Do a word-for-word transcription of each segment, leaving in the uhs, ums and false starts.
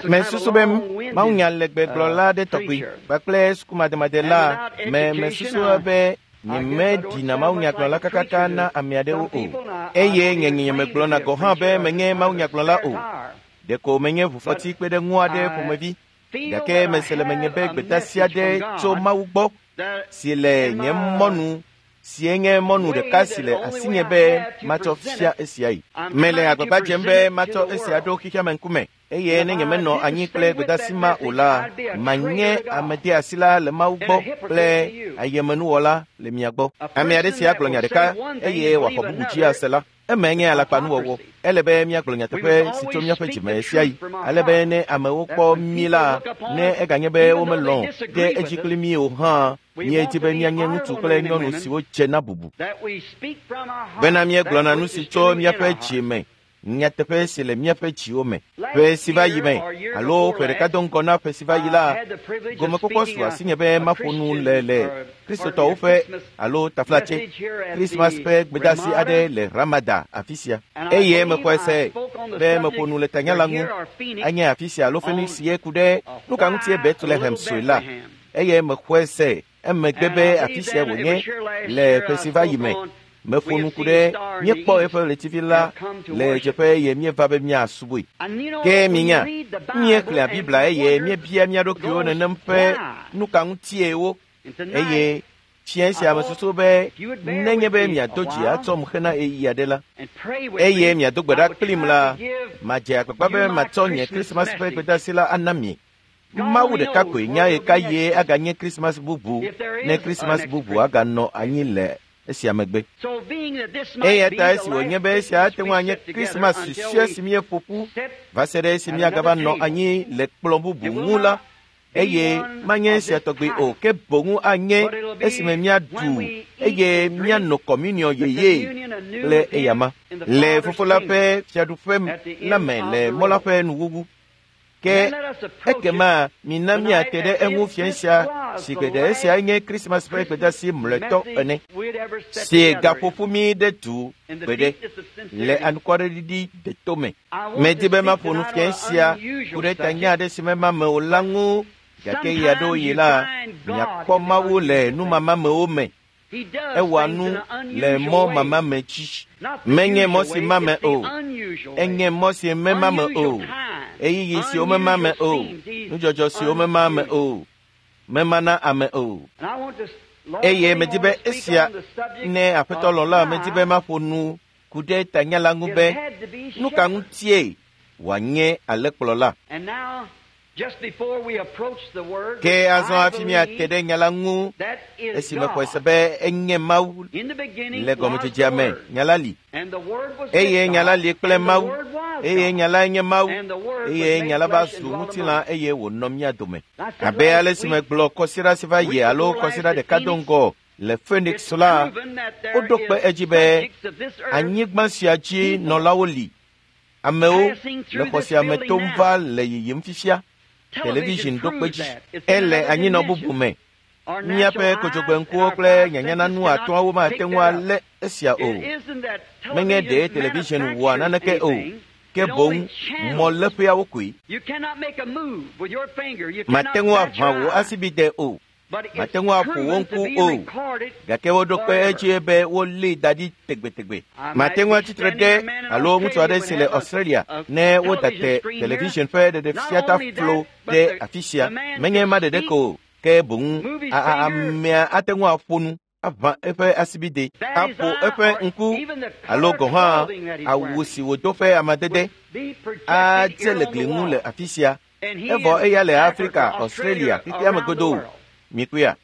Mesusu be mawunya le gbegblɔla aɖe tɔgbi kpakple sukumademadela me mesusu be nyemeɖina mawunyagblɔla kakaka na ame aɖewo o eye nye nyemegblɔna gɔ̃ hã be menye mawunyagblɔla o. Ɖeko menye ʋufɔti kpe ɖe ŋu aɖe ƒomevi gake mese le menye be gbedeasi aɖe tso Mawu gbɔ si le nye mɔnu si nye mɔnu ɖeka si le asinye be matsɔ fia esiae. Mele agbagba dzem be matsɔ esia ɖo xexeame ŋkume eye ne nyemenɔ anyi kple gbedeasi ma o la, manye amedeasila le Mawu gbɔ kple ayemenuwɔla le mia gbɔ. Ame aɖe si agblɔ nya ɖeka eye wòaxɔ bubu dzi ase la, eme nye alakpanuwɔwɔ. Ele be míagblɔ nyateƒe si tso míaƒe dzime sia yi ale be ne amewo kpɔ mí la, ne eganye be womelɔ̃ ɖe edzi kpli mí o hã, míedi be míanye ŋutsu kple nyɔnu siwo dze na bubu. Bena míegblɔna nu si tso míaƒe dzime, nyateƒe si le míaƒe dziwo me. Ƒe si va yi me alo ƒe ɖeka do ŋgɔ na ƒe si va yi la, gomekpɔkpɔ su asinye be maƒo nu le le Kristotɔwo ƒe alo taflatse Krismas ƒe gbedeasi aɖe le Ramada afi sia. Eye mexɔe se be meƒo nu le tanya la ŋu anye afi sia alo Phoenix ye ku ɖe nu ka ŋutie Bethlehem sue la. Eye mexɔe se emegbe be afi sia wònye le ƒe si va yi me. Meƒo nu ku ɖe míekpɔ eƒe ɣletivi la le dzeƒe eye míeva be míasubɔe. Ke minya, míexlẽa Biblia eye míebia mía ɖokuiwo nenem ƒe nu ka ŋutie wo eye fiẽ sia mesusu be nenye be miado dzi atsɔm hena ɣeyiɣi aɖe la eye miado gbe ɖa kplim la, madze agbagba be matsɔ nye Krismas ƒe gbedeasi la ana mi. Mawu ɖeka koe nya ɣekaɣie aganye Krismas bubu ne Krismas bubu aganɔ anyi le esia megbe. Eya ta esi wònye be esia ate ŋu anye Krismas susɔe si míeƒo ƒu va se ɖe esi míagava nɔ anyi le kplɔ̃ bubu ŋu la, eye manye esia tɔgbi o, ke boŋ anye esime míaɖu eye míano kɔmuniɔ yeye kple eyama le Fofo la ƒe fiaɖuƒe la me le mɔ la ƒe nuwuwu. Ke ekema mina míate ɖe eŋu fiẽ sia si geɖe esia nye Krismas ƒe gbedeasi mlɔetɔ ene si gaƒoƒu mí ɖe du gbeɖe le anukwareɖiɖi deto me. Medi be maƒo nu fiẽ sia ku ɖe tanya aɖe si mema me o la ŋu gake ɣeaɖewoɣi la, miakpɔ Mawu le numamamewo me. Ewɔa nu le mɔ mamame dzi. Menye mɔ si mame o, enye mɔ si memame o, ɣeyiɣi siwo memame o, nudzɔdzɔ siwo memame o, memana ame o. Eye medi be esia ne Aƒetɔ lɔ̃ la, medi be maƒo nu ku ɖe tanya la ŋu be nu ka ŋutie wòanye alẽkplɔla. Ke azɔ hafi míate ɖe nya la ŋu esi mexɔe se be enye Mawu le gɔmedzedzea me, nya la li. Eye nya la li kple Mawu, eye nya lae nye Mawu, eye nya la va zu ŋutilã eye wònɔ mía dome. Abe ale si megblɔ kɔsiɖa si va yi alo kɔsiɖa ɖeka do ŋgɔ le Phoenix la, woɖo kpe edzi be anyigba sia dzi nɔlawo li. Amewo le xɔ sia me tom va le yiyim fifia. Television ɖo kpe dzi. Ele anyinɔ bubu me. Míaƒe kodzogbeŋkuwo kple nyanyananu atɔ̃awo mate ŋu alé esia o. Menye ɖe television wɔa naneke o, ke boŋ mɔléƒeawo koe. Mate ŋu aʋã wò asibide o. Mate ŋu aƒo wo ŋku o, gake woɖo kpe edzi be wolée da ɖi tegbetegbe. Mate ŋu atsitre ɖe alo ŋutsu aɖe si le Australia ne woda te television ƒe ɖeɖefiataflo ɖe afi sia. Menye ma ɖeɖe ko o, ke boŋ amea ate ŋu aƒo nu, aʋã eƒe asibide, aƒo eƒe ŋku alo gɔ̃ hã awu si wòdo ƒe amadede adze le gli ŋu le afi sia. Evɔ eya le Afrika, Australia, xexeame godoo. Mikpɔea,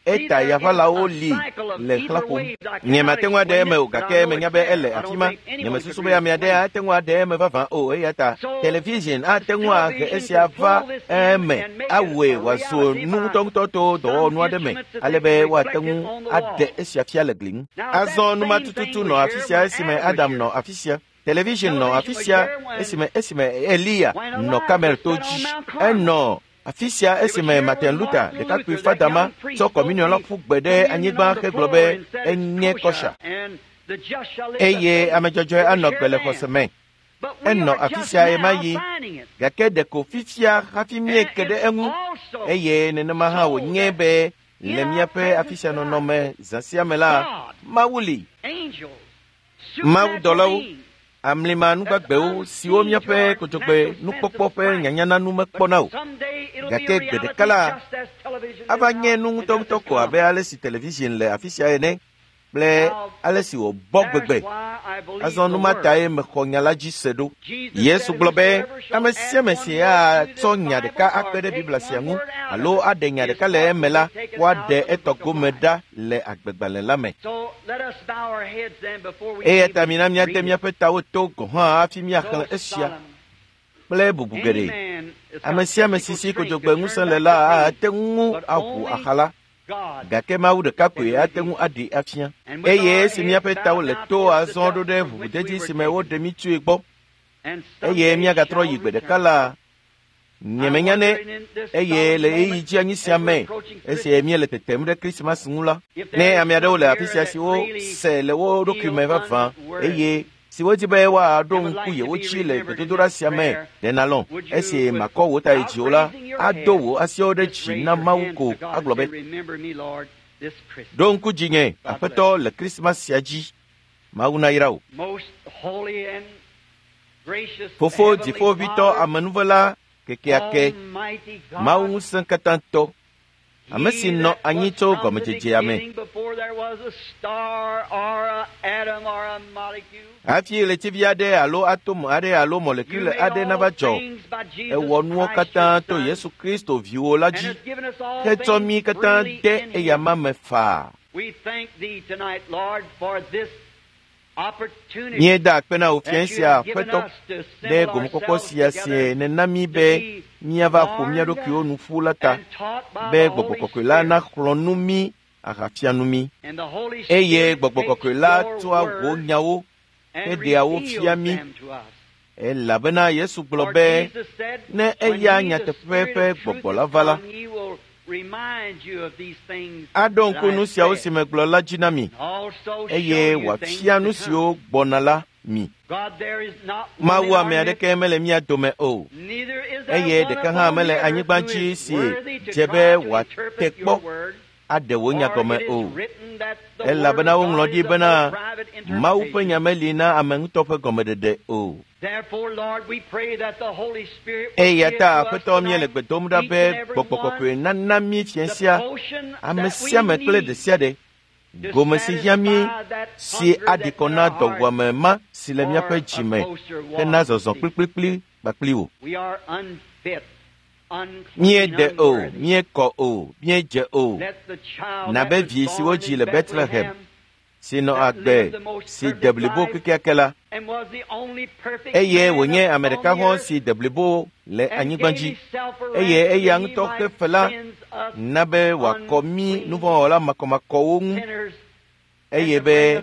eta yaʋalawo li le xlã ƒom. Nyemate ŋu aɖe eme o gake menya be ele afi ma. Nyemesusu be ame aɖe ate ŋu aɖe eme vavã o eya ta television ate ŋu ahe esia va eme awɔe wòazu nu ŋutɔŋutɔ to dɔwɔnu aɖe me ale be woate ŋu aɖe esia fia le gli ŋu. Azɔ nu ma tututu nɔ afi sia esime Adam nɔ afi sia. Television nɔ afi sia esime esime Eliya nɔ Karmel to dzi. Enɔ afi sia esime Martin Luther ɖekakpui fadama tsɔ kɔmuniɔ la ƒu gbe ɖe anyigba hegblɔ be enye kɔsha eye ame dzɔdzɔe anɔ gbe le xɔse me. Enɔ afi sia ɣemaɣi, gake ɖeko fifia hafi míeke ɖe eŋu eye nenema hã wònye be le míaƒe afi sia nɔnɔme zã sia me la, Mawu li. Mawudɔlawo, amlima nugbagbewo siwo míaƒe kodzogbe nukpɔkpɔ ƒe nyanyananu mekpɔna o, gake gbe ɖeka la, ava nye nu ŋutɔŋutɔ ko abe ale si television le afi sia ene kple ale si wòbɔ gbegbe. Azɔ nu ma tae mexɔ nya la dzi se ɖo. Yesu gblɔ be ame sia ame si atsɔ nya ɖeka akpe ɖe Biblia sia ŋu alo aɖe nya ɖeka le eme la, woaɖe etɔ gome ɖa le agbegbalẽ la me. Eya ta mina míade míaƒe tawo to gɔ̃ hã hafi míaxlẽ esia kple bubu geɖe. Ame sia ame si si kodzogbe ŋusẽ le la ate ŋu aʋu axa la, gake Mawu ɖeka koe ate ŋu aɖee afia. Eye esi míaƒe tawo le to azɔ ɖo ɖe ʋuʋudedi si me woɖe mí tsoe gbɔ, eye míagatrɔ yi gbe ɖeka la, nyemenya ne eye le ɣeyiɣi dzi anyi sia me esi míele tetem ɖe Krismas ŋu la, ne ame aɖewo le afi sia siwo se le wo ɖokui me vavã eye siwo di be woaɖo ŋku yewo dzi le gbedodoɖa sia me, ɖe nalɔ̃ esi makɔ wò ta yi dziwò la, ado wò asiwo ɖe dzi na Mawu ko agblɔ be, ɖo ŋku dzinye, Aƒetɔ, le Krismas sia dzi. Mawu nayra wò. Fofo dziƒoʋĩtɔ amenuvela kekeake, Mawu ŋusẽ katã tɔ, ame si nɔ anyi tso gɔmedzedzea me. Hafi ɣletivi aɖe alo atom aɖe alo mɔlekule aɖe nava dzɔ, ewɔ nuwo katã to Yesu Kristo viwò la dzi, hetsɔ mí katã de eyama me faa. Míeda akpe na wò fiẽ sia, Aƒetɔ, ɖe gomekpɔkpɔ sia si nèna mí be míava ƒo mía ɖokuiwo nu ƒu la ta, be Gbɔgbɔ Kɔkɔe la naxlɔ̃ nu mí ahafia nu mí. Eye Gbɔgbɔ Kɔkɔe la tsɔa wò nyawo heɖea wo fia mí. Elabena Yesu gblɔ be, ne eya nyateƒe ƒe Gbɔgbɔ la va la, aɖo ŋku nu siawo si megblɔ la dzi na mi, eye wòafia nu siwo gbɔna la mi. Mawu ame aɖeke mele mía dome o, eye ɖeka hã mele anyigba dzi si dze be wòate kpɔ aɖe wò nya gɔme o. Elabena woŋlɔ ɖi bena Mawu ƒe nya meli na ame ŋutɔ ƒe gɔmeɖeɖe o. Eya ta Aƒetɔ, míele gbe dom ɖa be Gbɔgbɔ Kɔkɔe nana mí fiẽ sia, ame sia ame kple ɖe sia ɖe, gome si hiã mí si aɖi kɔ na dɔwuame ma si le míaƒe dzi me hena zɔzɔ kplikplikpli kpakpli wò. Míeɖe o, míekɔ o, míedze o, nabe vi si wodzi le Bethlehem, si nɔ agbe si de blibo kekeake la, eye wònye ame ɖeka hɔ̃ si de blibo le anyigba dzi, eye eya ŋutɔ ƒe fe la na be wòakɔ mí nuvɔ̃wɔla makɔmakɔwo ŋu, eye be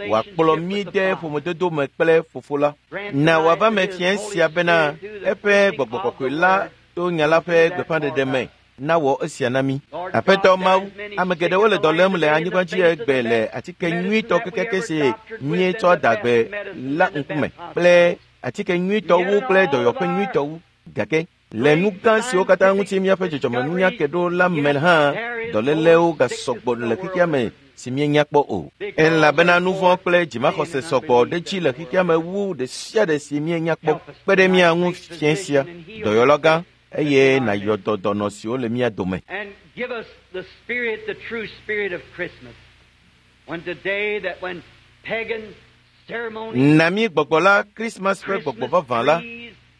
wòakplɔ mí de ƒomedodo me kple Fofo la. Na wòava me fiẽ sia bena eƒe Gbɔgbɔ Kɔkɔe la to nya la ƒe gbeƒãɖeɖe me nawɔ esia na mí. Aƒetɔ Mawu, ame geɖewo le dɔ lém le anyigba dzi egbe le atike nyuitɔ kekeake si míetsɔ da gbe la ŋkume kple atike nyuitɔ wu kple dɔyɔƒe nyuitɔ wu. Gake le nu gã siwo katã ŋuti míaƒe dzɔdzɔmenunya ke ɖo la me hã, dɔlélewo gasɔgbɔ le xexea me si míenya kpɔ o. Elabena nu vɔ̃ kple dzimaxɔse sɔgbɔ ɖe dzi le xexea me wu ɖe sia ɖe si míenya kpɔ. Kpe ɖe mía ŋu fiẽ sia, dɔyɔla gã, eye nàyɔ dɔ dɔnɔ siwo le mía dome. Na mí Gbɔgbɔ la, Krismas ƒe gbɔgbɔ vavã la,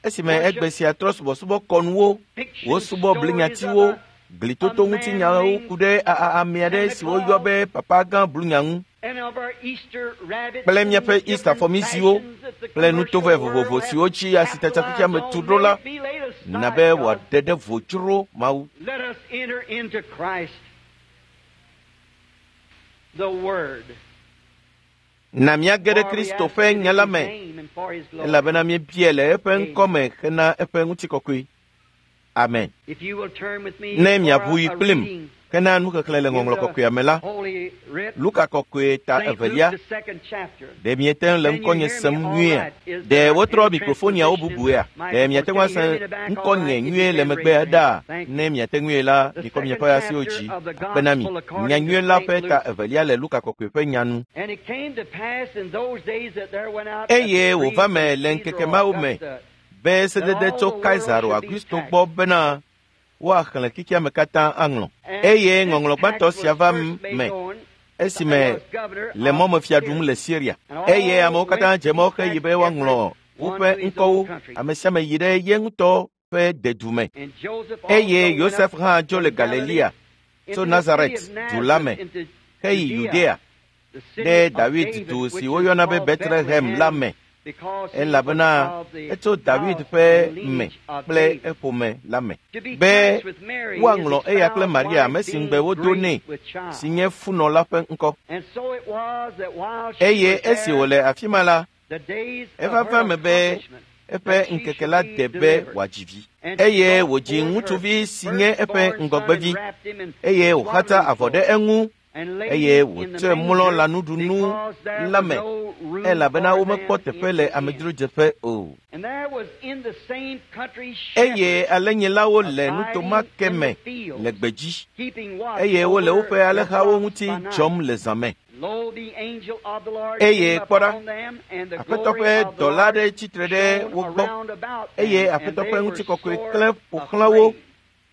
esime egbe sia trɔ subɔsubɔ kɔnuwo, wosubɔ blinyatiwo, glitoto ŋutinyawo ku ɖe ame aɖe si woyɔ be Papa Gã Blunya ŋu, kple míaƒe Easter fɔmiziwo kple nutovɛ vovovo siwo dzi asitsatsa xexea me tu ɖo la, na be wòaɖe ɖe vo dzro Mawu. Na míage ɖe Kristo ƒe nya la me, elabena míebia le eƒe ŋkɔ me hena eƒe ŋutikɔkɔe. Amen. Ne miaʋu yi kplim hena nuxexlẽ le Ŋɔŋlɔ Kɔkɔea me la, Luka Kɔkɔe ta evelia, ɖe miete ŋu le ŋkɔnye sem nyuiea? Ɖe wotrɔ mikrofoniawo bubuea? Ɖe miate ŋu ase ŋkɔnye nyuie le megbea ɖaa? Ne miate ŋue la, mikɔ miaƒe asiwo dzi akpe na mi. Nyanyui la ƒe ta evelia le Luka Kɔkɔe ƒe nya nu. Eye wòva me le ŋkeke mawo me be sedede tso Kaisaro Augusto gbɔ bena woaxlẽ xexeame katã aŋlɔ. Eye ŋɔŋlɔ gbãtɔ sia va me esime le mɔmefia ɖum le Syria. Eye amewo katã dze mɔ heyi be woaŋlɔ woƒe ŋkɔwo. Ame sia ame yi ɖe ye ŋutɔ ƒe dedu me. Eye Yosef hã dzo le Galilea tso Nazaret du la me heyi Yudea ɖe David du si woyɔna be Betlehem la me, elabena etso David ƒe me kple eƒome la me, be woaŋlɔ eya kple Maria, ame si ŋugbe wodo nɛ, si nye funɔ la ƒe ŋkɔ. Eye esi wòle afi ma la, eva va me be eƒe ŋkeke la de be wòadzi vi. Eye wòdzi ŋutsuvi si nye eƒe ŋgɔgbevi, eye wòxatsa avɔ ɖe eŋu, eye wòtsɔe mlɔ lãnuɖunu la me, elabena womekpɔ teƒe le amedzrodzeƒe o. Eye alẽnyilawo le nuto ma ke me le gbedzi, eye wole woƒe alẽhawo ŋuti dzɔm le zã me. Eye kpɔ ɖa, Aƒetɔ ƒe dɔla aɖe tsitre ɖe wo gbɔ, eye Aƒetɔ ƒe ŋutikɔkɔe klẽ ƒo xlã wo,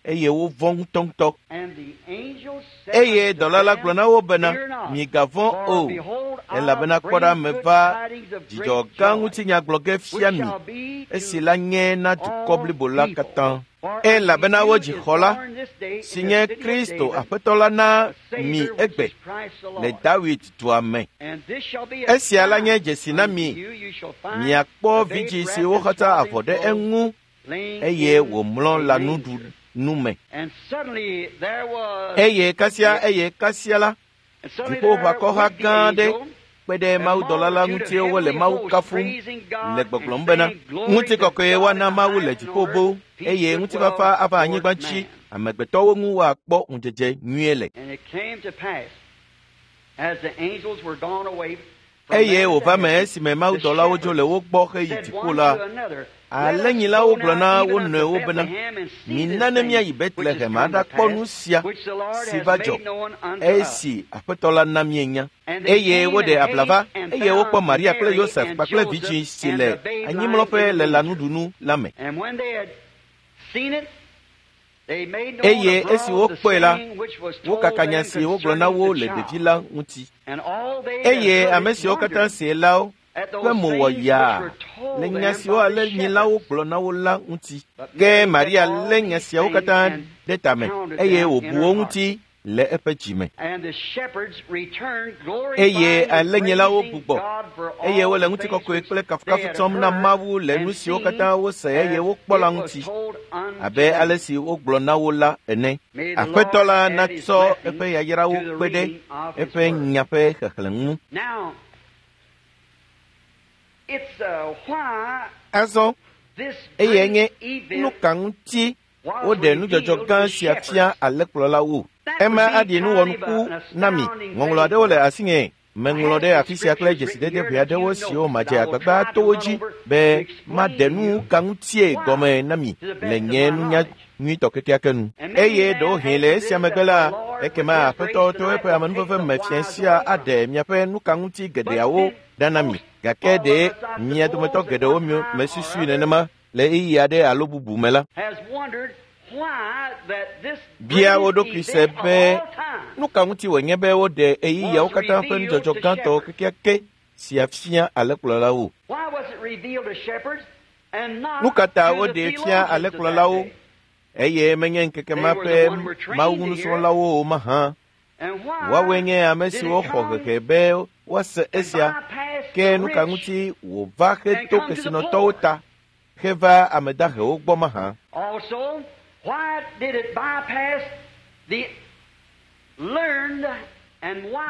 eye wovɔ̃ ŋutɔŋutɔ. Eye dɔla la gblɔ na wo bena, migavɔ̃ o, elabena kpɔ ɖa, meva dzidzɔ gã ŋutinya gblɔ ge fia mi, esi la nye na dukɔ blibo la katã. Elabena wodzi xɔla, si nye Kristo Aƒetɔ la na mi egbe le David dua me. Esia la nye dzesi na mi, miakpɔ vidzĩ si woxatsa avɔ ɖe eŋu, eye wòmlɔ lãnuɖunu me. Eye kasia eye kasia la, dziƒoʋakɔha gã aɖe kpe ɖe mawudɔla la ŋuti wole Mawu kafum le gbɔgblɔm bena, ŋutikɔkɔe woana Mawu le dziƒo boo, eye ŋutifafa ava anyigba dzi, amegbetɔwo ŋu woakpɔ ŋudzedze nyuie le. Eye wòva me esime mawudɔlawo dzo le wo gbɔ heyi dziƒo la, alẽnyilawo gblɔ na wo nɔewo bena, mina ne míayi Betlehem aɖakpɔ nu sia si va dzɔ, esi Aƒetɔ la na míenya. Eye woɖe abla va, eye wokpɔ Maria kple Yosef kpakple vidzĩ si le anyimlɔƒe le lãnuɖunu la me. Eye esi wokpɔe la, wokaka nya si wogblɔ na wo le ɖevi la ŋuti. Eye ame siwo katã see la ƒe mo wɔ yaa le nya siwo alẽnyilawo gblɔ na wo la ŋuti. Ke Maria lé nya siawo katã ɖe tame, eye wòbu wo ŋuti le eƒe dzi me. Eye alẽnyilawo gbugbɔ, eye wole ŋutikɔkɔe kple kafukafu tsɔm na Mawu le nu siwo katã wose eye wokpɔ la ŋuti, abe ale si wogblɔ na wo la ene. Aƒetɔ la natsɔ eƒe yayrawo kpe ɖe eƒe nya ƒe xexlẽ ŋu. Azɔ, eyae nye nu ka ŋuti woɖe nudzɔdzɔ gã sia fia alẽkplɔlawo. Ema aɖi nuwɔnuku na mi. Ŋɔŋlɔ aɖewo le asinye meŋlɔ ɖe afi sia kple dzesidede ʋɛ aɖewo siwo madze agbagba to wo dzi be maɖe nu ka ŋutie gɔme na mi le nye nunya nyuitɔ kekeake nu. Eye ɖewohĩ le esia megbe la, ekema Aƒetɔ to eƒe amenuveve me fia sia aɖe miaƒe nu ka ŋuti geɖeawo ɖa na mi. Gake ɖe mia dometɔ geɖewo mesusui nenema le ɣeyiɣi aɖe alo bubu me la, bia wo ɖokui se be nu ka ŋuti wònye be woɖe ɣeyiɣiawo katã ƒe nudzɔdzɔ gãtɔ kekeake sia fia alẽkplɔlawo. Nu ka ta woɖee fia alẽkplɔlawo, eye menye ŋkeke ma ƒe Mawu nusrɔ̃lawo o mahã? Woawoe nye ame siwo xɔ hehe be woase esia, ke nu ka ŋuti wòva heto kesinɔtɔwo ta heva ame dahewo gbɔ mahã?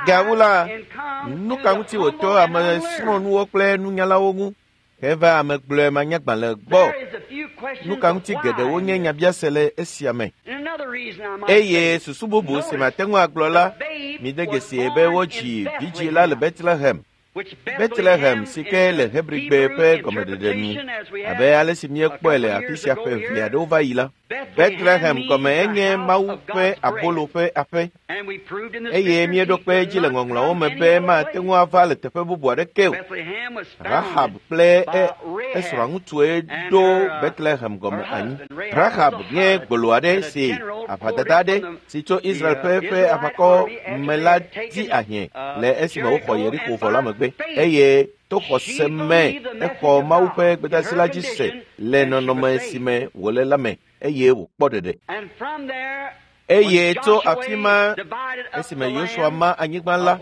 Gawu la, nu ka ŋuti wòto ame srɔ̃nuwo kple nunyalawo ŋu Heva ame gblɔe manyagbalẽ gbɔ. Nu ka ŋuti geɖewo nye nyabiase le esia me. Eye susu bubu si mate ŋu agblɔ la, mide dzesi be wodzi vidzĩ la le Bethlehem. Bethlehem si ke le Hebrigbe ƒe gɔmeɖeɖe nu, abe ale si míekpɔe le afi sia ƒe eve aɖewo va yi la. Bethlehem gɔme enye Mawu ƒe abolo ƒe aƒe, eye míeɖo kpe edzi le ŋɔŋlɔawo me be mate ŋu ava le teƒe bubu aɖeke o. Rahab kple esrɔ̃a ŋutsue ɖo Bethlehem gɔme anyi. Rahab nye gbolo aɖe si aʋadada aɖe si tso Israel ƒe ƒe aʋakɔ me la di ahiã le esime woxɔ Yeriko vɔ la megbe, eye to xɔse me exɔ Mawu ƒe gbedeasi la dzi se le nɔnɔme si me wòle la me, eye wòkpɔ ɖeɖe. Eye tso afi ma esime Yosua ma anyigba la,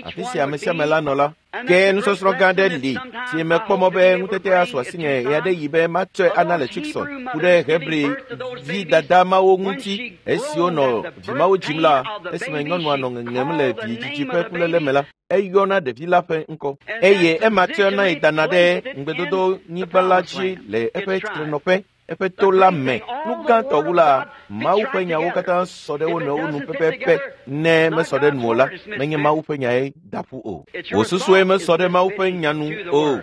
afi si ame sia ame la nɔ la, ke nusɔsrɔ̃ gã aɖe li si mekpɔ mɔ be ŋutete asu asinye ɣe aɖe yi be matsɔe ana le Tucson ku ɖe Hebri vi dada mawo ŋuti esiwo nɔ vi mawo dzim la, esime nyɔnua nɔ ŋeŋem le vidzidzi ƒe kuléle me la, eyɔna ɖevi la ƒe ŋkɔ, eye ema tsɔna yi dana ɖe ŋugbedodonyigba la dzi le eƒe tsitrenɔƒe, eƒe to la me. Nu gãtɔ wu la, Mawu ƒe nyawo katã sɔ ɖe wo nɔewo nu pɛpɛpɛ. Ne mesɔ ɖe nu o la, menye Mawu ƒe nyae da ƒu o. Wò susue mesɔ ɖe Mawu ƒe nya nu o.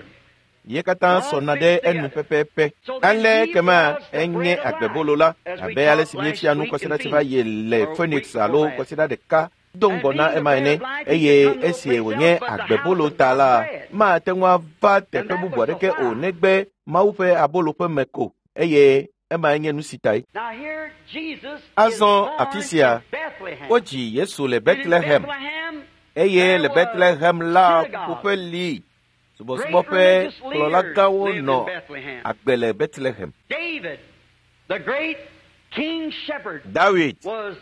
Ye katã sɔna ɖe enu pɛpɛpɛ. Ale kema enye agbebolo la, abe ale si míefia nu kɔsiɖa si va yi le Phoenix alo kɔsiɖa ɖeka do ŋgɔ na ema ene, eye esi wònye agbebolo ta la, mate ŋu ava teƒe bubu aɖeke o negbe Mawu ƒe abolo ƒe me ko, eye ema nye nu si tae. Azɔ afi sia, wodzi Yesu le Bethlehem, eye le Bethlehem la ƒuƒoƒe li subɔsubɔ ƒe kplɔlagãwo nɔ agbe le Bethlehem. Dawid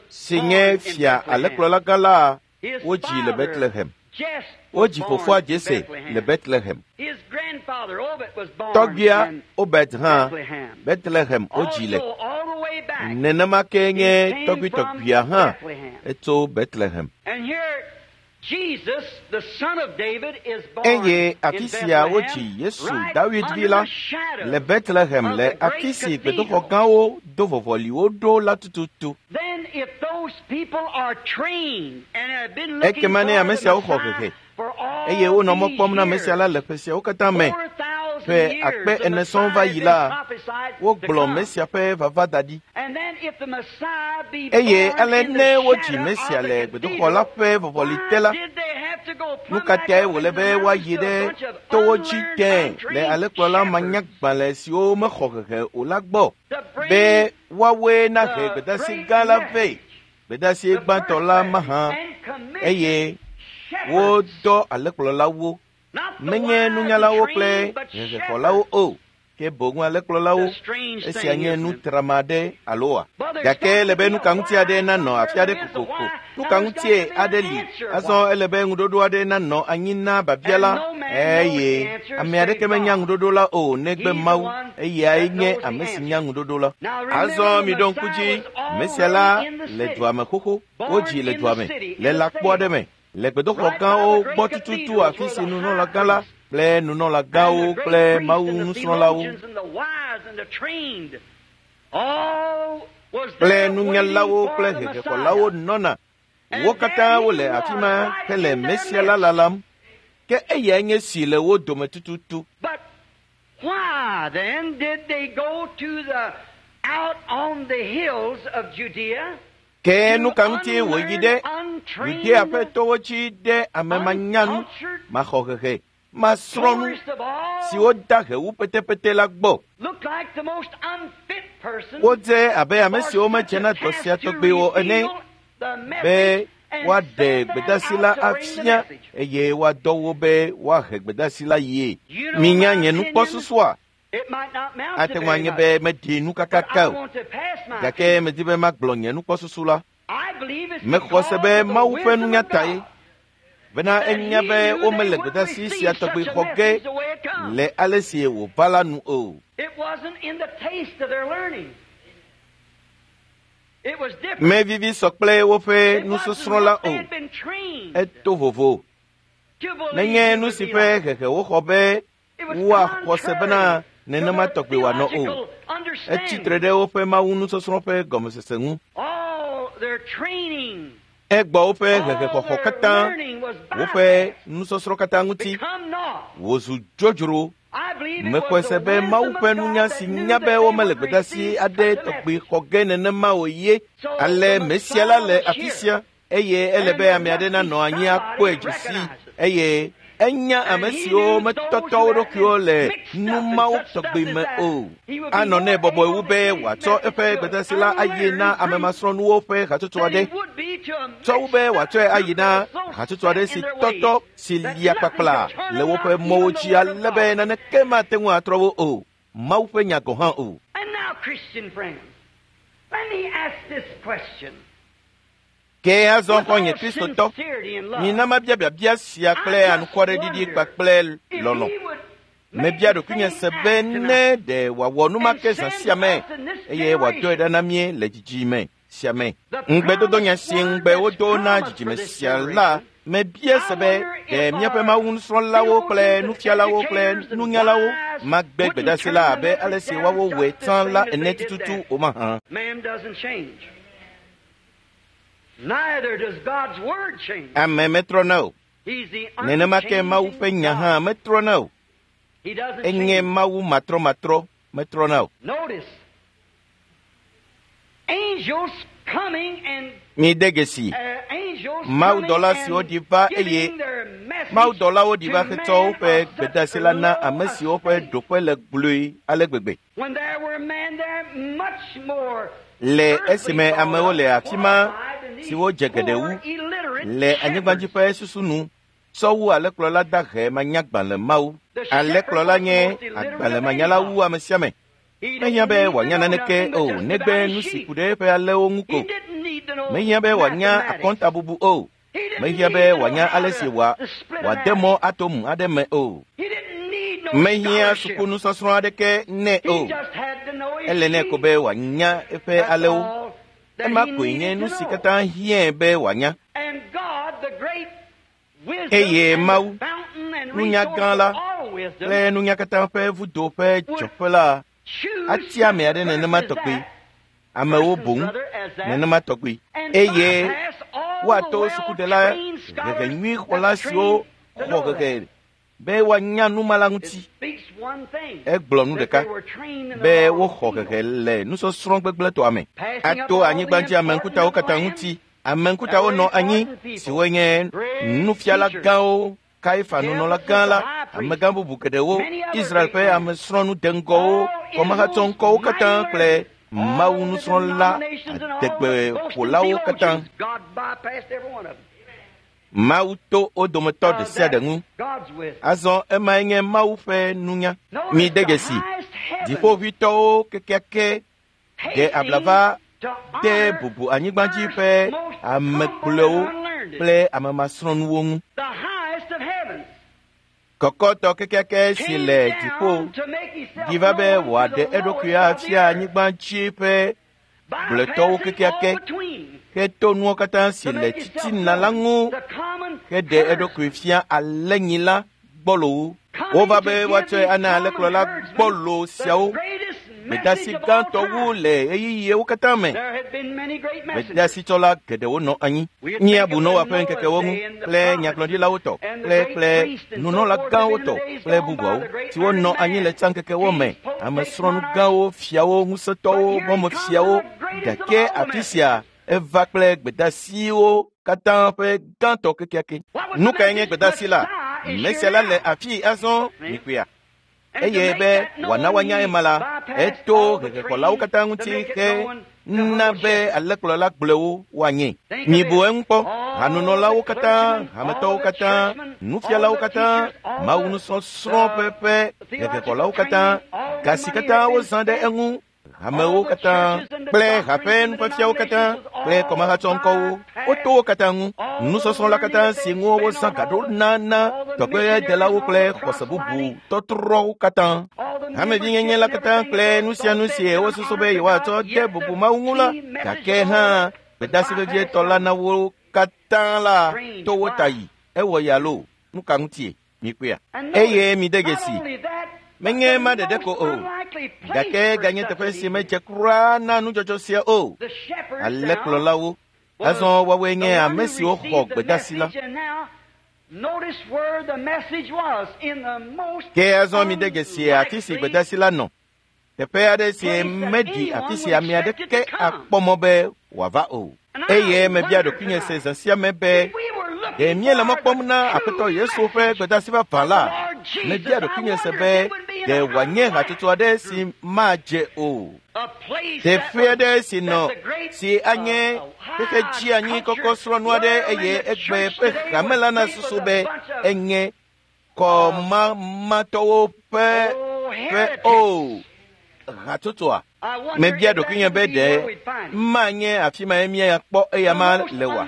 si nye fia alẽkplɔlagã la, wodzi le Bethlehem. Wodzi fofoa Jese le Bethlehem. Tɔgbuia Obed hã Bethlehem wodzi le. Nenema ke nye tɔgbuitɔgbuia hã etso Bethlehem. Eye afi sia wodzi Yesu Dawid vi la le Bethlehem le afi si gbedoxɔ gãwo do vɔvɔliwo ɖo la tututu. Ekema ne ame siawo xɔ hehe, eye wonɔ mɔ kpɔm na ame sia la le ƒe siawo katã me, ƒe akpe ene sɔŋ va yi la, wogblɔ Mesia ƒe vava da ɖi. Eye ale ne wodzi Mesia le gbedoxɔ la ƒe vɔvɔli te la, nu ka tae wòle be woayi ɖe towo dzi tẽe le alẽkplɔla manyagbalẽ siwo mexɔ hehe o la gbɔ be woawoe nahe gbedeasi gã la vɛ, gbedeasi gbãtɔ la mahã, eye wodɔ alẽkplɔlawo, menye nunyalawo kple hehexɔlawo o, ke boŋ alẽkplɔlawo. Esia nye nu trama aɖe aloa? Gake ele be nu ka ŋuti aɖe nanɔ afi aɖe kokoko. Nu ka ŋutie aɖe li? Azɔ ele be ŋuɖoɖo aɖe nanɔ anyi na babia la, eye ame aɖeke menya ŋuɖoɖo la o negbe Mawu. Eyae nye ame si nya ŋuɖoɖo la. Azɔ miɖo ŋku dzi, Mesia la le dua me xoxo. Wodzi le dua me, le lãkpo aɖe me, le gbedoxɔ gãwo gbɔ tututu afi si nunɔlagã la kple nunɔlagãwo kple Mawu nusrɔ̃lawo kple nunyalawo kple hehexɔlawo nɔna. Wo katã wole afi ma hele Mesia la lalam. Ke eyae nye si le wo dome tututu. Ke nu ka ŋuti wòyi ɖe Yudea ƒe towo dzi ɖe ame manyanu, maxɔhehe, masrɔ̃nu siwo da he wu petepete la gbɔ? Wodze abe ame siwo medze na dɔ sia tɔgbi o ene be woaɖe gbedeasi la afia eye woadɔ wo be woahe gbedeasi la yie. Minya nye nukpɔsusua? Ate ŋu anye be meɖi nu kakaka o, gake medi be magblɔ nye nukpɔsusu la. Mexɔ se be Mawu ƒe nunya tae, bena enya be womele gbedeasi sia tɔgbi xɔ ge le ale si wòva la nu o. Mevivi sɔ kple woƒe nusɔsrɔ̃ la o. Eto vovo. Menye nu si ƒe hehe woxɔ be Woaxɔ se bena nenema tɔgbe wòanɔ o. Etsi tre ɖe woƒe mawu nusɔsrɔ̃ ƒe gɔmesese ŋu. Egbɔ woƒe hehexɔxɔ katã, woƒe nusɔsrɔ̃ katã ŋuti wòzu dzodzro. Mexɔe se be Mawu ƒe nunya si nya be womele gbedeasi aɖe tɔgbe xɔ ge nenema o ye. Ale Mesia la le afi sia eye ele be ame aɖe nanɔ anyi akpɔe dze sii eye enya ame siwo metɔtɔ wo ɖokuiwo le nu mawo tɔgbe me o. Anɔ nɛ bɔbɔe wu be wòatsɔ eƒe gbedeasi la ayi na ame masrɔ̃nuwo ƒe hatsotso aɖe tsɔ wu be wòatsɔe ayi na hatsotso aɖe si tɔtɔ si lia kpakpla le woƒe mɔwo dzi ale be naneke mate ŋu atrɔ wo o. Mawu ƒe nya gɔ̃ hã o. Ke azɔ xɔ̃nye Kristotɔ, mina mabia biabia sia kple anukwareɖiɖi kpakple lɔlɔ̃. Mebia ɖokuinye se be ne ɖe wòawɔ nu ma ke zã sia me eye wòadɔe ɖa na mí le dzidzime sia me. Ŋugbedodonya si ŋugbe wodo na dzidzime sia la, mebia se be ɖe míaƒe mawu nusrɔ̃lawo kple nufialawo kple nunyalawo magbe gbedeasi la abe ale si woawo wɔe tsã la ene tututu o mahã. Ame metrɔna o. Nenema ke Mawu ƒe nya hã metrɔna o. Enye Mawu matrɔmatrɔ metrɔna o. Mide dzesi mawudɔla siwo ɖi va eye mawudɔlawo ɖi va hetsɔ woƒe gbedeasi la na ame siwo ƒe ɖoƒe le gblɔe ale gbegbe. Le esime amewo le afi ma siwo dze geɖe wu le anyigbadzi ƒe susu nu tsɔ wu alẽkplɔla dahe manyagbalẽ mawo. Alẽkplɔla nye agbalẽmanyala wu ame sia ame. Mehiã be wòanya naneke o negbe nu si ku ɖe eƒe alẽwo ŋu ko. Mehiã be wòanya akɔntabubu o. Mehiã be wòanya ale si wòade mɔ atomu aɖe me o. Mehiã sukunusɔsrɔ̃ aɖeke nɛ o. Ele nɛ ko be wòanya eƒe alẽwo. Ema koe nye nu si katã hiãe be wòanya. Eye Mawu, nunya gã la kple nunya katã ƒe vudo ƒe dzɔƒe la atia ame aɖe nenema tɔgbe. Amewo boŋ nenema tɔgbe. Eye woato sukudela hehe nyui xɔla siwo xɔ hehe be woanya nu ma la ŋuti. Egblɔ nu ɖeka be woxɔ hehe le nusɔsrɔ̃ gbegblẽtɔa me. Ato anyigbadzi ame ŋkutawo katã ŋuti. Ame ŋkutawo nɔ anyi siwo nye nufiala gãwo, Kaifa nunɔla gã la, amegã bubu geɖewo, Israel ƒe amesrɔ̃nu deŋgɔwo, kɔmahatsɔŋkɔwo katã kple Mawu nusrɔ̃la adegbeƒolawo katã. Mawu to wo dometɔ ɖe sia ɖe ŋu. Azɔ emae nye Mawu ƒe nunya. Mide dzesi dziƒoʋĩtɔwo kekeake ɖe abla va de bubu anyigbadzi ƒe ame gblɔewo kple ame masrɔ̃nuwo ŋu. Kɔkɔtɔ kekeake si le dziƒo ɖi va be wòaɖe eɖokui afia anyigbadzi ƒe gblɔetɔwo kekeake heto nuwo katã si le titina la ŋu heɖe eɖokui fia alẽnyila gbɔlowo. Wova be woatsɔe ana alẽkplɔla gbɔlo siawo gbedeasi gãtɔ wu le ɣeyiɣiwo katã me. Gbedeasitsɔla geɖewo nɔ anyi. Míabu Noa ƒe ŋkekewo ŋu kple nyagblɔɖilawo tɔ kple kple nunɔla gãwo tɔ kple bubuawo siwo nɔ anyi le tsã ŋkekewo me. Ame srɔ̃nu gãwo, fiawo, ŋusẽtɔwo, mɔmefiawo. Gake afi sia eva kple gbedeasiwo katã ƒe gãtɔ kekeake. Nu kae nye gbedeasi la? Mesia la le afii azɔ mikpɔea. Eye be wòana woanya ema la, eto hehexɔlawo katã ŋuti he na be alẽkplɔla gblɔewo woanye. Mibu eŋu kpɔ, hanunɔlawo katã, hametɔwo katã, nufialawo katã, Mawu nusɔsrɔ̃ ƒe ƒe hehexɔlawo katã, ga si katã wozã ɖe eŋu, hamewo katã kple haƒe nufiafiawo katã kple kɔmahatsɔŋkɔwo, woto wo katã ŋu. Nusɔsrɔ̃ la katã si ŋu wozã ga ɖo na na tɔgbedelawo kple xɔse bubu tɔtrɔwo katã. Hamevinyenye la katã kple nu sia nu si wosusu be yewoatsɔ de bubu Mawu ŋu la, gake hã gbedeasi vevietɔ la na wo katã la to wo ta yi. Ewɔ ya loo, nu ka ŋutie? Mikpɔea. Eye mi de dzesi. Menye ma ɖeɖe ko o, gake ganye teƒe si medze kura na nudzɔdzɔ sia o. Alẽkplɔlawo, azɔ woawoe nye ame siwo xɔ gbedeasi la. Ke azɔ mi de dzesi afi si gbedeasi la nɔ. Teƒe aɖe si meɖi afi si ame aɖeke akpɔ mɔ be wòava o. Eye mebia ɖokuinye se zã sia me be, ɖe míele mɔ kpɔm na Aƒetɔ Yesu ƒe gbedeasi vavã la? Mebia ɖokuinye se be, ɖe wòanye hatsotso aɖe si madze o. Teƒe aɖe si nɔ si anye xexe dzi anyi kɔkɔ srɔ̃nu aɖe eye egbe ƒe hame la nasusu be enye kɔmamatɔwo ƒe ƒe o hatsotsoa. Mebia ɖokuinye be ɖe manye afi ma ye míakpɔ eya ma le oa?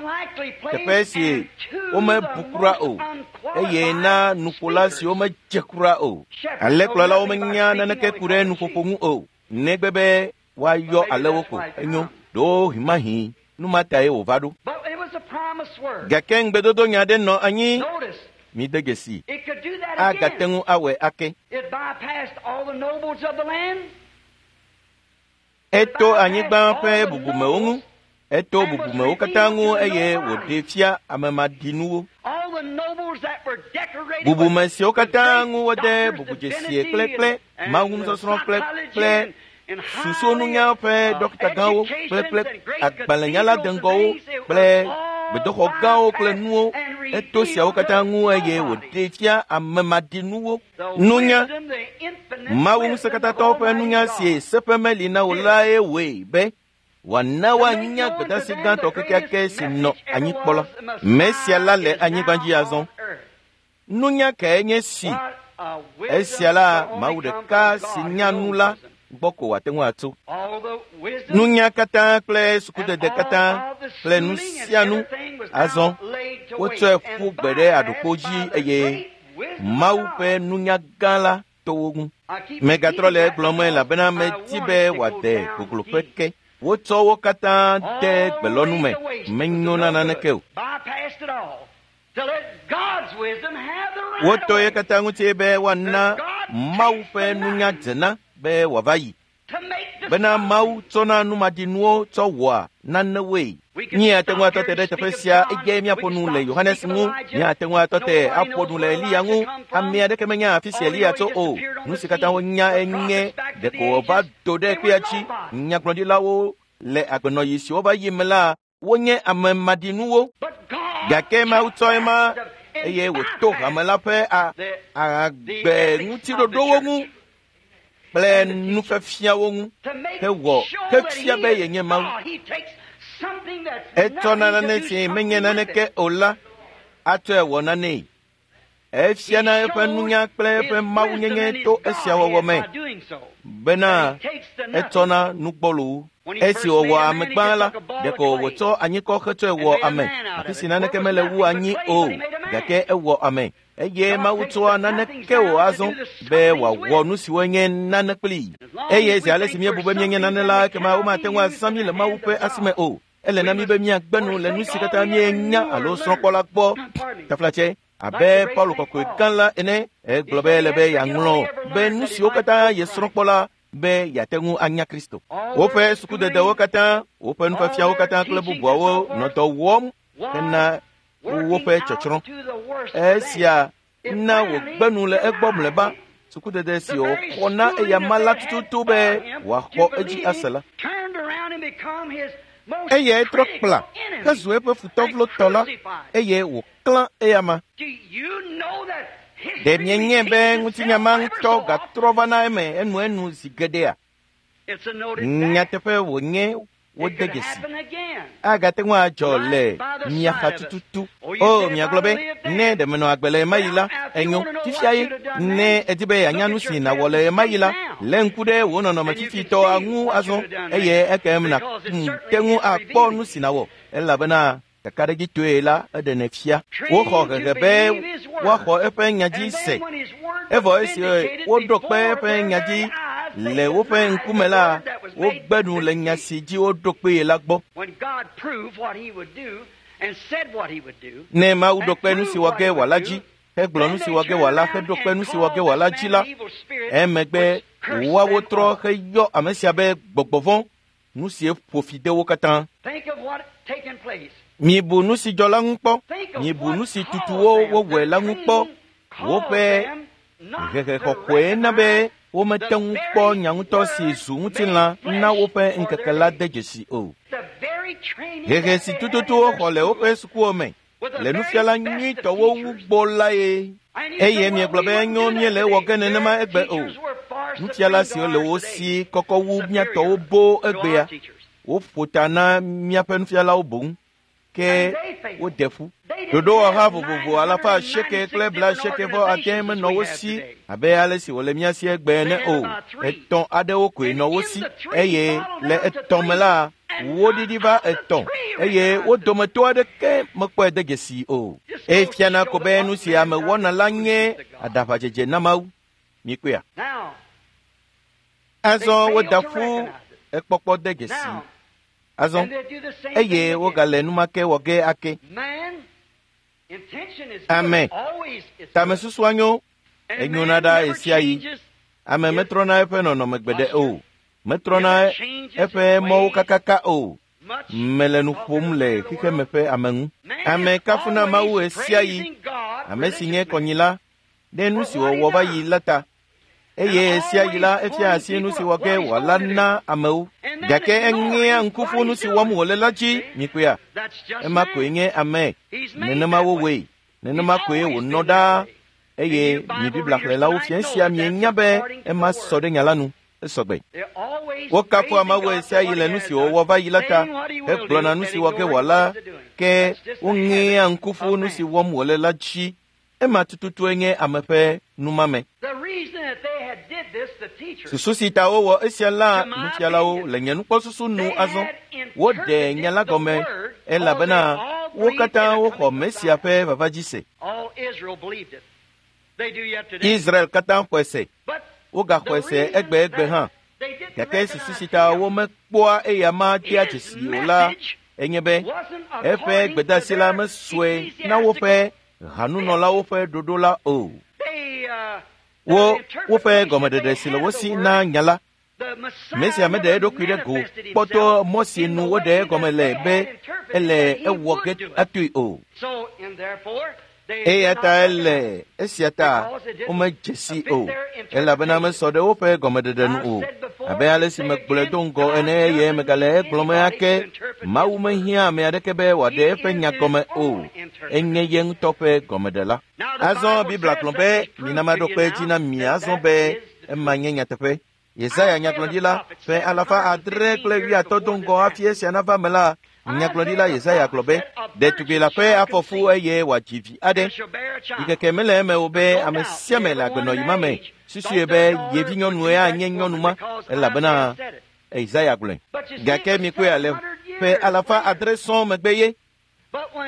Teƒe si womebu kura o, eye na nuƒola siwo medze kura o. Alẽkplɔlawo menya naneke ku ɖe nuƒoƒo ŋu o, negbe be woayɔ alẽwo ko. Enyo, ɖewohĩ mahi nu ma tae wòva ɖo. Gake ŋugbedodonya aɖe nɔ anyi. Mi de dzesi. Agate ŋu awɔe ake. Eto anyigba ƒe bubumewo ŋu. Eto bubumewo katã ŋu eye wòɖe fia ame maɖinuwo. Bubume siwo katã ŋu wode bubudzesie kple kple mawunusɔsrɔ̃ kple kple susununya ƒe ɖɔkitagãwo kple kple agbalẽnyala deŋgɔwo kple gbedoxɔ gãwo kple nuwo. Eto siawo katã ŋu eye wòɖe fia ame maɖinuwo. Nunya, Mawu ŋusẽkatãtɔwo ƒe nunya si seƒe meli na o lae wɔe be wòana woanya gbedeasi gãtɔ kekeake si nɔ anyi kpɔ la. Mesia la le anyigba dzi azɔ. Nunya kae nye si? Esia la, Mawu ɖeka si nya nu la gbɔ ko wòate ŋu atso. Nunya katã kple sukudede katã kple nu sia nu azɔ wotsɔe ƒu gbe ɖe aɖukpo dzi eye Mawu ƒe nunya gã la to wo ŋu. Megatrɔ le egblɔm elabena medi be wòade gogloƒe ke. Wotsɔ wo katã de gbelɔnu me, menyo na naneke o. Woto ye katã ŋuti be woana Mawu ƒe nunya dzena be wòava yi. Bena Mawu tsɔna numaɖinuwo tsɔ wɔa nanewoe. Míate ŋu atɔ te ɖe teƒe sia eye míaƒo nu le Yohanes ŋu. Míate ŋu atɔ te aƒo nu le Eliya ŋu. Ame aɖeke menya afi si Eliya tso o. Nu si katã wonya enye ɖeko wòva do ɖe kpea dzi. Nyagblɔɖilawo le agbenɔɣi si wova yi me la, wonye ame maɖinuwo. Gake Mawu tsɔ ema eye wòto hame la ƒe agbe ŋutiɖoɖowo ŋu kple nufiafiawo ŋu hewɔ hefia be yenye Mawu. Etsɔ nane si menye naneke o la atsɔe wɔ nanee. Efiana eƒe nunya kple eƒe mawunyenye to esia wɔwɔ me bena etsɔna nu gbɔlowo. Esi wòwɔ ame gbã la, ɖeko wòtsɔ anyikɔ hetsɔe wɔ ame, afi si naneke mele wu anyi o, gake ewɔ ame. Eye Mawu tsɔa naneke o azɔ be wòawɔ nu siwo nye nane kplii. Eye zi ale si míebu be míenye nane la, ekema womate ŋu azã mí le Mawu ƒe asime o. Ele na mí be míagbe nu le nu si katã míenya alo srɔ̃kpɔ la gbɔ. Taflatse, abe Paulo kɔkɔe gã la ene, egblɔ be ele be yeaŋlɔ be nu siwo katã yesrɔ̃kpɔ la be yeate ŋu anya Kristo. Woƒe sukudedewo katã, woƒe nufiafiawo katã kple bubuawo nɔ dɔ wɔm hena woƒe tsɔtsrɔ̃. Esia na wògbe nu le egbɔ mlɔeba. Sukudede si wòxɔ na eyama la tututu be wòaxɔ edzi ase la. Eyae trɔ kpla hezu eƒe futɔvlotɔ la eye wòklã eyama. Ɖe mienye be ŋutinya ma ŋutɔ gatrɔ va na eme enuenu zi geɖea? Nyateƒe wònye wode dzesi. Agate ŋu adzɔ le mia xa tututu. O, miagblɔ be, ne ɖe menɔ agbe le ɣemaɣi la, enyo. Fifia ye, ne edi be yeanya nu si nàwɔ le ɣemaɣi la, lé ŋku ɖe wò nɔnɔme fifitɔa ŋu azɔ eye ekem nàte ŋu akpɔ nu si nàwɔ elabena kakaɖedzitɔe la eɖenɛ fia. Woxɔ hehe be woaxɔ eƒe nya dzi se. Evɔ esi woɖo kpe eƒe nya dzi le woƒe ŋkume la, wogbe nu le nya si dzi woɖo kpee la gbɔ. Ne Mawu ɖo kpe nu si wɔ ge wòala dzi hegblɔ nu si wɔ ge wòala heɖo kpe nu si wɔ ge wòala dzi la, emegbe woawo trɔ heyɔ ame sia be gbɔgbɔ vɔ̃, nu sie ƒo fi de wo katã. Mibu nu si dzɔ la ŋu kpɔ. Mibu nu si tutu wo wowɔe la ŋu kpɔ. Woƒe hehexɔxɔe na be womete ŋu kpɔ nya ŋutɔ si zu ŋutilã na woƒe ŋkeke la de dzesi o. Hehe si tututu woxɔ le woƒe sukuwo me le nufiala nyuitɔwo ŋu gbɔ la ye. Eye miegblɔ be enyo míele ewɔ ge nenema egbe o. Nufiala siwo le wo si kɔkɔ wu míatɔwo boo egbea. Woƒo ta na míaƒe nufialawo boŋ. Ke wode ƒu. Ɖoɖowɔha vovovo alafa asieke kple bla asieke vɔ ade menɔ wo si abe ale si wòle mía si egbe ene o. Etɔ̃ aɖewo koe nɔ wo si eye le etɔ̃ me la, woɖiɖi va etɔ̃ eye wo dometɔ aɖeke mekpɔe de dzesi o. Efiana ko be nu si ame wɔna la nye aɖaʋadzedze na Mawu. Mikpɔea? Azɔ woda ƒu ekpɔkpɔ de dzesi. Azɔ eye wogale nu ma ke wɔ ge ake. Ame tamesusua nyo, enyona ɖa ɣesiaɣi. Ame metrɔna eƒe nɔnɔme gbeɖe o. Metrɔna eƒe mɔwo kakaka o. Mele nu ƒom le xexeme ƒe ame ŋu. Ame kafuna Mawu ɣesiaɣi, ame si nye kɔnyila ɖe nu si wòwɔ va yi la ta. Eye ɣesiaɣi la efia asi nu si wɔ ge wòala na amewo. Gake eŋea ŋku ƒu nu si wɔm wòle la dzi. Mikpɔea? Ema koe nye ame. Nenema wowɔe. Nenema koe wònɔ ɖaa. Eye mi Biblia xlẽlawo fia esia mienya be ema sɔ ɖe nya la nu. Esɔgbe. Wokafua Mawu ɣesiaɣi le nu si wòwɔ va yi la ta hegblɔna nu si wɔ ge wòala, ke woŋea ŋku ƒu nu si wɔm wòle la dzi. Ema tututue nye ame ƒe numame. Susu si ta wowɔ esia la nufialawo le nye nukpɔsusu nu azɔ. Woɖe nya la gɔme elabena wo katã woxɔ Mesia ƒe vava dzi se. Israel katã xɔe se. Wogaxɔe se egbe egbe hã. Gake susu si ta womekpɔa eya ma dea dzesi o la enye be eƒe gbedeasi la mesɔe na woƒe hanunɔlawo ƒe ɖoɖo la o. Wo woƒe gɔmeɖeɖe si le wo si na nya la. Mesia meɖe eɖokui ɖe go kpɔtɔ mɔ si nu woɖe egɔme le be ele ewɔ ge atoe o. Eya ta ele esia ta womedze si o, elabena mesɔ ɖe woƒe gɔmeɖeɖe nu o. Abe ale si megblɔe do ŋgɔ ene eye megale egblɔm ake, Mawu mehiã ame aɖeke be wòaɖe eƒe nya gɔme o. Enye ye ŋutɔ ƒe gɔmeɖela. Azɔ Biblia gblɔ be mina maɖo kpe edzi na mi azɔ be ema nye nyateƒe. Yesaya nyagblɔɖila ƒe alafa adre kple wuiatɔ̃ do ŋgɔ hafi esia nava me la, nyagblɔɖila Yesaya gblɔ be ɖetugbi la ƒe afɔfu eye wòadzi vi aɖe. Ɖikeke mele eme o be ame sia ame le agbenɔyi ma me susue be yevi nyɔnue anye nyɔnu ma elabena Yesaya gblɔe. Gake mikpɔe ale ƒe alafa adre sɔŋ megbe ye.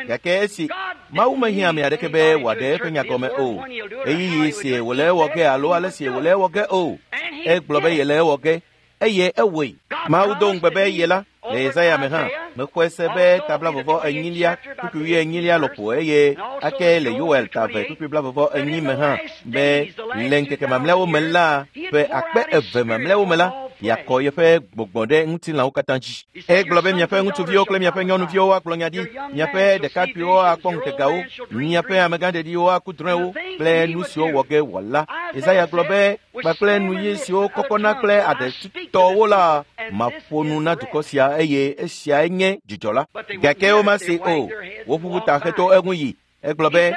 Gake esi Mawu mehiã ame aɖeke be wòaɖe eƒe nya gɔme o. Ɣeyiɣi si wòle ewɔ ge alo ale si wòle ewɔ ge o. Egblɔ be yele ewɔ ge eye ewɔe. Mawu do ŋugbe be ye la le Yesaya me hã mexɔe se be ta blavɔvɔ enyilia kpukpui wuienyilia lɔƒo eye ake le Yoel ta eve kpukpui blavɔvɔ enyi me hã be le ŋkeke mamlɛawo me la ƒe akpe eve mamlɛawo me la yeakɔ yeƒe gbɔgbɔ ɖe ŋutilãwo katã dzi. Egblɔ be miaƒe ŋutsuviwo kple miaƒe nyɔnuviwo akplɔ nya ɖi, miaƒe ɖekakpuiwo akpɔ ŋutegawo, miaƒe amegãɖeɖiwo aku drɔ̃ewo kple nu siwo wɔ ge wòala. Yesaya gblɔ be kpakple nu ɣi siwo kɔkɔna kple aɖetutɔwo la maƒo nu na dukɔ sia eye esiae nye dzidzɔ la. Gake womase o. Woƒuƒu ta heto eŋu yi. Egblɔ be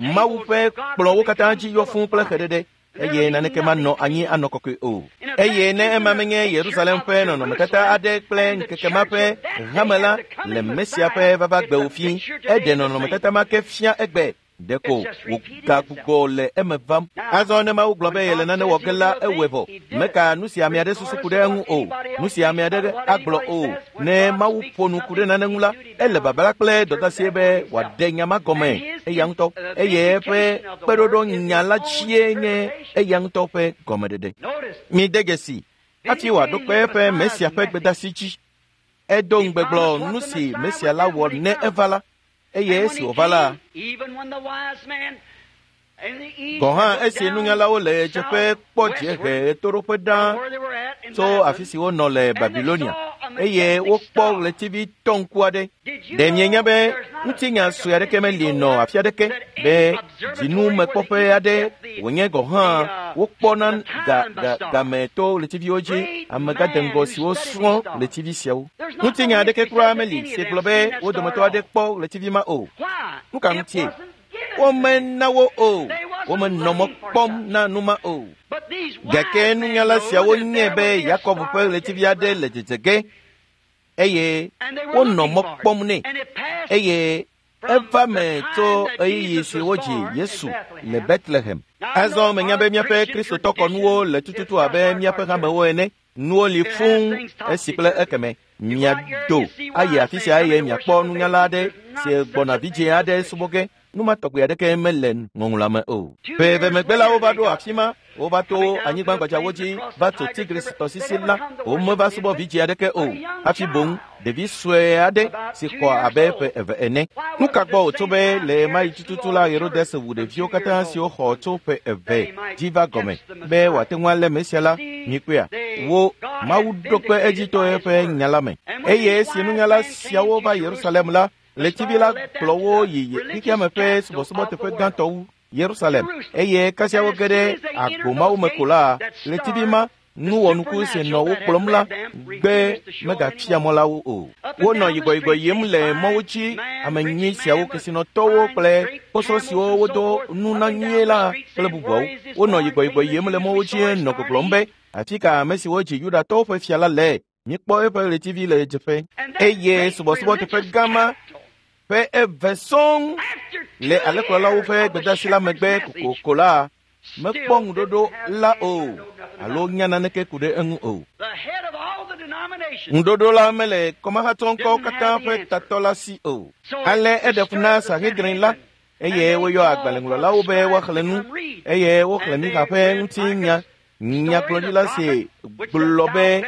Mawu ƒe kplɔ̃wo katã dzi yɔ fũu kple xeɖeɖe eye naneke manɔ anyi anɔ kɔkɔe o. Eye ne ema menye Yerusalem ƒe nɔnɔmetata aɖe kple ŋkeke ma ƒe hame la le Mesia ƒe vava gbewo fi, eɖe nɔnɔmetata ma ke fia egbe. Ɖeko wògagbugbɔ le eme vam. Azɔ ne Mawu gblɔ be yele nane wɔ ge la, ewɔe vɔ. Meka nu si ame aɖe susu ku ɖe eŋu o. Nu si ame aɖe agblɔ o. Ne Mawu ƒo nu ku ɖe nane ŋu la, ele babla kple dɔdeasie be wòaɖe nya ma gɔme eya ŋutɔ. Eye eƒe kpeɖoɖo nya la dzie nye eya ŋutɔ ƒe gɔmeɖeɖe. Mide dzesi hafi wòaɖo kpe eƒe Mesia ƒe gbedeasi dzi. Edo ŋugbe gblɔ nu si Mesia la wɔ ne eva la. Eye esi wòva la, Gɔ̃ hã esi nunyalawo le ɣedzeƒe kpɔ dziehe ɣetoɖoƒe ɖaa tso afi si wonɔ le Babilonia eye wokpɔ ɣletivi tɔŋku aɖe. Ɖe mienya be ŋutinya sue aɖeke meli nɔ afi aɖeke be dzinumekpɔƒe aɖe wònye gɔ̃ hã wokpɔna ga ga game to ɣletiviwo dzi amegãdeŋgɔ siwo srɔ̃ ɣletivi siawo. Ŋutinya aɖeke kura meli si gblɔ be wo dometɔ aɖe kpɔ ɣletivi ma o. Nu ka ŋutie? Womena wo o. Womenɔ mɔ kpɔm na nu ma o. Gake nunyala siawo nyae be Yakob ƒe ɣletivi aɖe le dzedze ge eye wonɔ mɔ kpɔm nɛ eye eva me tso ɣeyiɣi si wodzi Yesu le Betlehem. Azɔ menya be míaƒe Kristotɔ kɔnuwo le tututu abe míaƒe hamewo ene. Nuwo li fũu esi kple ekeme. Miado ayi afi sia eye miakpɔ nunyala aɖe si gbɔna vidzĩ aɖe subɔ ge. Nu ma tɔgbi aɖeke mele ŋɔŋlɔa me o. Ƒe eve megbe la wova ɖo afi ma, wova to anyigba gbadzawo dzi va tso Tigris tɔsisi la. Womeva subɔ vidzĩ aɖeke o, hafi boŋ ɖevi sue aɖe si xɔ abe ƒe eve ene. Nu ka gbɔ wòtso be le ɣemaɣi tututu la Herodes wu ɖeviwo katã siwo xɔ tso ƒe eve dzi va gɔme be wòate ŋu alé Mesia la? Mikpɔea? Wo Mawu ɖo kpe edzi to eƒe nya la me. Eye esi nunyala siawo va Yerusalem la, ɣletivi la kplɔ wo yi xexeame ƒe subɔsubɔteƒe gãtɔ wu, Yerusalem. Eye kasia woge ɖe agbo mawo me ko la, ɣletivi ma, nu wɔnuku si nɔ wo kplɔm la, gbe megafia mɔ la wo o. Wonɔ yibɔyibɔ yim le mɔwo dzi, ame nyui siawo, kesinɔtɔwo kple kposɔ siwo wodo nu na nyuie la kple bubuawo. Wonɔ yibɔyibɔ yim le mɔwo dzi nɔ gbɔgblɔm be, afi ka ame siwo dzi Yudatɔwo ƒe fia la le? Míkpɔ eƒe ɣletivi le ɣedzeƒe. Eye subɔsubɔteƒe gã ma ƒe eve sɔŋ le alẽkplɔlawo ƒe gbedeasi la megbe kokoko la, mekpɔ ŋuɖoɖo la o alo nya naneke ku ɖe eŋu o. Ŋuɖoɖo la mele kɔmahatsɔŋkɔwo katã ƒe tatɔ la si o. Ale eɖe fu na Sanhedrin la eye woyɔ agbalẽŋlɔlawo be woaxlẽ nu eye woxlẽ Mixa ƒe ŋutinya. Nyagblɔɖila si gblɔ be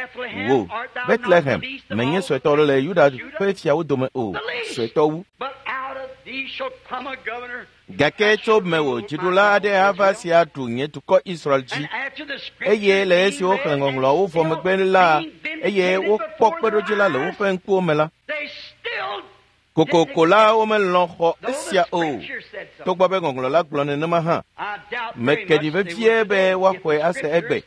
wò Betlehem menye suetɔ le Yuda ƒe fiawo dome o, suetɔ wu. Gake tso mewò dziɖula aɖe ava si aɖu nye dukɔ Israel dzi. Eye le esi woxlẽ ŋɔŋlɔawo vɔ megbe la, eye wokpɔ kpeɖodzi la le woƒe ŋkuwo me la, kokoko la womelɔ̃ xɔ esia o. Togbɔ be ŋɔŋlɔ la gblɔ nenema hã, meke ɖi vevie be woaxɔe ase egbe,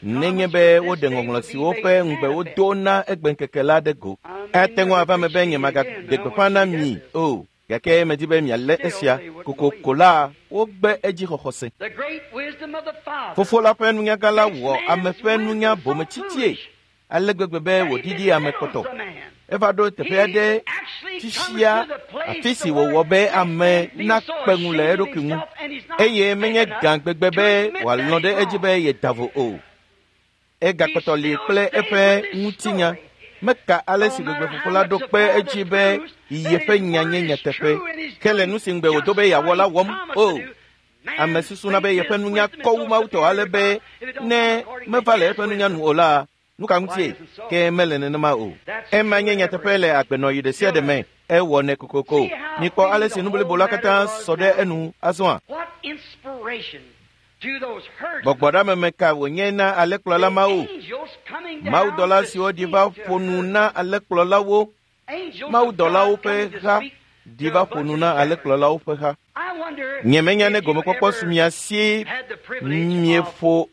nenye be woɖe ŋɔŋlɔ siwo ƒe ŋugbe wodo na egbeŋkeke la ɖe go. Ate ŋu ava me be nyemagaɖe gbeƒã na mi o, gake medi be mialé esia. Kokoko la wogbe edzixɔxɔ se. Fofo la ƒe nunyagã la wɔ ame ƒe nunya bometsitsie ale gbegbe be wòɖiɖi ame kpɔtɔ. Eva ɖo teƒe aɖe fifia afi si wòwɔ be ame nakpe ŋu le eɖokui ŋu eye menye gã gbegbe be wòalɔ̃ ɖe edzi be yeda vo o. Egakpɔtɔ li kple eƒe ŋutinya. Meka ale si gbegbe fofo la ɖo kpe edzi be yeƒe nya nye nyateƒe ke le nu si ŋugbe wòdo be yeawɔ la wɔm o. Ame susuna be yeƒe nunya kɔ wu Mawu tɔ ale be ne meva le eƒe nunya nu o la, nu ka ŋutie? Ke mele nenema o. Ema nye nyateƒe le agbenɔɣi ɖe sia ɖe me. Ewɔnɛ kokoko. Mikpɔ ale si nu blibo la katã sɔ ɖe enu azɔa. Gbɔgbɔɖameme ka wònye na alẽkplɔla mawo? Mawudɔla siwo ɖi va ƒo nu na alẽkplɔlawo. Mawudɔlawo ƒe ha ɖi va ƒo nu na alẽkplɔlawo ƒe ha. Nyemenya ne gomekpɔkpɔ su mia si mieƒo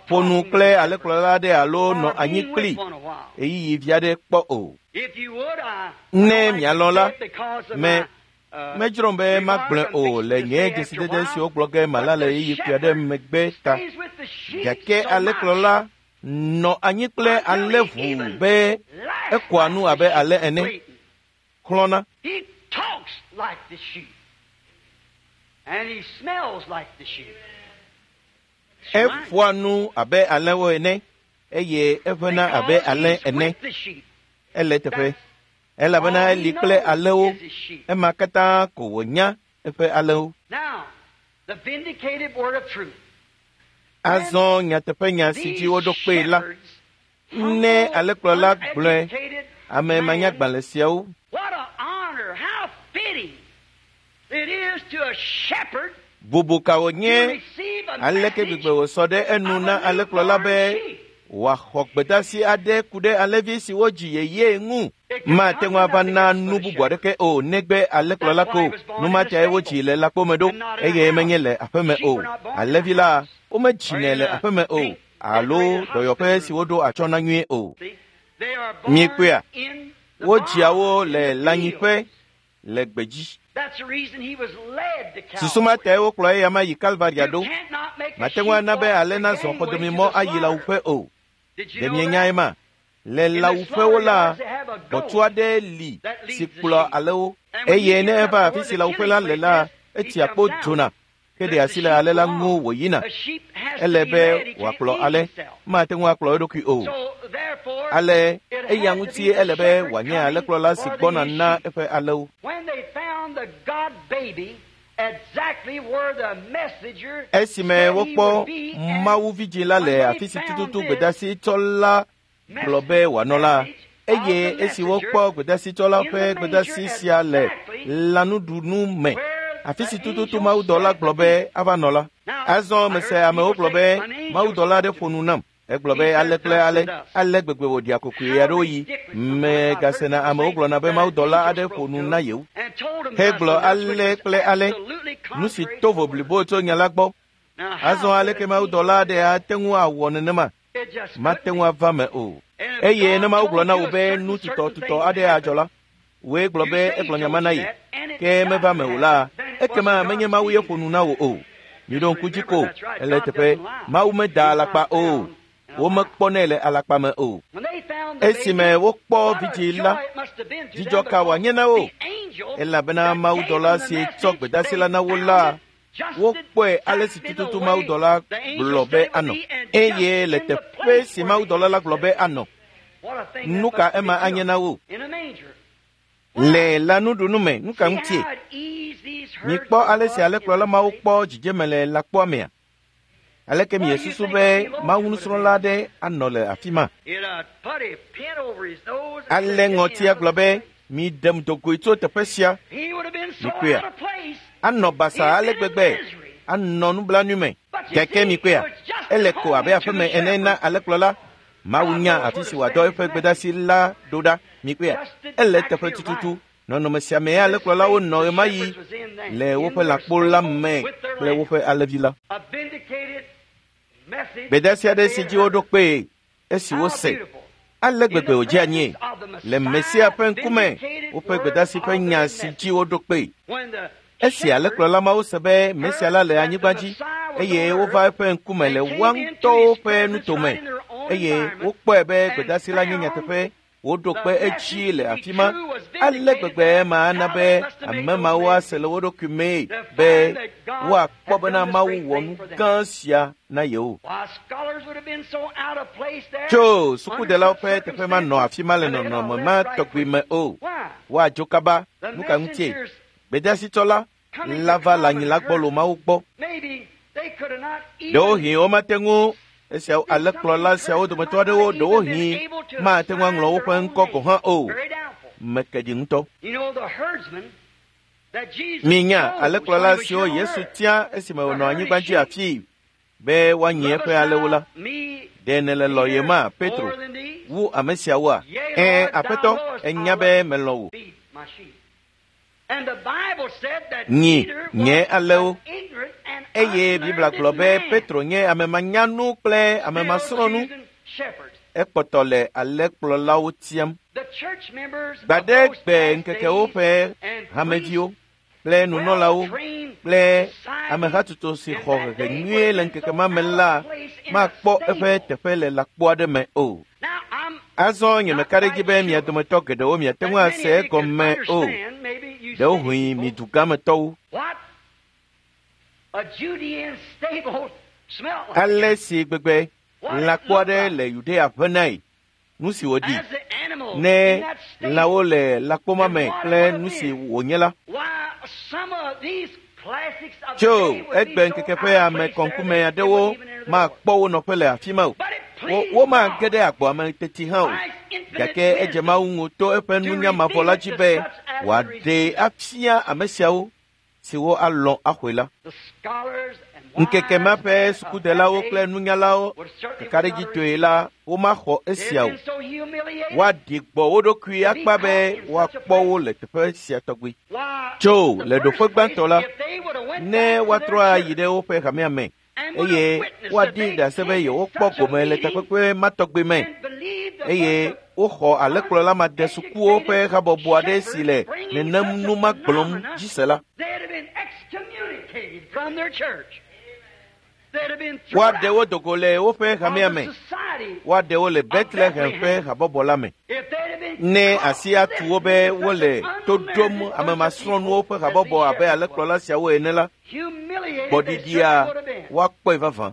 ƒo nu kple alẽkplɔla aɖe alo nɔ anyi kpli ɣeyiɣi vi aɖe kpɔ o. Ne mialɔ̃ la, me medzrom be magblɔe o le nye dzesidede siwo gblɔ ge mala le ɣeyiɣi kpui aɖe megbe ta. Gake alẽkplɔla nɔ anyi kple alẽʋu be ekoa nu abe alẽ ene, xlɔ̃na. Eƒoa nu abe alẽwo ene eye eʋẽna abe alẽ ene. Ele teƒe elabena eli kple alẽwo. Ema katã ko wònya eƒe alẽwo. Azɔ nyateƒenya si dzi woɖo kpee la, ne alẽkplɔla gblɔe ame manyagbalẽ siawo Bubu ka wònye aleke gbegbe wòsɔ ɖe enu na alẽkplɔla be wòaxɔ gbedasi aɖe ku ɖe alẽvi si wodzi yeyee ŋu. Mate ŋu ava na nu bubu aɖeke o negbe alẽkplɔla ko. Nu ma tae wodzi le lãkpome ɖo eye menye le aƒeme o. Alẽvi la womedzinɛ le aƒeme o alo dɔyɔƒe si woɖo atsyɔ̃ na nyuie o. Miekpɔea, wodzia wo le lãnyiƒe le gbedzi. Susu ma tae wokplɔ eya ma yi Kalvaria ɖo. Mate ŋu ana be alẽ nazɔ xɔdomemɔ ayi lãwuƒe o. Ɖe mienyae ma? Le lãwuƒewo la, gbɔ̃tsu aɖe li si kplɔa alẽwo eye ne eva afi si lãwuƒe la le la, etsia kpo dzona ke ɖe asi le alẽ la ŋu wòyina. Ele be wòakplɔ alẽ, mate ŋu akplɔ eɖokui o. Ale eya ŋuti ele be wòanye alẽkplɔla si gbɔna na eƒe alẽwo. Esime wokpɔ Mawu vidzĩ la le afi si tututu gbedasitsɔla gblɔ be wòanɔ la, eye esi wokpɔ gbedasitsɔla ƒe gbedasi sia le lãnuɖunu me, afi si tututu mawudɔla gblɔ be ava nɔ la. Azɔ mese amewo gblɔ be mawudɔla aɖe ƒo nu nam. Egblɔ be ale kple ale, ale gbegbe wòɖia kokoe aɖewo yi. Megasena amewo gblɔna be mawudɔla aɖe ƒo nu na yewo. Hegblɔ ale kple ale, nu si to vo blibo tso nya la gbɔ. Azɔ aleke mawudɔla aɖe ate ŋu awɔ nenema? Mate ŋu ava me o. Eye ne Mawu gblɔ na wò be nu tutɔtutɔ aɖe adzɔ la, wòe gblɔ be egblɔ nya ma na ye, ke meva me o la, ekema menye Mawu ye ƒo nu na wò o. Miɖo ŋku dzi ko, ele teƒe, Mawu meda alakpa o. Womekpɔnɛ le alakpa me o. Esime wokpɔ vidzĩ la, dzidzɔ ka wòanye na wo? Elabena mawudɔla si tsɔ gbedasi la na wo la, wokpɔe ale si tututu mawudɔla gblɔ be anɔ. Eye le teƒe si mawudɔla la gblɔ be anɔ, nu ka ema anye na wo? Le lãnuɖunu me, nu ka ŋutie? Mikpɔ ale si alẽkplɔla mawo kpɔ dzidzeme le lãkpoa mea? Aleke miesusu be Mawu nusrɔ̃la aɖe anɔ le afi ma? Ale ŋɔtia gblɔ be, miɖem dogoe tso teƒe sia. Mikpɔea, anɔ basaa ale gbegbe, anɔ nublanui me. Gake mikpɔea, ele ko abe aƒeme ene na alẽkplɔla. Mawu nya afi si wòadɔ eƒe gbedasi la ɖo ɖa. Mikpɔea, ele teƒe tututu. Nɔnɔme sia mee alẽkplɔlawo nɔ ɣemaɣi le woƒe lãkpo la me kple woƒe alẽvi la. Gbedasi aɖe si dzi woɖo kpee esi wose ale gbegbe wòdze anyie le Mesia ƒe ŋkume woƒe gbedasi ƒe nya si dzi woɖo kpee. Esi alẽkplɔla mawo se be Mesia la le anyigba dzi eye wova eƒe ŋkume le woa ŋutɔwo ƒe nutome eye wokpɔe be gbedasi la nye nyateƒe, woɖo kpe edzi le afi ma. Ale gbegbe ma ana be ame mawo ase le wo ɖokui mee be woakpɔ bena Mawu wɔ nu gã sia na yewo. Tso sukudelawo ƒe teƒe manɔ afi ma le nɔnɔme ma tɔgbi me o. Woadzo kaba. Nu ka ŋutie? Gbedasitsɔla la va le anyi la gbɔ lo Mawu gbɔ. Ɖewohĩ womate ŋu esiawo alẽkplɔla siawo dometɔ aɖewo ɖewohĩ mate ŋu aŋlɔ woƒe ŋkɔ gɔ̃ hã o. Meke ɖi ŋutɔ. Minya alẽkplɔla siwo Yesu tia esime wònɔ anyigba dzi afii be woanyi eƒe alẽwo la. Ɖe nèle lɔ̃yema, Petro, wu ame siawoa? Ɛ̃, Aƒetɔ, ènya be melɔ̃ wò. Nyi nye alẽwo. Eye Biblia gblɔ be Petro nye ame manyanu kple ame masrɔ̃nu. Ekpɔtɔ le alẽkplɔlawo tiam. Gbaɖegbe ŋkekewo ƒe hameviwo kple nunɔlawo kple amehatsotso si xɔ hehe nyuie le ŋkeke ma me la makpɔ eƒe teƒe le lãkpo aɖe me o. Azɔ nyemeka ɖe edzi be mia dometɔ geɖewo miate ŋu ase egɔme o. Ɖewohĩ mi dugametɔwo. Ale si gbegbe lãkpo aɖe le Yudea ʋenae, nu si wòɖi ne lãwo le lãkpo ma me kple nu si wònye la. Tso egbe ŋkeke ƒe ame kɔŋkume aɖewo makpɔ wo nɔƒe le afi ma o. Wo womage ɖe agboa me teti hã o. Gake edze Mawu ŋu to eƒe nunya mavɔ la dzi be wòaɖee afia ame siawo siwo alɔ̃ axɔe la. Ŋkeke ma ƒe sukudelawo kple nunyalawo kakaɖedzitɔe la womaxɔ esia o. Woaɖi gbɔ wo ɖokui akpa be woakpɔ wo le teƒe sia tɔgbi. Tso le ɖoƒe gbãtɔ la, ne woatrɔ ayi ɖe woƒe hamea me eye woaɖi ɖase be yewokpɔ gome le takpekpe ma tɔgbi me eye woxɔ alẽkplɔla madesukuwo ƒe habɔbɔ aɖe si le nenem nu ma gblɔm dzi se la, woaɖe wo dogo le woƒe hamea me, woaɖe wo le Bethlehem ƒe habɔbɔ la me. Ne asi atu wo be wole to ɖom ame masrɔ̃nuwo ƒe habɔbɔ abe alẽkplɔla siawo ene la, gbɔɖiɖia woakpɔe vavã.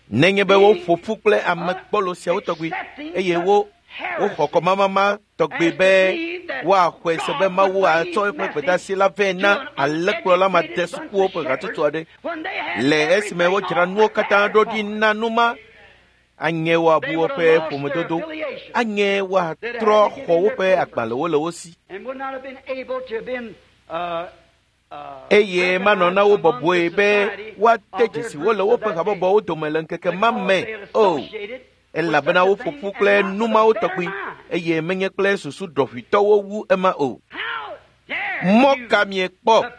Nenye be woƒo ƒu kple ame gbɔlo siawo tɔgbi eye wo woxɔ kɔmamama tɔgbi be woaxɔe se be Mawu atsɔ eƒe gbedeasi la vɛ na alẽkplɔla madesukuwo ƒe hatsotso aɖe le esime wodzra nuwo katã ɖo ɖi na nu ma, anye woabu woƒe ƒomedodo, anye woatrɔ xɔ woƒe agbalẽwo le wo si eye manɔ na wo bɔbɔe be woate dzesi wo le woƒe habɔbɔwo dome le ŋkeke ma me o, elabena woƒo ƒu kple nu mawo tɔgbi eye menye kple susu ɖɔʋitɔwo wu ema o. Mɔ ka miekpɔ?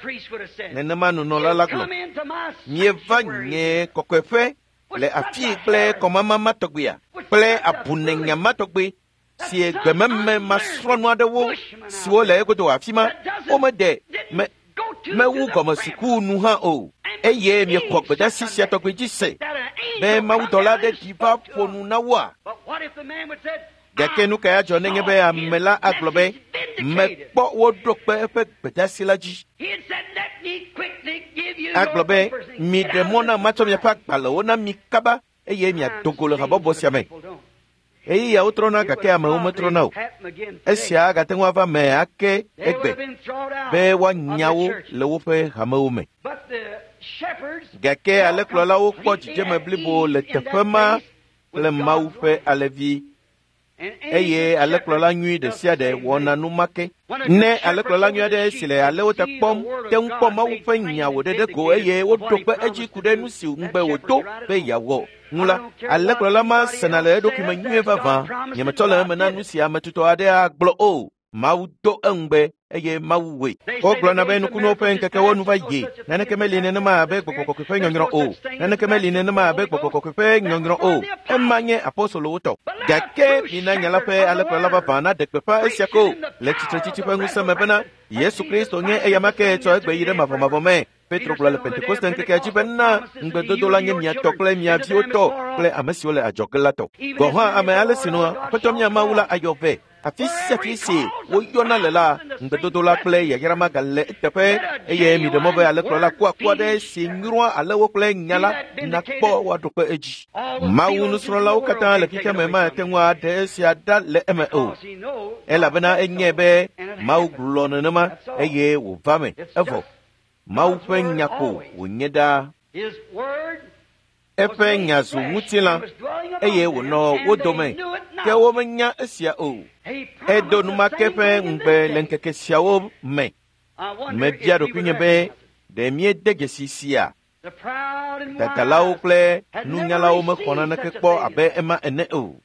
Nenema nunɔla la gblɔ. Mieva nye kɔkɔeƒe le afii kple kɔmama ma tɔgbia kple abunenya ma tɔgbi si gbememe masrɔ̃nu aɖewo siwo le egodo afi ma womede me mewu gɔmesuku nu hã o eye miexɔ gbedeasi sia tɔgbi dzi se be mawudɔla aɖe ɖi va ƒo nu na woa? Gake nu kae adzɔ nenye be ame la agblɔ be mekpɔ woɖo kpe eƒe gbedeasi la dzi? Agblɔ be miɖe mɔ na matsɔ miaƒe agbalẽwo na mi kaba eye miado go le habɔbɔ sia me. Ɣeyiɣiawo trɔna gake amewo metrɔna o. Esia agate ŋu ava me ake egbe be woanya wo le woƒe hamewo me. Gake alẽkplɔlawo kpɔ dzidzeme blibo le teƒe ma kple Mawu ƒe alẽvi eye alẽkplɔla nyui ɖe sia ɖe wɔna nu ma ke. Ne alẽkplɔla nyui aɖe si le alẽwo ta kpɔm te ŋu kpɔ Mawu ƒe nya wòɖe ɖe go eye woɖo kpe edzi ku ɖe nu si ŋugbe wòdo be yeawɔ ŋu la, alẽkplɔla ma sena le eɖokui me nyuie vavã. Nyemetsɔ le eme na nu si ame tutɔ aɖe agblɔ o. Mawu do eŋugbe eye Mawu wɔe. Wogblɔna be nukunuwo ƒe ŋkekewo nu va yi. Naneke meli nenema abe gbɔgbɔ kɔkɔe ƒe nyɔnyrɔ o. Naneke meli nenema abe gbɔgbɔ kɔkɔe ƒe nyɔnyrɔ o. Ema nye apostolowo tɔ. Gake mina nya la ƒe alẽkplɔla vavã naɖe gbeƒã esia ko le tsitretsitsi ƒe ŋusẽ me bena Yesu Kristo nye eyama ke tsɔ egbe yi ɖe mavɔmavɔ me. Petro gblɔ le Pentekoste ŋkekea dzi bena ŋugbedodo la nye mia tɔ kple mia viwo tɔ kple ame siwo le adzɔge la tɔ. Gɔ̃ hã ame ale si nɔ Aƒetɔ mía Mawu la ayɔ vɛ. Afi sia afi si woyɔna le la, ŋugbedodo la kple yayra ma gale eteƒe eye miɖe mɔ be alẽkplɔla kuakua aɖe si nyrɔa alẽwo kple nya la nakpɔ woaɖo kpe edzi. Mawu nusrɔ̃lawo katã le xexea me mate ŋu aɖe esia ɖa le eme o, elabena enyae be Mawu gblɔ nenema eye wòva me. Evɔ Mawu ƒe nya ko wònye ɖaa. Eƒe nya zu ŋutilã eye wònɔ wo dome, ke womenya esia o. Edo numake ƒe ŋugbe le ŋkeke siawo me. Mebia ɖokuinye be ɖe míede dzesi sia? Dadalawo kple nunyalawo mexɔ naneke kpɔ abe ema ene o.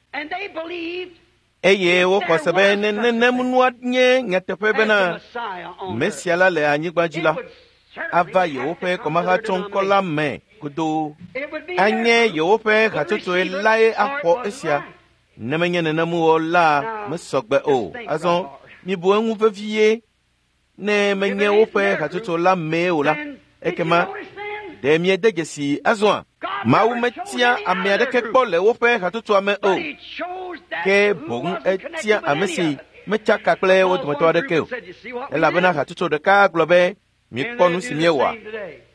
Eye woxɔ se be ne nenem nua nye nyateƒe bena Mesia la le anyigba dzi la, ava yewoƒe kɔmahatsɔŋkɔ la me godoo. Anye yewoƒe hatsotsoe lae axɔ esia. Ne menye nenem o la mesɔgbe o. Azɔ mibu eŋu vevie. Ne menye woƒe hatsotso la mee o la, ekema ɖe miede dzesi azɔa? Mawu metia ame aɖeke kpɔ le woƒe hatsotsoa me o, ke boŋ etia ame si metsaka kple wo dometɔ aɖeke o, elabena hatsotso ɖeka gblɔ be mikpɔ nu si míewɔa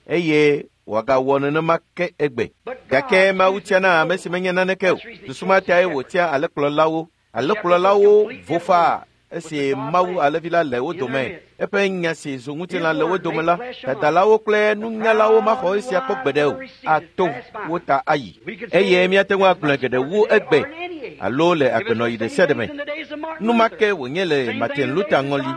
eye wòagawɔ nenema ke egbe. Gake Mawu tiana ame si menye naneke o. Susu ma tae wòtia alẽkplɔlawo. Alẽkplɔlawo vo faa Esi Mawu Alẽvi la le wo dome, eƒe nya si zu ŋutilã le wo dome la, dadalawo kple nunyalawo maxɔ esia kpɔ gbeɖe o, ato wo ta ayi. Eye míate ŋu agblɔe geɖe wu egbe alo le agbenɔɣi ɖe sia ɖe me. Nu ma ke wònye le Martin Luther ŋɔli,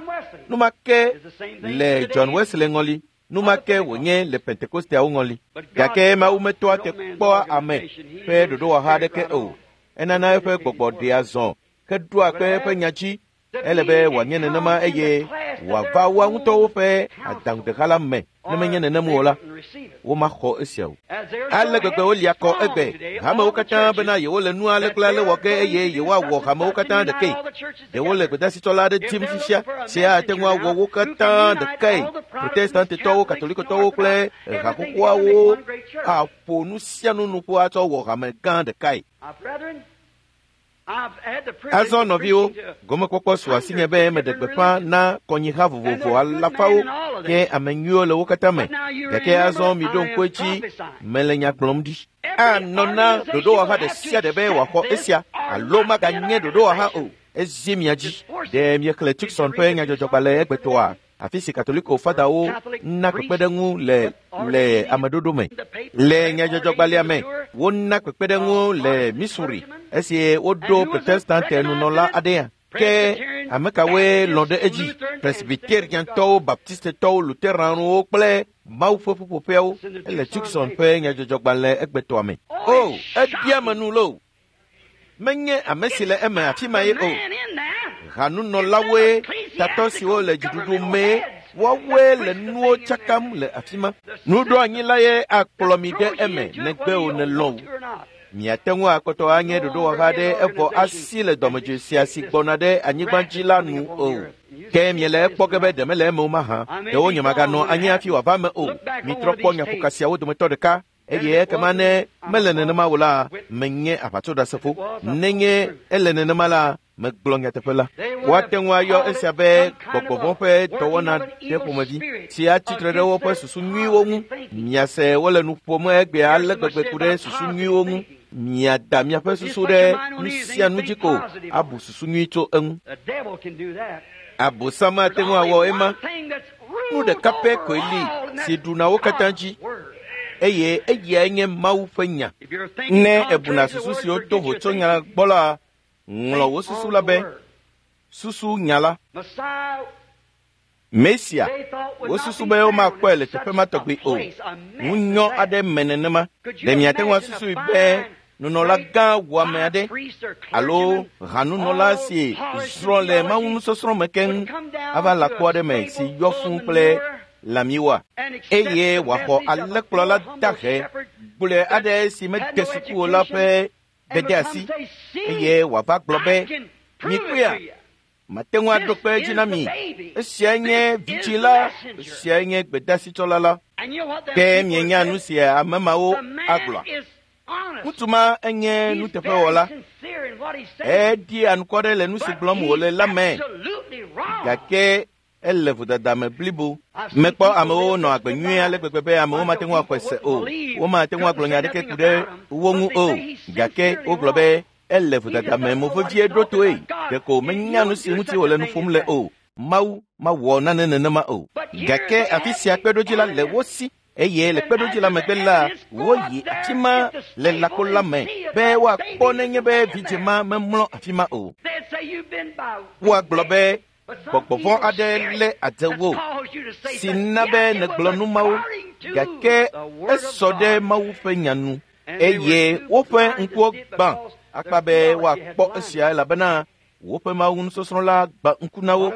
nu ma ke le John Wesley ŋɔli, nu ma ke wònye le Pentekosteawo ŋɔli. Gake Mawu metoa te kpɔa ame ƒe ɖoɖowɔha aɖeke o. Enana eƒe gbɔgbɔ ɖea zɔ heɖoa kpe eƒe nya dzi. Ele be wòanye nenema eye wòava woa ŋutɔwo ƒe adaŋudeha la me. Ne menye nenem o la, womaxɔ esia o. Ale gbegbe wolia kɔ egbe hamewo katã bena yewole nu ale kple ale wɔ ge eye yewoawɔ hamewo katã ɖekae. Ɖewo le gbedasitsɔla aɖe dim fifia si ate ŋu awɔ wo katã ɖekae. Protestantetɔwo, Katolikotɔwo kple haxoxoawo aƒo nu sia nu nu ƒu atsɔ wɔ hame gã ɖekae. Azɔ nɔviwo, gomekpɔkpɔ su asinye be meɖe gbeƒã na kɔnyiha vovovo alafawo ke ame nyuiwo le wo katã me. Gake azɔ miɖo ŋku edzi mele nya gblɔm ɖi. Anɔ na ɖoɖowɔha ɖe sia ɖe be wòaxɔ esia alo maganye ɖoɖowɔha o. Ezi mia dzi. Ɖe miexlẽ Tucson ƒe nyadzɔdzɔgbalẽ egbetɔa? Afi si Katoliko fadawo na kpekpeɖeŋu le le ameɖoɖo me. Le nyadzɔdzɔgbalẽa me, wona kpekpeɖeŋu le Missouri esi woɖo Protestante nunɔla aɖea. Ke ame kawoe lɔ̃ ɖe edzi? Presbyteriantɔwo, Baptistetɔwo, Lutheranwo kple Mawu ƒe ƒuƒoƒeawo ele Tucson ƒe nyadzɔdzɔgbalẽ egbetɔa me. O, ebia me nu loo. Menye ame si le eme afi ma ye o. Hanunɔlawoe, tatɔ siwo le dziɖuɖu mee, woawoe le nuwo tsakam le afi ma. Nuɖoanyi la ye akplɔ mi ɖe eme negbe o nelɔ̃ o. Miate ŋu akpɔtɔ anye ɖoɖowɔha ɖe evɔ asi le dɔmedzoe sia si gbɔna ɖe anyigba dzi la nu o. Ke miele ekpɔ ge be ɖe mele eme o mahã. Ɖewo nye maganɔ anyi hafi wòava eme o. Mitrɔ kpɔ nyaƒoka siawo dometɔ ɖeka. Eye ekema ne mele nenema o la, menye aʋatsoɖasefo. Nenye ele nenema la, megblɔ nyateƒe la. Woate ŋu ayɔ esia be gbɔgbɔvɔ̃ ƒe dɔwɔna ɖe ƒomevi si atsitre ɖe woƒe susu nyuiwo ŋu. Miase wole nu ƒom egbea ale gbegbe ku ɖe susu nyuiwo ŋu. Miada miaƒe susu ɖe nu sia nu dzi ko abu susu nyui tso eŋu. Abosam ate ŋu awɔ ema. Nu ɖeka pɛ koe li si ɖuna wo katã dzi. Eye eyae nye Mawu ƒe nya. Ne ebuna susu siwo to vo tso nya gbɔ la, ŋlɔ wò susu la be susu nya la. Mesia, wosusu be womakpɔe le teƒe ma tɔgbi o. Ŋunyɔ aɖe me nenema. Ɖe miate ŋu asusui be nunɔla gã wɔame aɖe alo hanunɔla si srɔ̃ le Mawu nusɔsrɔ̃ me keŋ ava lãkpo aɖe me si yɔ fũu kple lãmiwoa, eye wòaxɔ alẽkplɔla dahe gblɔe aɖe si mede suku o la ƒe gbedeasi eye wòava gblɔ be, mikpɔea, mate ŋu aɖo kpe edzi na mi. Esiae nye vitsi la, esiae nye gbedasitsɔla la. Ke mienya nu si ame mawo agblɔa? Ŋutsu ma enye nuteƒewɔla. Eɖi anukware le nu si gblɔm wòle la me. Gake ele vodada me blibo. Mekpɔ amewo nɔ agbe nyuie ale gbegbe be amewo mate ŋu axɔe se o. Womate ŋu agblɔ nya aɖeke ku ɖe wo ŋu o. Gake wogblɔ be ele vodada me movevie ɖo toe. Ɖeko menya nu si ŋuti wòle nu ƒom le o. Mawu mawɔ nane nenema o. Gake afi sia kpeɖodzi la le wo si. Eye le kpeɖodzi la megbe la, woyi afi ma le lãkpo la me be woakpɔ nenye be vidzĩ ma memlɔ afi ma o. Woagblɔ be gbɔgbɔvɔ̃ aɖe lé adzewo si na be nègblɔ nu mawo, gake esɔ ɖe Mawu ƒe nya nu. Eye woƒe ŋkuwo gbã akpa be woakpɔ esia elabena woƒe Mawu nusɔsrɔ̃ la gbã ŋku na wo.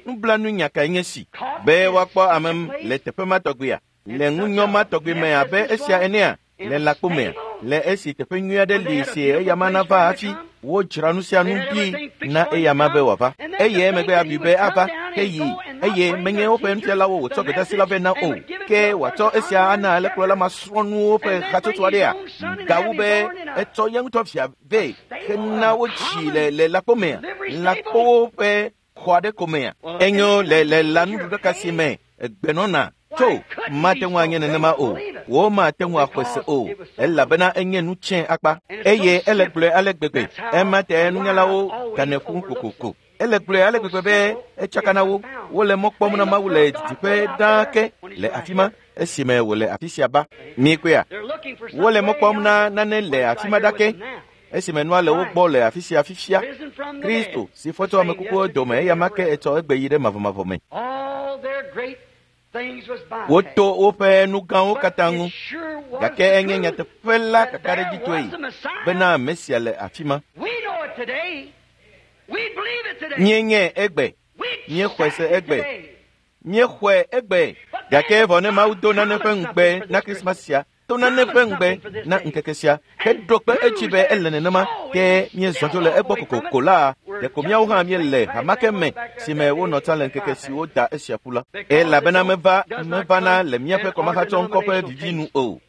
Nublanuinya kae nye si be woakpɔ ame le teƒe ma tɔgbea, le ŋunyɔ ma tɔgbi me abe esia enea, le lãkpo mea, le esi teƒe nyui aɖe li si eyama nava hafi wodzra nu sia nu ɖi na eyama be wòava. Eye emegbe abui be ava ke yi, eye menye woƒe nufialawo wòtsɔ gbedasi la vɛ na o, ke wòatsɔ esia ana alẽkplɔla masrɔ̃nuwo ƒe hatsotso aɖea. Gawu be etsɔ ye ŋutɔ via vɛ hena wotsi le le lãkpo mea, lãkpowo ƒe xɔ aɖe ko mea. Enyo le le lãnuɖuɖaka si me egbenɔna tso mate ŋu anye nenema o. Womate ŋu axɔe se o, elabena enye nu tsɛ akpa eye ele gblɔe ale gbegbe. Ema ta nunyalawo ganɛ ƒu kokoko. Ele gblɔe ale gbegbe be etsaka na wo. Wole mɔ kpɔm na Mawu le didiƒe ɖaa ke le afi ma esime wòle afi sia ba. Mikpɔea, wole mɔ kpɔm na nane le afi ma ɖake esime nua le wo gbɔ le afi sia fifia. Kristo si fɔ tso ame kukuwo dome eya ma ke etsɔ egbe yi ɖe mavɔmavɔ me. Woto woƒe nu gãwo katã ŋu, gake enye nyateƒe la kakaɖedzitɔe bena Mesia le afi ma. Míenyae egbe, míexɔe se egbe, míexɔe egbe. Gake vɔ ne Mawu do nane ƒe ŋugbe na Krismas sia, to nane ƒe ŋugbe na ŋkeke sia, heɖo kpe edzi be ele nenema, ke míezɔ dzo le egbɔ kokoko la, ɖeko míawo hã míele hamake me si me wonɔ tsã le ŋkeke si woda esia ƒu la. Elabena meva mevana le míaƒe kɔmahatsɔŋkɔ ƒe vivi nu o.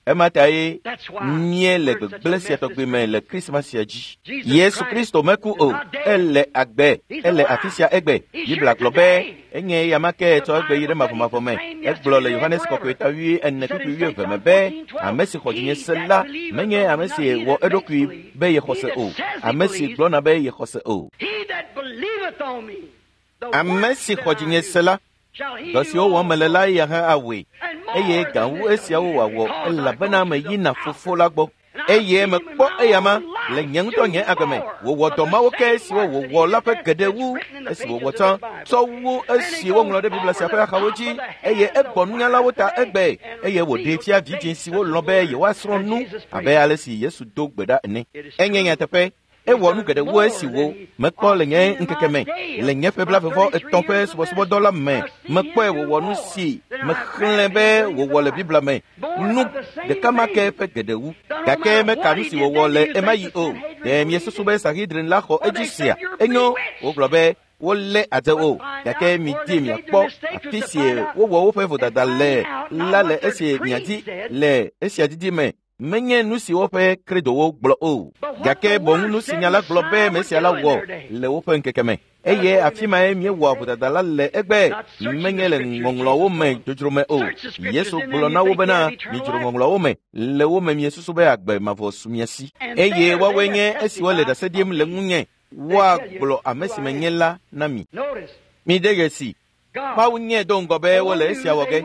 Ema tae míele gbegblẽ sia tɔgbi me le Krismas sia dzi. Yesu Kristo meku o, ele agbe, ele afi sia egbe. Biblia gblɔ be enye eya ma ke tsɔ egbe yi ɖe mavɔmavɔ me. Egblɔ le Yohanes Kɔkɔe ta wui ene kpukpui wuieve me be ame si xɔ dzinye se la menye ame si wɔ eɖokui be yexɔ se o, ame si gblɔna be yexɔ se o. Ame si xɔ dzinye se la, dɔ siwo wɔm mele la eya hã awɔe, eye gã wu esiawo wòawɔ elabena meyina Fofo la gbɔ. Eye mekpɔ eyama le nye ŋutɔ nye agbe me wòwɔ dɔ mawo ke siwo wòwɔ la ƒe geɖe wu esi wòwɔ tsã tsɔ wu esi woŋlɔ ɖe Biblia sia ƒe axawo dzi, eye egbɔ nunyalawo ta egbe, eye wòɖee fia vidzĩ siwo lɔ̃ be yewoasrɔ̃ nu abe ale si Yesu do gbe ɖa ene. Enye nyateƒe. Ewɔ nu geɖe wu esi wo mekpɔ le nye ŋkeke me, le nye ƒe blaeve-vɔ etɔ̃ ƒe subɔsubɔdɔ la me. Mekpɔe wòwɔ nu si mexlẽ be wòwɔ le Biblia me, nu ɖeka ma ke ƒe geɖe wu. Gake meka nu si wòwɔ le ema yi o. Ɖe miesusu be Sanhedrin la xɔ edzi sia? Enyo, wogblɔ be wolé adze o, gake midi miakpɔ afi si wowɔ woƒe vodada le la le esi miadi le esia didi me. Menye nu si woƒe kredowo gblɔ o, gake boŋ nu si nya la gblɔ be Mesia la wɔ le woƒe ŋkeke me. Eye afi mae míewɔa vodada la le egbe, menye le ŋɔŋlɔwo me dzodzro me o. Yesu gblɔ na wo bena midzro ŋɔŋlɔwo me, le wo me miesusu be agbe mavɔ su mia si. Eye woawoe nye esiwo le ɖase ɖim le ŋunye, woagblɔ ame si menye la na mi. Mide dzesi. Mawu nye do ŋgɔ be wole esia wɔ ge.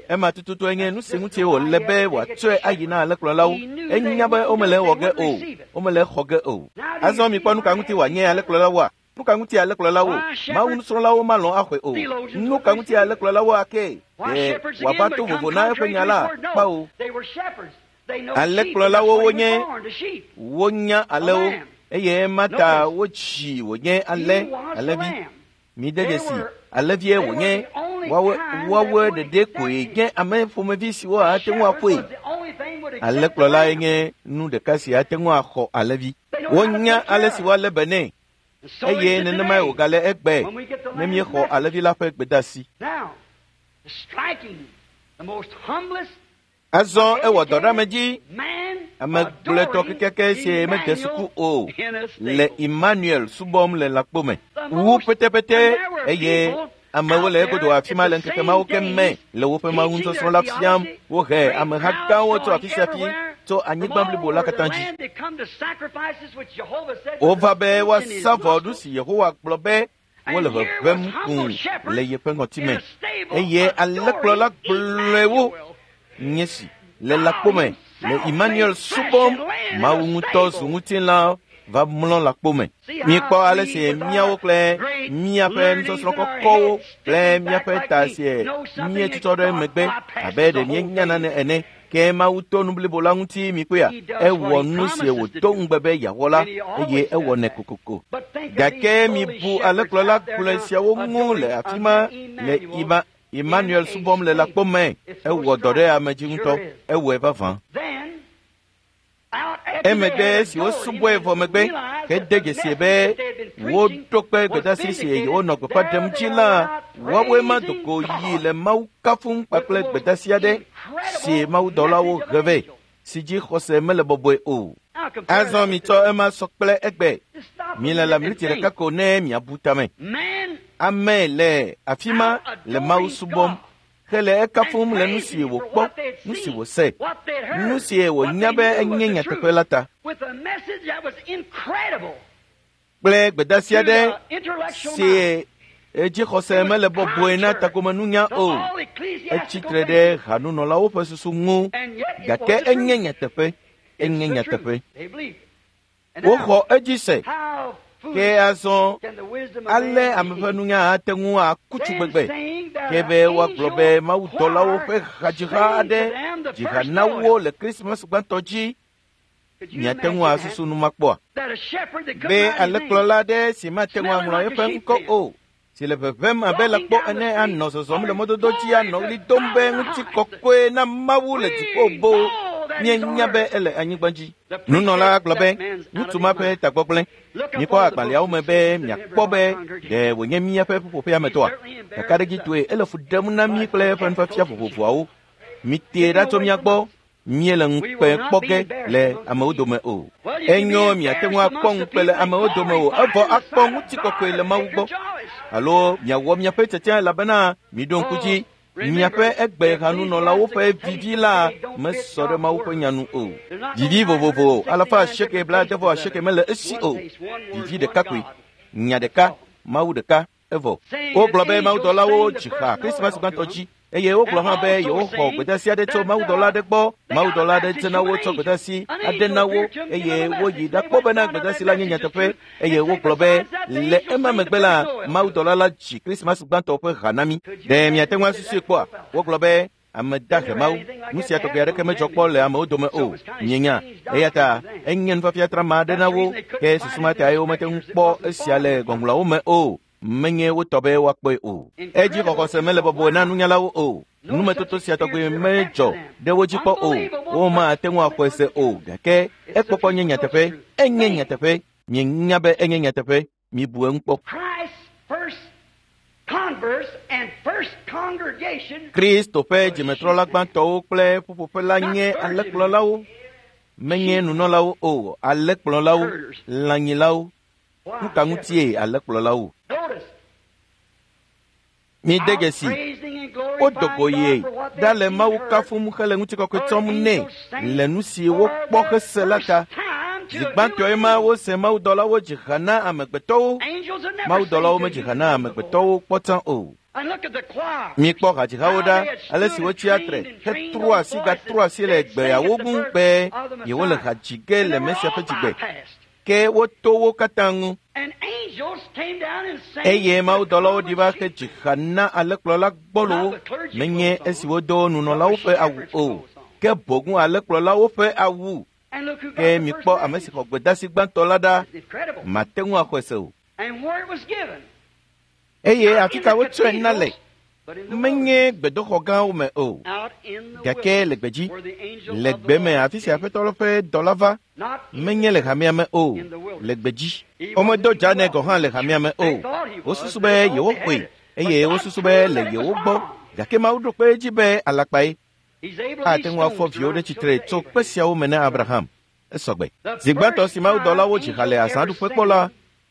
Ema tututu nye nu si ŋuti wòle be wòatsɔe ayi na alẽkplɔlawo. Enya be womele ewɔ ge o, womele exɔ ge o. Azɔ mikpɔ nu ka ŋuti wòanye alẽkplɔlawoa? Nu ka ŋuti alẽkplɔlawo? Mawu nusrɔ̃lawo malɔ̃ axɔe o. Nu ka ŋuti alẽkplɔlawo ake? Ɖe wòava to vovo na eƒe nya la? Kpao. Alẽkplɔlawo wonye, wonya alẽwo, eye ema ta wotsi wònye alẽ, alẽvi. Mide dzesi, alẽvie wònye, woawoe woawoe ɖeɖe koe nye ame ƒomevi siwo ate ŋu aƒoe. Alẽkplɔlae nye nu ɖeka si ate ŋu axɔ alẽvi. Wonya ale si woalé be nɛ, eye nenemae wògale egbe ne míexɔ alẽvi la ƒe gbedeasi. Azɔ ewɔ dɔ ɖe ame dzi, ame gblɔetɔ kekeake si mede suku o le Emmanuel subɔm le lãkpo me. Wu petepete eye amewo le egodo afi ma le ŋkeke mawo ke me le woƒe Mawu nusɔsrɔ̃ la fiam. Wohe ameha gãwo tso afi sia afi tso anyigba blibo la katã dzi. Wova be woasa vɔ nu si Yehowa gblɔ be wole ʋeʋẽm kũu le yeƒe ŋɔtime, eye alẽkplɔla gblɔe wo nye si le lãkpo me le Emmanuel subɔm. Mawu ŋutɔ zu ŋutilã va mlɔ lãkpo me. Mikpɔ ale si míawo kple míaƒe nusɔsrɔ̃ kɔkɔwo kple míaƒe ta si míetutɔ ɖe megbe abe ɖe míenya nane ene. Ke Mawu to nu blibo la ŋuti mikpɔea, ewɔ nu si wòdo ŋugbe be yeawɔ la, eye ewɔnɛ kokoko. Gake mibu alẽkplɔla gblɔe siawo ŋu le afi ma le Ima Emmanuel subɔm le lãkpo me. Ewɔ dɔ ɖe ame dzi ŋutɔ, ewɔe vavã. Emegbe esi wosubɔe vɔ megbe hede dzesi be woɖo kpe gbedeasi si yewonɔ gbeƒã ɖem dzi la, woawoe ma do go yi le Mawu kafum kpakple gbedeasi aɖe si mawudɔlawo he vɛ, si dzi xɔse mele bɔbɔe o. Azɔ mitsɔ ema sɔ kple egbe. Mile la miniti ɖeka ko ne miabu tame. Ame le afi ma le Mawu subɔm hele ekafum le nu si wòkpɔ Nu si wòse, nu si wònya be enye nyateƒe la ta. Kple gbedeasi aɖe si edzixɔse mele bɔbɔe na tagomenunya o. Etsi tre ɖe hanunɔlawo ƒe susu ŋu, gake enye nyateƒe, enye nyateƒe. Woxɔ edzi se. Ke azɔ ale ame ƒe nunya ate ŋu aku tsu gbegbe ke be woagblɔ be mawudɔlawo ƒe hadziha aɖe dzi ha na wo le Krismas gbãtɔ dzi. Miate ŋu asusu nu ma kpɔa? Be alẽkplɔla aɖe si mate ŋu aŋlɔ eƒe ŋkɔ o, si le ʋeʋẽm abe lãkpɔ ene anɔ zɔzɔm le mɔdodo dzi anɔ ɣli dom be ŋutikɔkɔe na Mawu le dziƒo boo. Míenya be ele anyigba dzi. Nunɔla gblɔ be ŋutsu ma ƒe tagbɔgblẽ. Mikpɔ agbalẽawo me be miakpɔ be ɖe wònye míaƒe ƒuƒoƒea me tɔa. Kakaɖedzitɔe ele fu ɖem na mí kple eƒe nufiafia vovovoawo. Mitee ɖa tso mía gbɔ. Míele ŋukpe kpɔ ge le amewo dome o. Enyo miate ŋu akpɔ ŋukpe le amewo dome o, evɔ akpɔ ŋutikɔkɔe le Mawu gbɔ. Alo miawɔ miaƒe tiatia elabena miɖo ŋku dzi. Miaƒe egbe hanunɔlawo ƒe vivi la mesɔ ɖe Mawu ƒe nya nu o. Vivi vovovo alafa asieke blaade vɔ asieke mele esi o. Vivi ɖeka koe, nya ɖeka, Mawu ɖeka, evɔ. Wogblɔ be mawudɔlawo dzi ha Krismas gbãtɔ dzi eye wogblɔ hã be yewoxɔ gbedeasi aɖe tso mawudɔla aɖe gbɔ. Mawudɔla aɖe dze na wo tsɔ gbedeasi aɖe na wo eye woyi ɖakpɔ bena gbedeasi la nye nyateƒe eye wogblɔ be le ema megbe la mawudɔla la dzi Krismas gbãtɔ ƒe ha na mí. Ɖe miate ŋu asusui kpɔa? Wogblɔ be ame dahe Mawu, nu sia tɔgbe aɖeke medzɔ kpɔ le amewo dome o. Mienya, eya ta enye nufiafia trama aɖe na wo, ke susu ma tae womete ŋu kpɔ esia le ŋɔŋlɔawo me o. Menye wotɔ be woakpɔe o. Edzi xɔxɔse mele bɔbɔe na nunyalawo o. Numetoto sia tɔgbe medzɔ ɖe wo dzi kpɔ o. Womate ŋu axɔe se o, gake ekpɔkpɔ nye nyateƒe. Enye nyateƒe. Mienya be enye nyateƒe. Mibu eŋu kpɔ. Kristo ƒe dzimetrɔla gbãtɔwo kple ƒuƒoƒe la nye alẽkplɔlawo. Menye nunɔlawo o, alẽkplɔlawo, lãnyilawo. Nu ka ŋutie alẽkplɔlawo? Mide dzesi, wodo go ye ɖa le Mawu kafum hele ŋutikɔkɔe tsɔm nɛ le nu si wokpɔ hese la ta. Zi gbãtɔe ma wose mawudɔlawo dzi ha na amegbetɔwo. Mawudɔlawo medzi ha na amegbetɔwo kpɔ tsã o. Mikpɔ hadzihawo ɖa, ale si wotsia tre hetrɔ asi gatrɔ asi le gbeawo ŋu be yewole ha dzi ge le Mesia ƒe dzigbe. Ke woto wo katã ŋu. Eye mawudɔlawo ɖi va he dzi ha na alẽkplɔla gbɔlowo. Menye esi wodo nunɔlawo ƒe awu o, ke boŋ alẽkplɔlawo ƒe awu. Ke mikpɔ ame si xɔ gbedeasi gbãtɔ la ɖa, mate ŋu axɔe se o. Eye afi ka wotsɔe na le? Menye gbedoxɔ gãwo me o, gake le gbedzi, le gbe me afi si Aƒetɔ la ƒe dɔla va. Menye le hamea me o, le gbedzi. Womedo dza nɛ gɔ̃ hã le hamea me o. Wosusu be yewoxɔe eye wosusu be le yewo gbɔ, gake Mawu ɖo kpe edzi be alakpae. Ate ŋu afɔ viwo ɖe tsitre tso kpe siawo me na Abraham. Esɔgbe. Zi gbãtɔ si mawudɔlawo dzi ha le azãɖuƒe kpɔ la,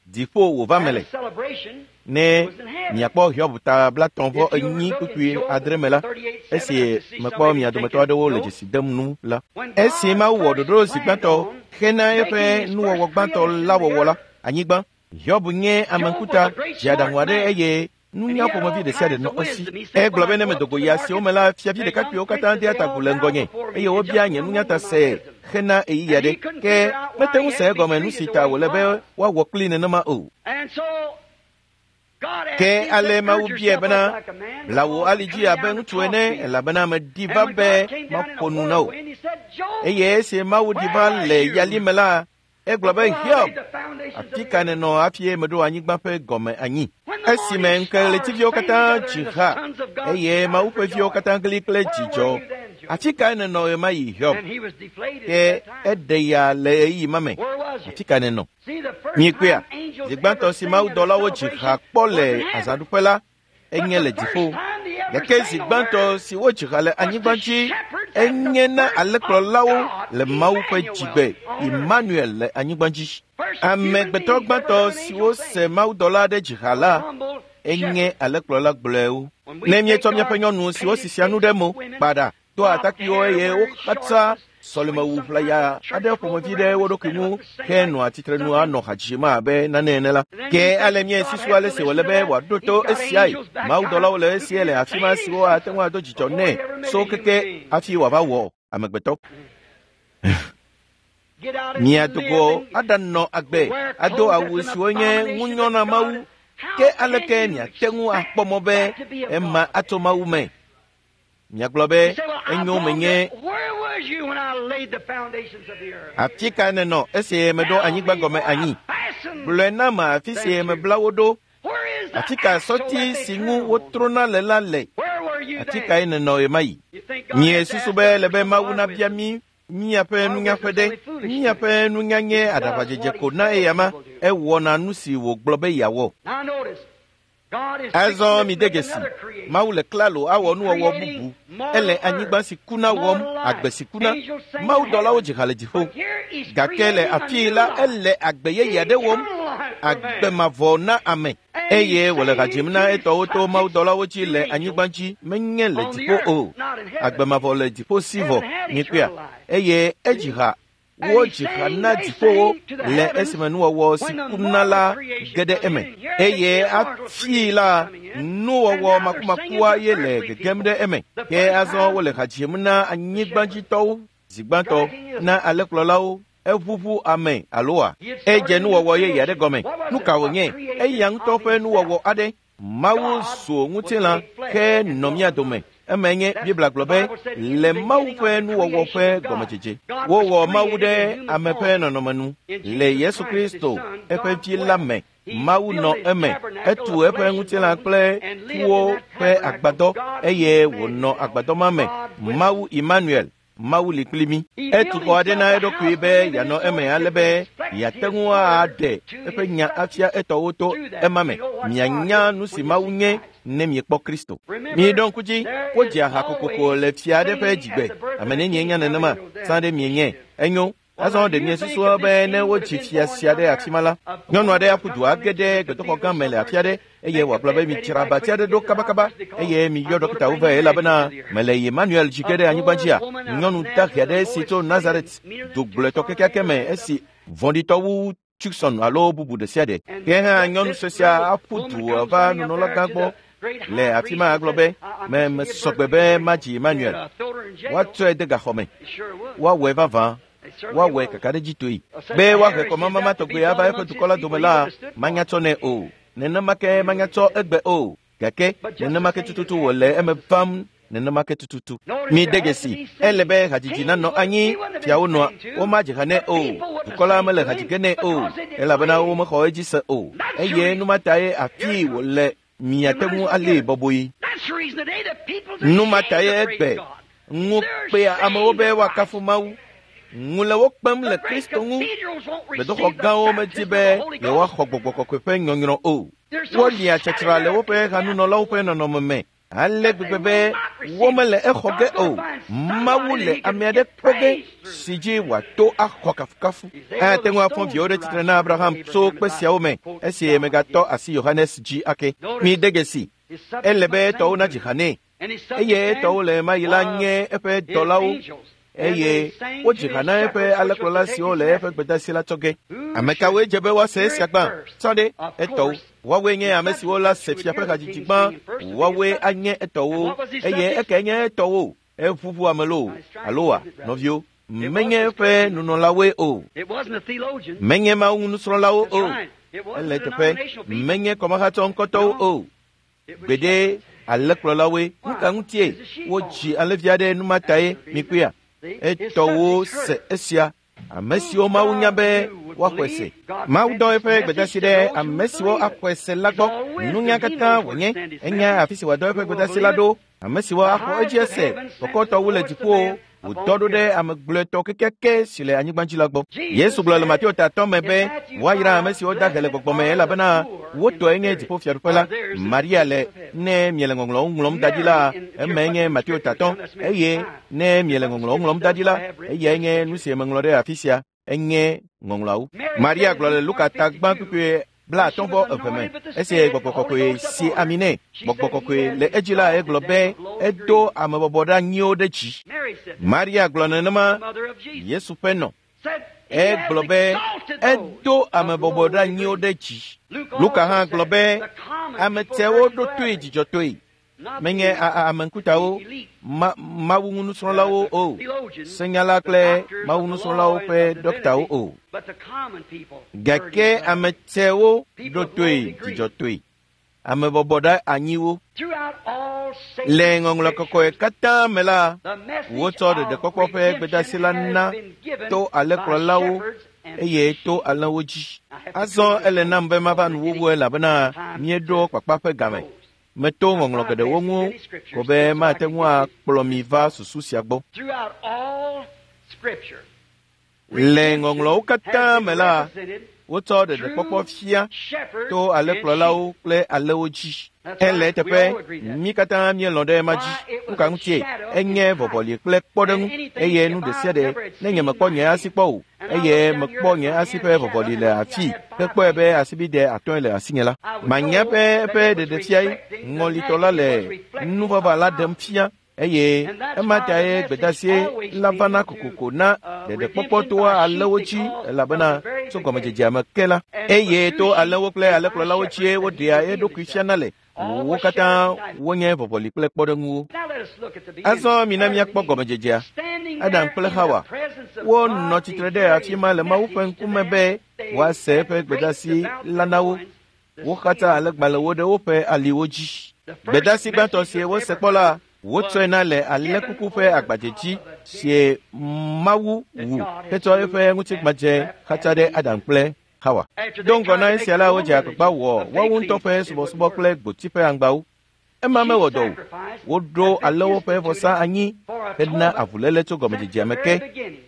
dziƒo wòva me le. Ne miakpɔ Hiob ta blatɔ̃ vɔ enyi kpukpui adre me la, esi mekpɔ mia dometɔ aɖewo le dzesi dem nu la, esi Mawu wɔ ɖoɖo zi gbãtɔ hena eƒe nuwɔwɔ gbãtɔ la wɔwɔ la, anyigba, Hiob nye ame ŋkuta, dze aɖaŋu aɖe eye nunya ƒomevi ɖe sia ɖe nɔ esi. Egblɔ be ne medo go yi asiwo me la, fiavi ɖekakpuiwo katã dea ta agu le ŋgɔnye eye wobia nye nunya ta se hena ɣeyiɣi aɖe. Ke mete ŋu se egɔme nu si ta wòle be woawɔ kpli nenema o. Ke ale Mawu biae bena, bla wò ali dzi abe ŋutsu ene elabena meɖi va be maƒo nu na wò. Eye esi Mawu ɖi va le yali me la, egblɔ be Hiob, afi ka nènɔ hafi meɖo anyigba ƒe gɔme anyi? Esime ŋukeɣletiviwo katã dzi ha eye Mawu ƒe viwo katã gli kple dzidzɔ. Afi kae nènɔ ɣemaɣi, Hiob? Ke eɖe ya le ɣeyiɣi ma me. Afi ka nènɔ? Mikpɔea, zi gbãtɔ si mawudɔlawo dzi ha kpɔ le azãɖuƒe la, enye le dziƒo. Gake zi gbãtɔ si wodzi ha le anyigba dzi, enye na alẽkplɔlawo le Mawu ƒe dzigbe, Emmanuel le anyigba dzi. Amegbetɔ gbãtɔ siwo se mawudɔla aɖe dzi ha la, enye alẽkplɔla gblɔewo. Ne míetsɔ míaƒe nyɔnu siwo sisia nu ɖe mo, kpa ɖa, to atakpuiwo eye wo katã sɔlemewu ʋlaya aɖe ƒomevi ɖe wo ɖokui ŋu henɔa tsitrenu anɔ ha dzim abe nane ene la. Ke ale míesusu ale si wòle be wòaɖo to esiae. Mawudɔlawo le esie le afi ma siwo ate ŋu ado dzidzɔ nɛ so keke hafi wòava wɔ amegbetɔ. Mia dogo aɖanɔ agbe ado awu siwo nye ŋunyɔ na Mawu. Ke aleke miate ŋu akpɔ mɔ be ema atso Mawu me? Miagblɔ be enyo menye afi ka nenɔ esi meɖo anyigba gɔme anyi. Gblɔe nam afi si mebla wo ɖo. Afi ka sɔti si ŋu wotrona le la le. Afi kae nenɔ ɣemaɣi? Miesusu be le be Mawu nabia mí míaƒe nunyaƒe ɖe. Míaƒe nunya nye aɖaʋadzedze ko na eyama. Ewɔna nu si wògblɔ be yeawɔ. Azɔ mide dzesi, Mawu le klalo awɔ nuwɔwɔ bubu. Ele anyigba si kuna wɔm, agbe si kuna. Mawudɔlawo dzi ha le dziƒo. Gake le afii la, ele agbe yeye aɖe wɔm, agbe mavɔ na ame. Eye wòle ha dzim na etɔwo to mawudɔlawo dzi le anyigba dzi, menye le dziƒo o. Agbe mavɔ le dziƒo si vɔ, mikpɔea. Eye edzi ha wodzi ha na dziƒowo le esime nuwɔwɔ si kuna la ge ɖe eme. Eye afii la, nuwɔwɔ makumakua ye le gegem ɖe eme. Ke azɔ wole ha dzim na anyigbadzitɔwo zi gbãtɔ, na alẽkplɔlawo, eʋuʋu ame aloa. Edze nuwɔwɔ yeye aɖe gɔme. Nu ka wònye? Eya ŋutɔ ƒe nuwɔwɔ aɖe. Mawu zu ŋutilã ke nɔ mía dome. Eme nye Biblia gblɔ be le Mawu ƒe nuwɔwɔ ƒe gɔmedzedze. Wowɔ Mawu ɖe ame ƒe nɔnɔme nu le Yesu Kristo eƒe vi la me. Mawu nɔ eme, etu eƒe ŋutilã kple ƒuwo ƒe agbadɔ eye wònɔ agbadɔ ma me. Mawu Emmanuel, Mawu li kpli mí. Etu xɔ aɖe na eɖokui be yeanɔ eme ale be yeate ŋu aɖe eƒe nya afia etɔwo to ema me. Mianya nu si Mawu nye ne miekpɔ Kristo. Miɖo ŋku dzi, wodzia ha kokoko le fia aɖe ƒe dzigbe. Ame nenie nya nenema? Sã ɖe mienye. Enyo. Azɔ ɖe miesusua be ne wodzi fia sia ɖe afi ma la, nyɔnu aɖe aƒu du age ɖe gbedoxɔ gã me le afi aɖe eye wòagblɔ be midzra abati aɖe ɖo kabakaba eye miyɔ ɖɔkitawo vɛ elabena mele Emmanuel dzi ge ɖe anyigba dzia. Nyɔnu dahe aɖe si tso Nazaret dugblɔetɔ kekeake me esi vɔ̃ɖitɔ wu Tucson alo bubu ɖe sia ɖe. Ke hã nyɔnu sue sia aƒu du va nunɔlagã gbɔ le afi ma agblɔ be me mesɔgbe be madzi Emmanuel. Woatsɔe de gaxɔ me. Woawɔe vavã. Woawɔe kakaɖedzitɔe. Be woahe kɔmamama tɔgbe ava eƒe dukɔ la dome la, manyatsɔ nɛ o. Nenema ke manyatsɔ egbe o. Gake nenema ke tututu wòle eme vam. Nenema ke tututu. Mide dzesi, ele be hadzidzi nanɔ anyi. Fiawo nɔa, womadzi ha nɛ o. Dukɔ la mele hadzi ge nɛ o, elabena womexɔ edzi se o. Eye nu ma tae afii wòle miate ŋu alée bɔbɔe. Nu ma tae egbe ŋu kpea amewo be woakafu Mawu. Ŋu le wo kpem le Kristo ŋu. Gbedoxɔ gãwo medi be yewoaxɔ gbɔgbɔ kɔkɔe ƒe nyɔnyrɔ o. Wolia tsatra le woƒe hanunɔlawo ƒe nɔnɔme me ale gbegbe be womele exɔ ge o. Mawu le ame aɖe kpɔ ge si dzi wòato axɔ kafukafu. Ate ŋu afɔ viwo ɖe tsitre na Abraham tso kpe siawo me esi megatɔ asi Yohanes dzi ake. Mide dzesi, ele be etɔwo nadzi ha nɛ. Eye etɔwo le ɣemaɣi la nye eƒe dɔlawo. Eye wodzi ha na eƒe alẽkplɔla siwo le eƒe gbedeasi la tsɔ ge. Ame kawoe dze be woase esia gbã? Tsɔ ɖe etɔwo. Woawoe nye ame siwo la se fia ƒe hadzidzi gbã. Woawoe anye etɔwo. Eye ekae nye etɔwo? Eʋuʋu ame loo aloa, nɔviwo, menye eƒe nunɔlawoe o. Menye Mawu nusrɔ̃lawo o. Ele teƒe, menye kɔmahatsɔ ŋkɔtɔwo o. Gbeɖe alẽkplɔlawoe. Nu ka ŋutie wodzi alẽvi aɖe nu ma tae mikpɔea? Etɔwo se esia. Ame siwo Mawu nya be woaxɔe se. Mawu dɔ eƒe gbedeasi ɖe ame siwo axɔe se la gbɔ. Nunya katã wònye. Enya afi si wòadɔ eƒe gbedeasi la ɖo. Ame siwo axɔ edzi ese kɔkɔtɔ wu le dziƒowo. Wòdɔ ɖo ɖe ame gblɔetɔ kekeake si le anyigba dzi la gbɔ. Yesu gblɔ le Mateo ta atɔ̃ me be woayra ame siwo da he le gbɔgbɔ me elabena wo tɔe nye dziƒofiaɖuƒe la. Maria le ne miele ŋɔŋlɔwo ŋlɔm da ɖi la, emae nye Mateo ta atɔ̃. Eye ne miele ŋɔŋlɔwo ŋlɔm da ɖi la, eyae nye nu si meŋlɔ ɖe afi sia. Enye ŋɔŋlɔawo. Maria gblɔ le Luka ta gbã kpukpui Blaatɔ̃ vɔ eve me esi gbɔgbɔ kɔkɔe si ami nɛ. Gbɔgbɔ kɔkɔe le edzi la egblɔ be edo amebɔbɔ ɖe anyiwo ɖe dzi. Maria gblɔ nenema Yesu ƒe nɔ. Egblɔ be edo amebɔbɔ ɖe anyiwo ɖe dzi. Luka hã gblɔ be ame tɛwo ɖo toe dzidzɔtɔe. Menye ame ŋkutawo, ma, mawu nusrɔ̃lawo o, senyala kple mawu nusrɔ̃lawo ƒe dɔktawo o. Gake ame tɛwo ɖo toe dzidzɔtɔe. Ame bɔbɔ ɖe anyiwo. Le ŋɔŋlɔ kɔkɔe katã me la, wotsɔ ɖeɖekpɔkpɔ ƒe gbedeasi la na to alẽkplɔlawo eye to alẽwo dzi. Azɔ ele nam be mava nuwuwu elabena míeɖo kpakpa ƒe game. Meto ŋɔŋlɔ geɖewo ŋu ko be mate ŋu akplɔ mi va susu sia gbɔ. Le ŋɔŋlɔwo katã me la, wotsɔ ɖeɖekpɔkpɔ fia to alẽkplɔlawo kple alẽwo dzi. Ele eteƒe, mí katã míelɔ̃ ɖe ema dzi. Nu ka ŋutie? Enye vɔvɔli kple kpɔɖeŋu eye nu ɖe sia ɖe ne nye mekpɔ nye asi kpɔ o eye mekpɔ nye asi ƒe vɔvɔli le afii hekpɔe be asibide atɔ̃e le asinye la. Manya ƒe eƒe ɖeɖefiae ŋɔlitɔ la le nuvava la ɖem fia eye ema tae gbedeasie la vana kokoko na ɖeɖekpɔkpɔ toa alẽwo dzi elabena tso gɔmedzedzea me ke la eye to alẽwo kple alẽkplɔlawo dzie woɖea eɖokui fiana le. Wo katã wonye vɔvɔli kple kpɔɖeŋuwo. Azɔ mina míakpɔ gɔmedzedzea. Adam kple Hawa wonɔ tsitre ɖe afi ma le Mawu ƒe ŋkume be woase eƒe gbedeasi la na wo. Wo katã alẽgbalẽwo ɖe woƒe aliwo dzi. Gbedeasi gbãtɔ si wose kpɔ la, wotsɔe na le alẽkuku ƒe agbadze dzi si Mawu wu hetsɔ eƒe ŋutigbadze xatsa ɖe Adam kple Hawa. Do ŋgɔ na esia la, wodze agbagba wɔ woawo ŋutɔ ƒe subɔsubɔ kple gboti ƒe aŋgbawo. Ema mewɔ dɔ o. Woɖo alẽwo ƒe vɔsa anyi hena avuléle tso gɔmedzedzea me ke,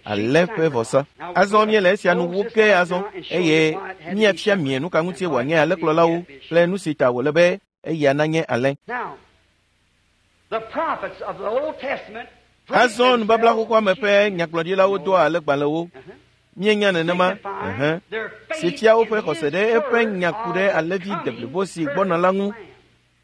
alẽ ƒe vɔsa. Azɔ míele esia nu wu ke azɔ eye míafia mie nu ka ŋutie wòanye alẽkplɔlawo kple nu si ta wòle be eya nanye alẽ. Azɔ nubabla xoxoa me ƒe nyagblɔɖilawo doa alẽgbalẽwo. Míenya nenema, ɛhɛ̃, si fia woƒe xɔse ɖe eƒe nya ku ɖe alẽvi deblibo si gbɔna la ŋu.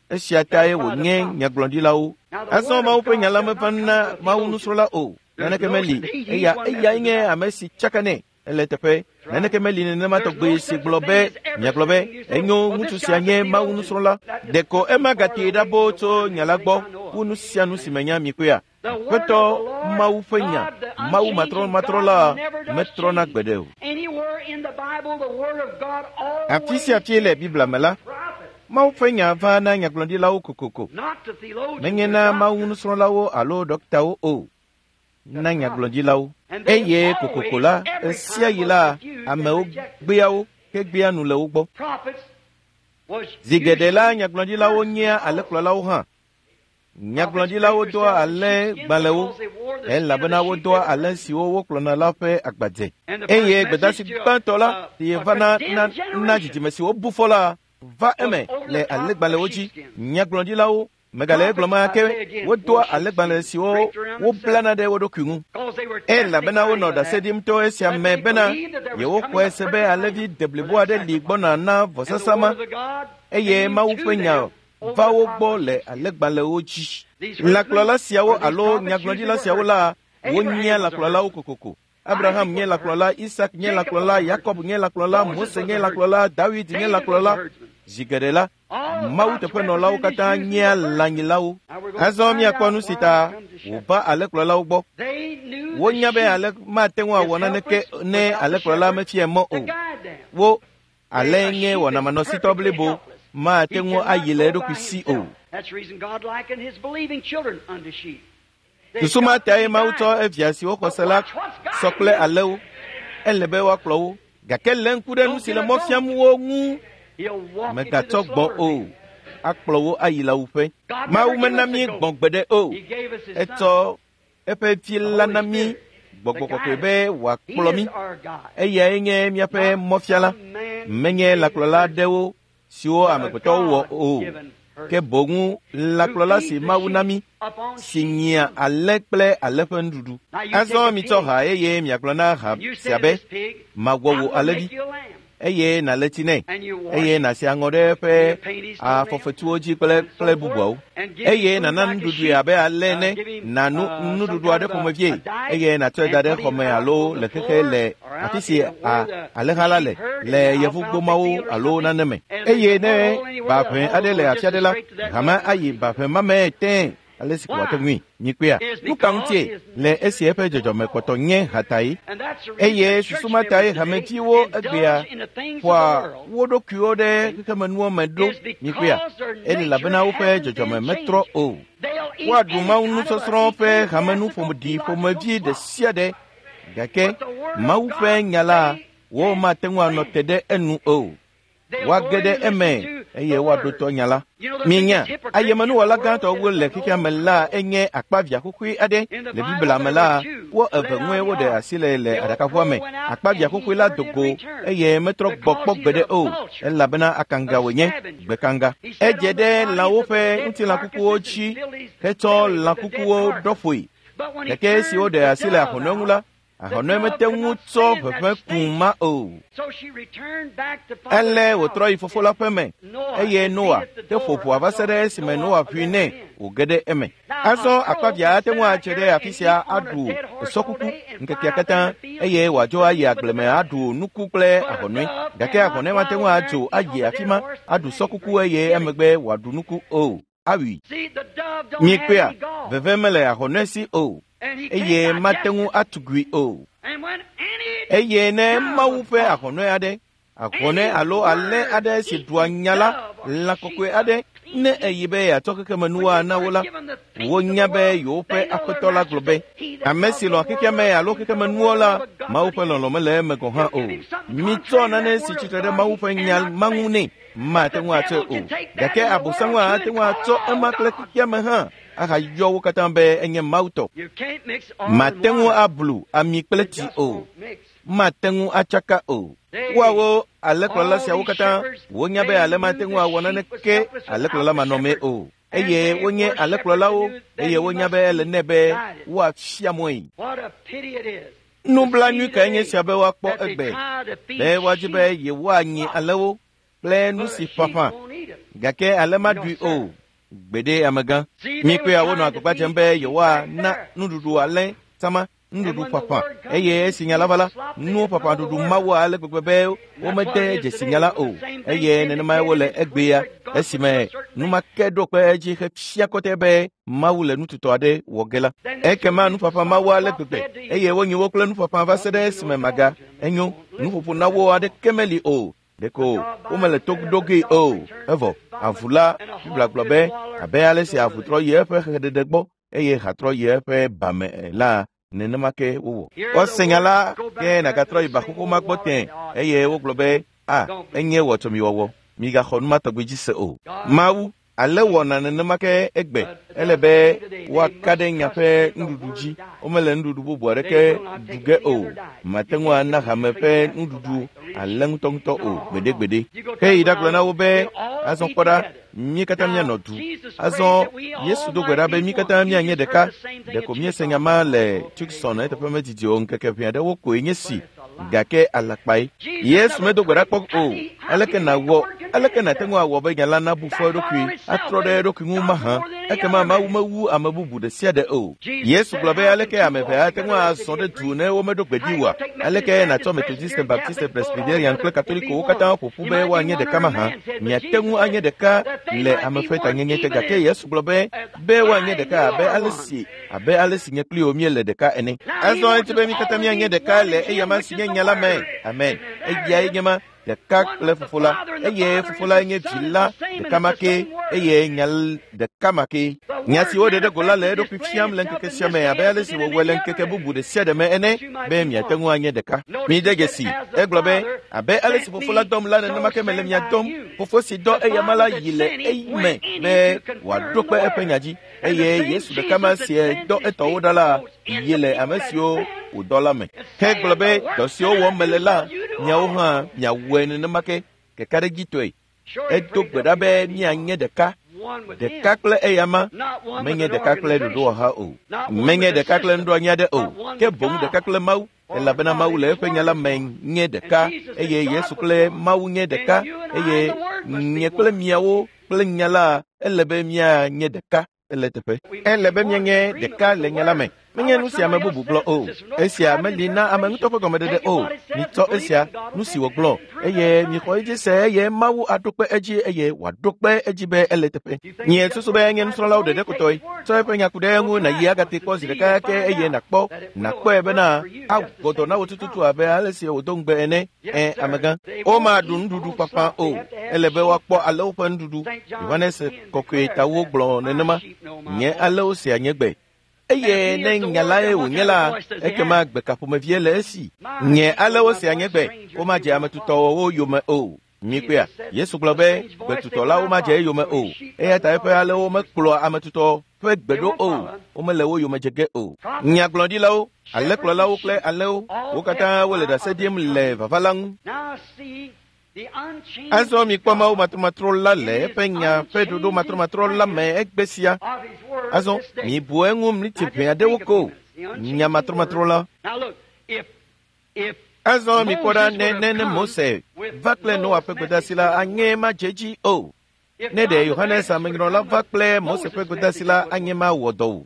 Esia tae wònye nyagblɔɖilawo. Azɔ Mawu ƒe nya la meva na Mawu nusrɔ̃la o. Naneke meli. Eya eyae nye ame si tsaka nɛ. Ele teƒe. Naneke meli nenema tɔgbe si gblɔ be miagblɔ be enyo ŋutsu sia nye Mawu nusrɔ̃la. Ɖeko ema gatee ɖa boo tso nya la gbɔ wu nu sia nu si menya mi kpea. Aƒetɔ Mawu ƒe nya, Mawu matrɔmatrɔ la metrɔna gbeɖe o. Afi sia afi le Biblia me la, Mawu ƒe nya va na nyagblɔɖilawo kokoko. Menye na Mawu nusrɔ̃lawo alo dɔktawo o, na nyagblɔɖilawo. Eye kokoko la, ɣe sia ɣi la, amewo gbea wo hegbea nu le wo gbɔ. Zi geɖe la, nyagblɔɖilawo nyea alẽkplɔlawo hã. Nyagblɔɖilawo doa alẽgbalẽwo elabena wodoa alẽ siwo wokplɔna la ƒe agbadze. Eye gbedeasi gbãtɔ la si va na na na dzidzime si wobu fɔ la va eme le alẽgbalẽwo dzi. Nyagblɔɖilawo megale egblɔm ake wodoa alẽgbalẽ siwo woblana ɖe wo ɖokui ŋu elabena wonɔ ɖase ɖim to esia me bena yewoxɔe se be alẽvi deblibo aɖe li gbɔna na vɔsasa ma eye Mawu ƒe nya va wo gbɔ le alẽgbalẽwo dzi. Lãkplɔla siawo alo nyagblɔɖila siawo la wonyea lãkplɔlawo kokoko. Abraham nye lãkplɔla, Isak nye lãkplɔla, Yakob nye lãkplɔla, Mose nye lãkplɔla, Dawid nye lãkplɔla. Zi geɖe la, Mawu teƒenɔlawo katã nyea lãnyilawo. Azɔ míakpɔ nu si ta wòva alẽkplɔlawo gbɔ. Wonya be alẽ mate ŋu awɔ naneke ne alẽkplɔla mefia mɔ o. Wo alẽ nye wɔnamanɔsitɔ blibo mate ŋu ayi le eɖokui si o. Susu ma tae Mawu tsɔ evia siwo xɔ se la sɔ kple alẽwo. Ele be woakplɔ wo. Gake lé ŋku ɖe nu si le mɔ fiam wo ŋu. Megatsɔ gbɔ o. Akplɔ wo ayi lãwuƒe. Mawu mena mí gbɔ̃ gbeɖe o. Etsɔ eƒe vi la na mí gbɔgbɔ kɔkɔe be wòakplɔ mí. Eyae nye míaƒe mɔfiala. Menye lãkplɔla aɖewo siwo amegbetɔwo wɔ o. Ke boŋ lãkplɔla si Mawu na mí si nyia alẽ kple alẽ ƒe nuɖuɖu. Azɔ mitsɔ ha eye miagblɔ na ha sia be, mawɔ wò alẽvi. eye nàle tsi nɛ eye nàsi aŋɔ ɖe eƒe afɔfetuwo dzi kple kple bubuawo eye nàna nuɖuɖui abe ale ene nànu nuɖuɖu aɖe ƒomevie eye nàtsɔe da ɖe xɔme alo le xexe le afi si alẽha la le le yevugbomawo alo nane me eye ne baʋẽ aɖe le afi aɖe la hame ayi baʋẽ ma me tẽe ale si ko wòate ŋui nyikpea nu ka ŋutie le esi eƒe dzɔdzɔme kpɔtɔ nye hatae eye susu ma tae hameviwo egbea ƒoa wo ɖokuiwo ɖe xexemenuwo me ɖo nyikpea elabena woƒe dzɔdzɔme metrɔ o woaɖu mawu nusɔsrɔ̃ ƒe hamenuƒoɖi ƒomevi ɖe sia ɖe gake mawu ƒe nya la womate ŋu anɔ te ɖe enu o woage ɖe eme eye woaɖo tɔ nya la minya ayemenuwɔla gãtɔwo le xexea me la enye akpavia xoxoe aɖe le biblia me la wo eve ŋue woɖe asi le le aɖakaʋua me akpavia xoxoe la do go eye metrɔ gbɔ kpɔ gbeɖe o elabena akanga wònye gbekanga edze ɖe lãwo ƒe ŋutilãkukuwo dzi hetsɔ lãkukuwo ɖɔ ƒoe gake esi woɖe asi le ahɔnɔe ŋu la ahɔnɔe mete ŋu tsɔ ʋeʋẽ kũ ma o ele wòtrɔ yi fofo la ƒe me eye noa te ƒo ʋua va se ɖe esime noa ʋui nɛ wòge ɖe eme azɔ akpavia ate ŋu atse ɖe afi sia aɖu sɔkuku ŋkekea katã eye wòadzo ayi agble me aɖu nuku kple ahɔnɔe gake ahɔnɔe mate ŋu adzo ayi afi ma aɖu sɔkuku eye emegbe wòaɖu nuku o awui nyikpea veve mele ahɔnɔe si o eye mate ŋu atugui o eye ne mawu ƒe ahɔnɔe aɖe ahɔnɔe alo alẽ aɖe si ɖua nya la lã kɔkɔe aɖe ne eyi be yeatsɔ xexemenuwoa na wo la wonya be yewoƒe aƒetɔ la gblɔ be ame si lɔ̃ xexea me alo xexemenuwo la mawu ƒe lɔlɔ̃ mele eme gɔ̃ hã o mitsɔ nane si tsitre ɖe mawu ƒe nya ma ŋu nɛ mate ŋu atsɔe o gake abosaŋu ate ŋu atsɔ ema kple xexea me hã ahayɔ wo katã be enye mawu tɔ mate ŋu ablu ami kple tsi o mate ŋu atsaka o woawo alẽkplɔla siawo katã wonya be ale mate ŋu awɔ naneke alẽkplɔla manɔmee o eye wonye alẽkplɔlawo eye wonya be ele nɛ be woafia mɔe nublanui kae nye sia be woakpɔ egbe be woadzi be yewoanyi alẽwo kple nu si ƒaƒã gake ale maɖui o gbeɖe amegã mikpea wonɔ agbagba dzem be yewoana nuɖuɖu alẽ sama nuɖuɖu ƒaƒã eye esi nya la va la nuwo ƒaƒã ɖuɖu mawu ale gbegbe be womede dzesi nya la o eye nenemae wole egbea esime numake ɖo kpe edzi hefia kɔtɛ be mawu le nututɔ aɖe wɔ ge la ekema nuƒaƒã mawu ale gbegbe eye wonyi wo kple nuƒaƒã va se ɖe esime maga enyo nuƒoƒo na wo aɖeke meli o ɖeko womele to ɖo gee o evɔ avu la biblia gblɔ be abe ale si avu trɔ yi eƒe xeɖeɖe gbɔ eye ha trɔ yi eƒe bame la nenema ke wowɔ wose nya la ke nàgatrɔ yi ba xoxo ma gbɔ tẽ eye wogblɔ be a enye wɔtsɔmiwɔwɔ migaxɔ nu ma tɔgbi dzi se o mawu ale wɔna nenema ke egbe ele be woaka ɖe nya ƒe nuɖuɖu dzi womele nuɖuɖu bubu aɖeke ɖu ge o mate ŋu ana hame ƒe nuɖuɖu ale ŋutɔŋutɔ o gbeɖegbeɖe heyi ɖagblɔ na wo be azɔ kpɔ ɖa mí katã míanɔ du azɔ yesu do gbe ɖa be mí katã míanye ɖeka ɖeko míese nya ma le tucson eteƒe medidi o ŋkeke ʋɛ aɖewo koe nye si gake alakpae yesu medo gbe ɖa kpɔ o aleke nàwɔ aleke nàte ŋu awɔ be nya la nabu fɔ eɖokui atrɔ ɖe eɖokui ŋu mahã ekema mawu mewu ame bubu ɖe sia ɖe o yesu gblɔ be aleke ame eve ate ŋu azɔ ɖe du ne womeɖo gbe ɖi oa aleke nàtsɔ methodiste baptiste presbyterian kple katolikowo katã ƒo ƒu be woanye ɖeka mahã miate ŋu anye ɖeka le ame ƒe tanyenye te gake yesu gblɔ be be woanye ɖeka abe ale si abe ale si nye kpli wo míele ɖeka ene azɔ eti be mí katã míanye ɖeka le eyama si nye nya la me amen eyae nye ma ɖeka kple fofo la eye fofo la nye vi la ɖeka ma ke eye nya ɖeka ma ke nya si woɖe ɖe go la le eɖokui fiam le ŋkeke sia me abe ale si wòwɔe le ŋkeke bubu ɖe sia ɖe me ene be miate ŋu anye ɖeka mide dzesi egblɔ be abe ale si fofo la dɔm la nenema ke mele mia dɔm fofo si dɔ eyama la yi le eyime be wòaɖo kpe eƒe nya dzi eye yesu ɖeka ma si dɔ etɔwo ɖa la yi le ame siwo wòdɔ la me hegblɔ be dɔ siwo wɔm mele la miawo hã miawɔe nenema ke kekaɖedzitɔe edo gbe ɖa be míanye ɖeka ɖeka kple eyama menye ɖeka kple ɖoɖowɔha o menye ɖeka kple nuɖoanyi aɖe o ke boŋ ɖeka kple mawu Elabena Mawu le eƒe nya la me nye ɖeka eye Yesu kple Mawu nye ɖeka eye nye kple miawo kple nya la ele be míanye ɖeka ele teƒe. Ele be míanye ɖeka le nya la me. Menye nu sia ame bubu gblɔ o. Esia meli na ame ŋutɔ ƒe gɔmeɖeɖe o. Mitsɔ esia, nu si wògblɔ, eye mixɔ edzi se eye Mawu aɖo kpe edzi eye wòaɖo kpe edzi be ele teƒe. Nye susu be nye nusrɔ̃lawo ɖeɖe kotɔe. Tsɔ eƒe nya ku ɖe eŋu nàyi agate kpɔ zi ɖeka ke eye nàkpɔ, nàkpɔe bena awɔ dɔ na wò tututu abe ale si wòdo ŋugbe ene. Ẽ, amegã. Womaɖu nuɖuɖu ƒaƒã o. Ele be woakpɔ alewo ƒe nuɖuɖu. Yohanes Kɔkɔe tawo gblɔ nenema. Nye alewo sea nye gbe. Eye ne nya lae wònye la, ekema gbe ka ƒomevie le esi? Nye alewo sea nye gbe, womadze ame tutɔwo yome o. Mikpɔea, Yesu gblɔ be gbetutɔlawo madze eyome o. Eya ta eƒe alewo mekplɔa ame tutɔ ƒe gbe ɖo o. Womele wo yome dze ge o. Nyagblɔɖilawo, alẽkplɔlawo kple alẽwo, wo katã wole ɖase ɖim le vava la ŋu. Azɔ mikpɔ Mawu matrɔmatrɔ la le eƒe nya ƒe ɖoɖo matrɔmatrɔ la me egbe sia. Azɔ mibu eŋu mliti ʋɛ aɖewo ko. Nya matrɔmatrɔ la. Azɔ mikpɔ ɖa ne ne ne Mose va kple Noa ƒe gbedeasi la anye madze edzi o. Ne ɖe Yohanes Amenyrɔla va kple Mose ƒe gbedeasi la anye mawɔ dɔ o.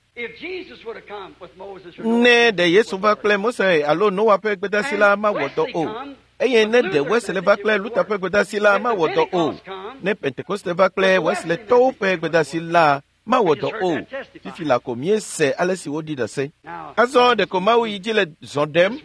Ne ɖe Yesu va kple Mose alo Noa ƒe gbedeasi la mawɔ dɔ o. Eye ne ɖe Wesley va kple Luther ƒe gbedeasi la mawɔ dɔ o. Ne Pentekoste va kple Wesleytɔwo ƒe gbedeasi la mawɔ dɔ o. Fifi la ko míese ale si woɖi ɖase. Azɔ ɖeko Mawu yi dzi le zɔ ɖem.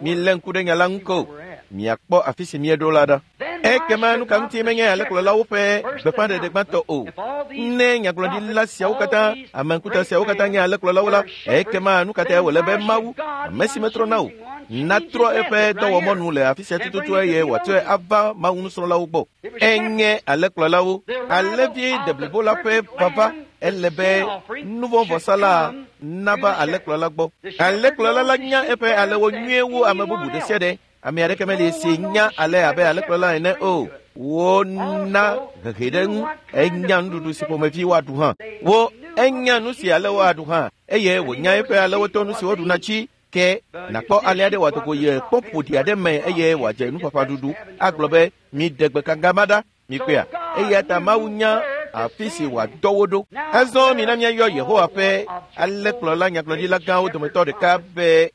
Milé ŋku ɖe nya la ŋu ko. Miakpɔ afi si míeɖo la ɖa. Ekema nu ka ŋuti menye alẽkplɔlawo ƒe gbeƒãɖeɖe gbãtɔ o. Ne nyagblɔɖila siawo katã, ame ŋkuta siawo katã nye alẽkplɔlawo la, ekema nu ka tae wòle be Mawu, ame si metrɔna o, natrɔ eƒe dɔwɔmɔnu le afi sia tututu eye wòatsɔe ava Mawu nusrɔ̃lawo gbɔ. Enye alẽkplɔlawo. Alẽvi deblibo la ƒe vava ele be nuvɔ̃vɔsala nava alẽkplɔla gbɔ. Alẽkplɔla la nya eƒe alẽwo nyuie wu ame bubu ɖe sia ɖe. Ame aɖeke meli si nya ale abe alẽkplɔla ene o. Wona hehe ɖe eŋu. Enya nuɖuɖu si ƒomevi woaɖu hã. Wo enya nu si alẽwo aɖu hã eye wònya eƒe alẽwo to nu si woɖuna dzi. Ke nàkpɔ ale aɖe wòado go yi kpɔ ƒoɖi aɖe me eye wòadze nuƒaƒã ɖuɖu agblɔ be miɖe gbekanga ma ɖa. Mikpɔea, eya ta Mawu nya afi si wòadɔ wo ɖo. Azɔ mina míayɔ Yehowa ƒe alẽkplɔla nyagblɔɖila gãwo dometɔ ɖeka be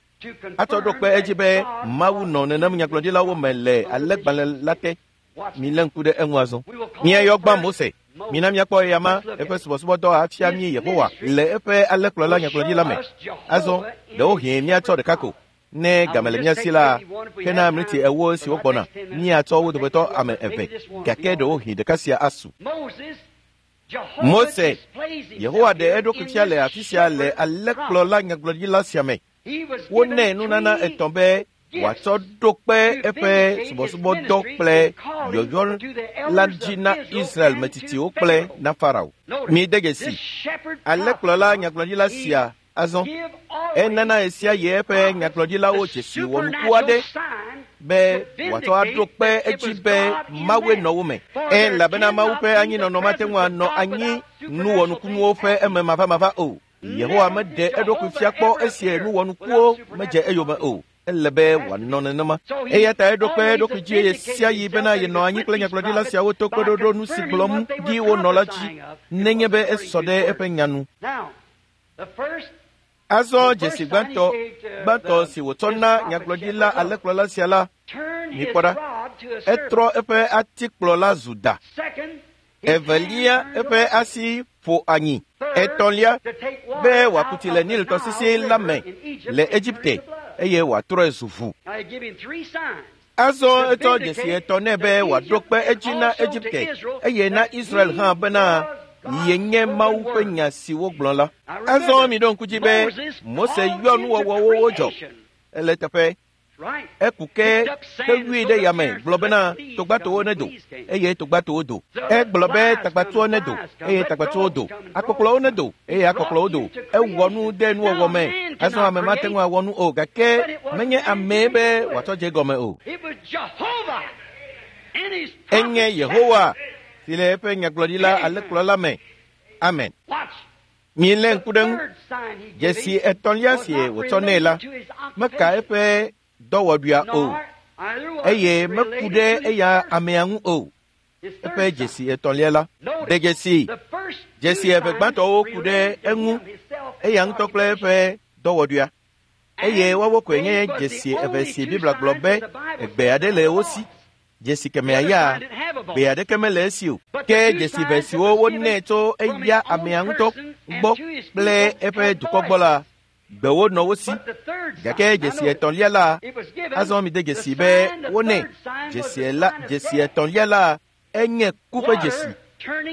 atsɔ ɖo kpe edzi be Mawu nɔ nenem nyagblɔɖilawo me le alẽgbalẽ la te. Milé ŋku ɖe eŋu azɔ. Míayɔ gbã Mose. Mina míakpɔ eyama eƒe subɔsubɔdɔ afia mí Yehowa le eƒe alẽkplɔla nyagblɔɖila me. Azɔ ɖewohĩ míatsɔ ɖeka ko. Ne game le mía si la, hena mliti ewo siwo gbɔna, míatsɔ wo dometɔ ame eve, gake ɖewohĩ ɖeka sia asu. Mose, Yehowa ɖe eɖokui fia le afi sia le alẽkplɔla nyagblɔɖila sia me. Wonɛ nunana etɔ̃ be wòatsɔ ɖo kpe eƒe subɔsubɔdɔ kple yɔyɔ la dzi na Israel metsitsiwo kple na Farao. Mide dzesi, alẽkplɔla nyagblɔɖila sia azɔ enana esia yi eƒe nyagblɔɖilawo dzesi wɔnuku aɖe be wòatsɔ aɖo kpe edzi be Mawue nɔ wo me. Elabena Mawu ƒe anyinɔnɔ mate ŋu anɔ anyi nuwɔnukunuwo ƒe eme mavamava o. Yehowa meɖe eɖokui fia kpɔ esie nuwɔnukuwo medze eyome o. Ele be wòanɔ nenema. Eya ta eɖo kpe eɖokui dzi eye sia yi bena yenɔ anyi kple nyagblɔɖila siawo to kpeɖoɖo nu si gblɔm ɖi wonɔ la dzi nenye be esɔ ɖe eƒe nya nu. Azɔ dzesi gbãtɔ gbãtɔ si wòtsɔ na nyagblɔɖila alẽkplɔla sia la, mikpɔ ɖa, etrɔ eƒe atikplɔ la zu da. Evelia, eƒe asi ƒo anyi. Etɔ̃lia, be wòaku tsi le Nil tɔsisi la me le Egipte eye wòatrɔe zu ʋu. Azɔ etsɔ dzesi etɔ̃ nɛ be wòaɖo kpe edzi na Egipte eye na Israel hã bena yenye Mawu ƒe nya si wogblɔ la. Azɔ miɖo ŋku dzi be Mose yɔ nuwɔwɔwo wodzɔ. Ele teƒe. Eku ke hewui ɖe yame gblɔ bena togbatowo nedo eye togbatowo do. Egblɔ be tagbatuwo nedo eye tagbatuwo do. Akpɔkplɔwo nedo eye akpɔkplɔwo do. Ewɔ nu de nuwɔwɔ me. Azɔ ame mate ŋu awɔ nu o gake menye amee be wòatsɔ dze gɔme o. Enye Yehowa si le eƒe nyagblɔɖila alẽkplɔla me. Amen. Milé ŋku ɖe ŋu. Dzesi etɔ̃lia si wòtsɔ nɛ la meka eƒe dɔwɔɖuia o eye meku ɖe eya amea ŋu o. Eƒe dzesi etɔ̃lia la de dzesi dzesi eve gbãtɔwo ku ɖe eŋu eya ŋutɔ kple eƒe dɔwɔɖuia eye woawo koe nye dzesi eve si Biblia gblɔ be egbe aɖe le wo si. Dzesi kemɛa ya gbe aɖeke mele esi o. Ke dzesi eve siwo wonɛ tso eya amea ŋutɔ gbɔ kple eƒe dukɔ gbɔ la gbewo nɔ wo si. Gake dzesi etɔ̃lia la azɔ mi de dzesi be wonɛ dzesi la dzesi etɔ̃lia la enye ku ƒe dzesi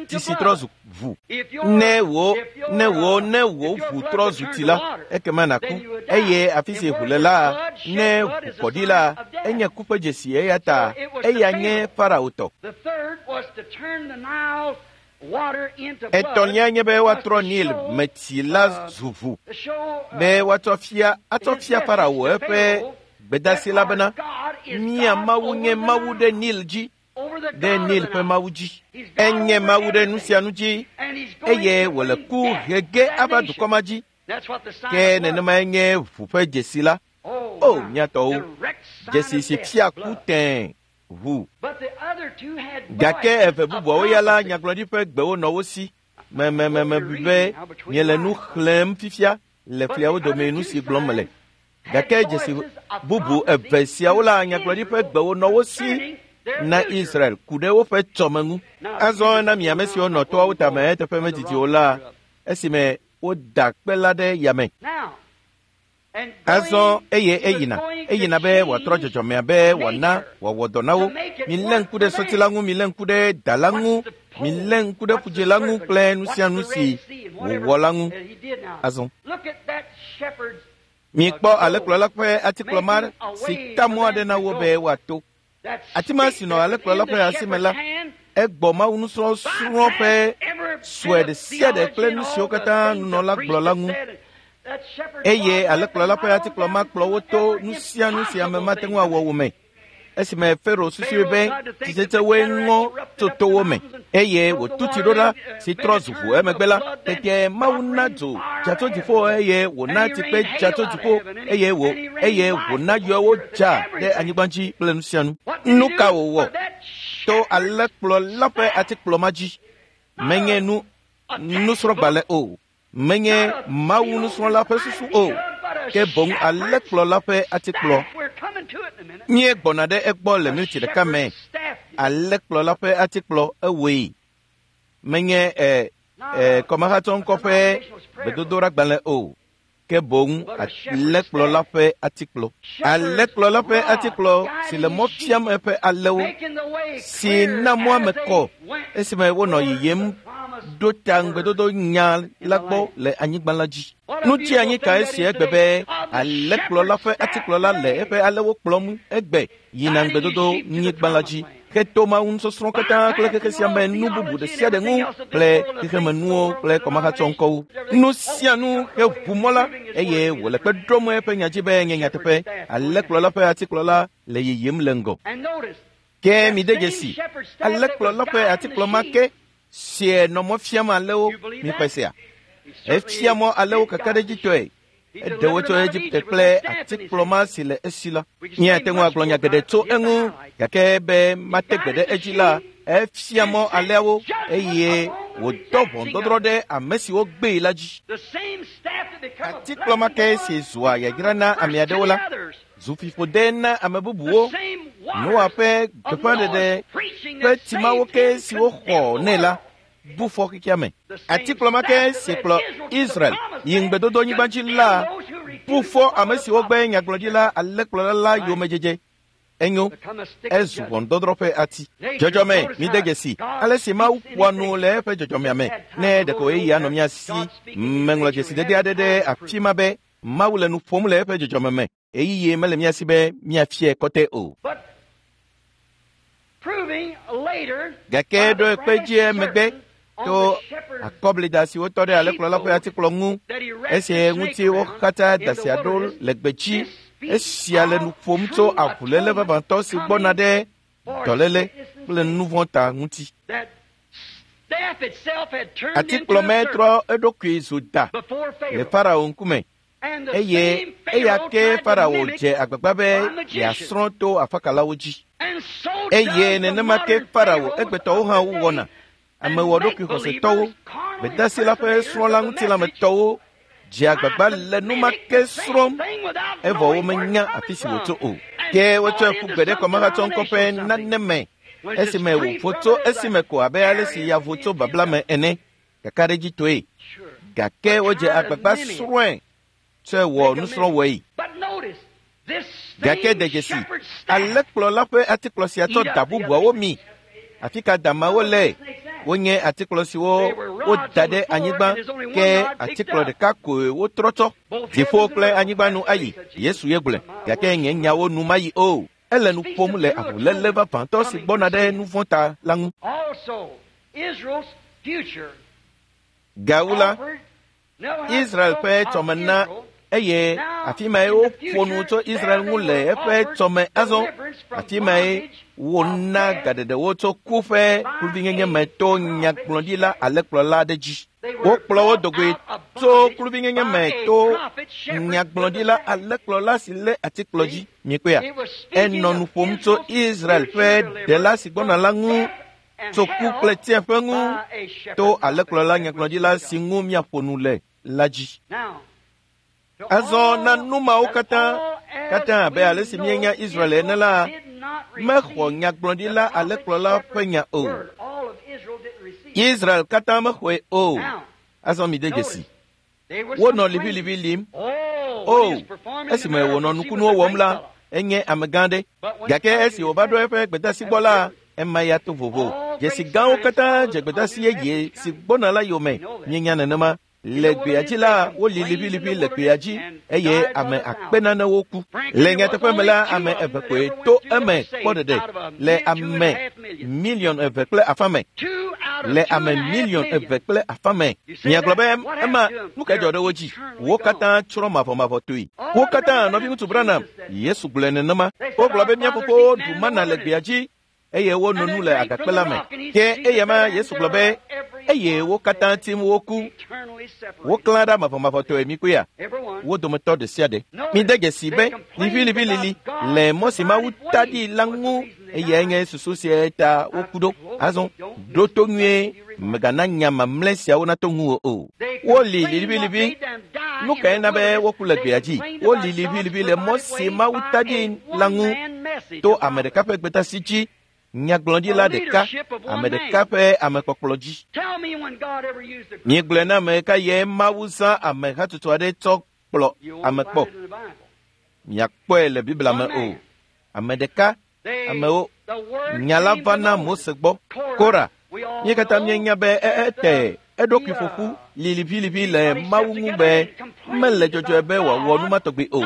tsi si trɔ zu ʋu. Ne wò ne wò ne wò ʋu trɔ zu tsi la ekema nàku eye afi si ʋu le la ne ʋu kɔ ɖi la enye ku ƒe dzesi eya ta eya nye Farao tɔ. Etɔ̃lia nye be woatrɔ Nil me tsi la zu ʋu be woatsɔ fia atsɔ fia Farao eƒe gbedasi la bena mía Mawu nye Mawu ɖe Nil dzi ɖe Nil ƒe Mawu dzi. Enye Mawu ɖe nu sia nu dzi eye wòle ku hege ava dukɔ ma dzi. Ke nenemae nye ʋu ƒe dzesi la. O mía tɔwo, dzesi si fia ku tẽe ʋu. Gake eve bubuawo ya la nyagblɔɖi ƒe gbewo nɔ wo si. Memememe be miele nu xlẽm fifia le fliawo dome nu si gblɔm mele. Gake dzesi bubu eve siawo la nyagblɔɖi ƒe gbewo nɔ wo si na Israel ku ɖe woƒe tsɔme ŋu. Azɔ na mi ame siwo nɔ toawo tame eteƒe medidi o la esime woda kpe la ɖe yame. Azɔ eye eyina eyina be wòatrɔ dzɔdzɔmea be wòana wòawɔ dɔ na wo. Milé ŋku ɖe sɔti la ŋu, milé ŋku ɖe da la ŋu, milé ŋku ɖe ƒudze la ŋu kple nu sia nu si wòwɔ la ŋu. Azɔ mikpɔ alẽkplɔla ƒe atikplɔ ma si ta mɔ aɖe na wo be woato. Ati ma si nɔ alẽkplɔla ƒe asi me la egbɔ Mawu nusrɔ̃srɔ̃ ƒe sue ɖe sia ɖe kple nu siwo katã nunɔla gblɔ la ŋu. Eye alẽkplɔla ƒe atikplɔ ma kplɔ wo to nu sia nu si ame mate ŋu awɔ wo me. Esime Farao susui be tsitsetsewoe ŋɔ tso towo me eye wòtu tsi ɖo ɖa si trɔ zu ʋu emegbe la tete Mawu na dzo dza tso dziƒo eye wòna tsikpe dza tso dziƒo eye wò eye wòna yɔwo dza ɖe anyigba dzi kple nu sia nu. Nu ka wòwɔ to alẽkplɔla ƒe atikplɔ ma dzi? Menye nu nusrɔ̃gbalẽ o, menye Mawu nusrɔ̃la ƒe susu o, ke boŋ alẽkplɔla ƒe atikplɔ. Míegbɔna ɖe egbɔ le miniti ɖeka me. Alẽkplɔla ƒe atikplɔ ewɔe. Menye ɛ ɛ kɔmehatsɔŋkɔ ƒe gbedodoɖagbalẽ o, ke boŋ alẽkplɔla ƒe atikplɔ. Alẽkplɔla ƒe atikplɔ si le mɔ fiam eƒe alẽwo, si na mɔa me kɔ esime wonɔ yiyim ɖo ta ŋugbedodo nya la gbɔ le anyigba la dzi. Nu tsi anyi kae si egbe be alẽkplɔla ƒe atikplɔla le eƒe alẽwo kplɔm egbe yina ŋugbedodo nyigba la dzi heto Mawu nusɔsrɔ̃ katã kple xexe sia me nu bubu ɖe sia ɖe ŋu kple xexemenuwo kple kɔmahatsɔŋkɔwo. Nu sia nu heʋu mɔ la eye wòle kpe ɖom eƒe nya dzi be nye nyateƒe. Alẽkplɔla ƒe atikplɔla le yiyim le ŋgɔ. Ke mi de dzesi alẽkplɔla ƒe atikplɔ ma ke sie nɔ mɔ fiam alẽwo miƒe sia. Efia mɔ alẽwo kakaɖedzitɔe. Eɖe wo tso Egipte kple atikplɔ ma si le esi la. Míate ŋu agblɔ nya geɖe tso eŋu gake be mate gbe ɖe edzi la, efia mɔ alẽawo eye wòdɔ ʋɔnudɔdrɔ̃ ɖe ame siwo gbee la dzi. Atikplɔ ma ke si zua yayra na ame aɖewo la zu fiƒode na ame bubuwo. Noa ƒe gbeƒãɖeɖe ƒe tsimawo ke siwo xɔ nɛ la bu fɔ xexea me. Atikplɔ ma ke si kplɔ Israel yi ŋugbedodonyigba dzi la bu fɔ ame siwo gbe nyagblɔɖila alẽkplɔla la yomedzedze. Enyo, ezu ʋɔnudɔdrɔ̃ ƒe ati. Dzɔdzɔme, mide dzesi ale si Mawu ƒoa nu le eƒe dzɔdzɔmea me. Ne ɖeko ɣeyiɣi anɔ mía si, meŋlɔ dzesidede aɖe ɖe afi ma be Mawu le nu ƒom le eƒe dzɔdzɔme me. Ɣeyiɣi mele mía si be míafiae kɔtɛ o. Gake ɖo ekpe dzi emegbe to akɔblida si wotɔ ɖe alẽkplɔla ƒe atikplɔ ŋu esi ŋuti woxatsa da sia ɖo le gbedzi. Esia le nu ƒom tso avuléle vavãtɔ si gbɔna ɖe dɔléle kple nuvɔ̃ ta ŋuti. Atikplɔ me trɔ eɖokui zu da le Farao ŋkume Eye eya ke Farao dze agbagba be yeasrɔ̃ to afakalawo dzi. Eye nenema ke Farao egbetɔwo hã wowɔna. Amewɔɖokui xɔsetɔwo, gbedasi la ƒe srɔ̃la ŋutilãmetɔwo dze agbagba le nu ma ke srɔ̃m evɔ womenya afi si wòtso o. Ke wotsɔe ƒu gbe ɖe kɔmahatsɔŋkɔ ƒe nane me esime wòvo tso esime ko abe ale si ya vo tso babla me ene kakaɖedzitɔe. Gake wodze agbagba srɔ̃e tsɔe wɔ nusrɔ̃wɔe. Gake de dzesi, alẽkplɔla ƒe atikplɔ sia tsɔ da bubuawo mi. Afi ka damawo le? Wonye atikplɔ siwo woda ɖe anyigba, ke atikplɔ ɖeka koe wotrɔ tsɔ. Dziƒo kple anyigba nu ayi, Yesu ye gblɔe. Gake nye nyawo nu mayi o. Ele nu ƒom le avuléle vavãtɔ si gbɔna ɖe nu vɔ̃ ta la ŋu. Gawu la, Israel ƒe tsɔme na eye afi mae woƒo nu tso Israel ŋu le eƒe tsɔme azɔ. Afi mae wona gaɖeɖewo tso ku ƒe kluvinyenye me to nyagblɔɖila alẽkplɔla aɖe dzi. Wokplɔ wo dogoe tso kluvinyenye me to nyagblɔɖila alẽkplɔla si lé atikplɔ dzi. Miekpɔea? Enɔ nu ƒom tso Israel ƒe ɖela si gbɔna la ŋu, tso ku kple tsiẽƒe ŋu, to alẽkplɔla nyagblɔɖila si ŋu míaƒo nu le la dzi. Azɔ na nu mawo katã katã abe ale si míenya Israel ene la, mexɔ nyagblɔɖila alẽkplɔla ƒe nya o. Israel katã mexɔe o. Azɔ mi de dzesi. Wonɔ liʋiliʋi lim. O, esime wònɔ nukunuwo wɔm la, enye amegã ɖe. Gake esi wòva ɖo eƒe gbedasi gbɔ la, ema ya to vovo. Dzesi gãwo katã dze gbedasi yeye si gbɔna la yome. Míenya nenema. Le gbea dzi la, woli liʋiliʋi le gbea dzi eye ame akpe nanewo ku. Le nyateƒe me la, ame eve koe to eme kpɔ ɖeɖe le ame miliɔn eve kple afã me. Le ame miliɔn eve kple afã me. Miagblɔ be ema nu ka dzɔ ɖe wo dzi? Wo katã tsrɔ̃ mavɔmavɔtɔe. Wo katã nɔviŋutsu Branham, Yesu gblɔe nenema. Wogblɔ be mía fofowo ɖu mana le gbea dzi eye wono nu le agakpe la me. Ke eya ma Yesu gblɔ be eye wo katã tim woku. Woklã ɖa mavɔmavɔtɔe mikpɔea? Wo dometɔ ɖe sia ɖe. Mide dzesi be liʋiliʋilili le mɔ si Mawu ta ɖi la ŋu eyae nye susu sia ta woku ɖo. Azɔ ɖo to nyuie, mègana nya mamlɛ siawo nato ŋuwò o. Woli liʋiliʋi. Nu kae na be woku le gbea dzi? Woli liʋiliʋi le mɔ si Mawu ta ɖi la ŋu to ame ɖeka ƒe gbedasi dzi. Nyagblɔɖila ɖeka, ame ɖeka ƒe amekpɔkplɔ dzi. Miegblɔe na ame ɖeka ye Mawu zã ame hatsotso aɖe tsɔ kplɔ ame kpɔ. Miakpɔe le Biblia me o. Ame ɖeka, amewo, nya la va na Mose gbɔ. Kora, mí katã míenya be ete eɖokui ƒoƒu liliʋiliʋi le Mawu ŋu be mele dzɔdzɔe be wòawɔ nu ma tɔgbi o,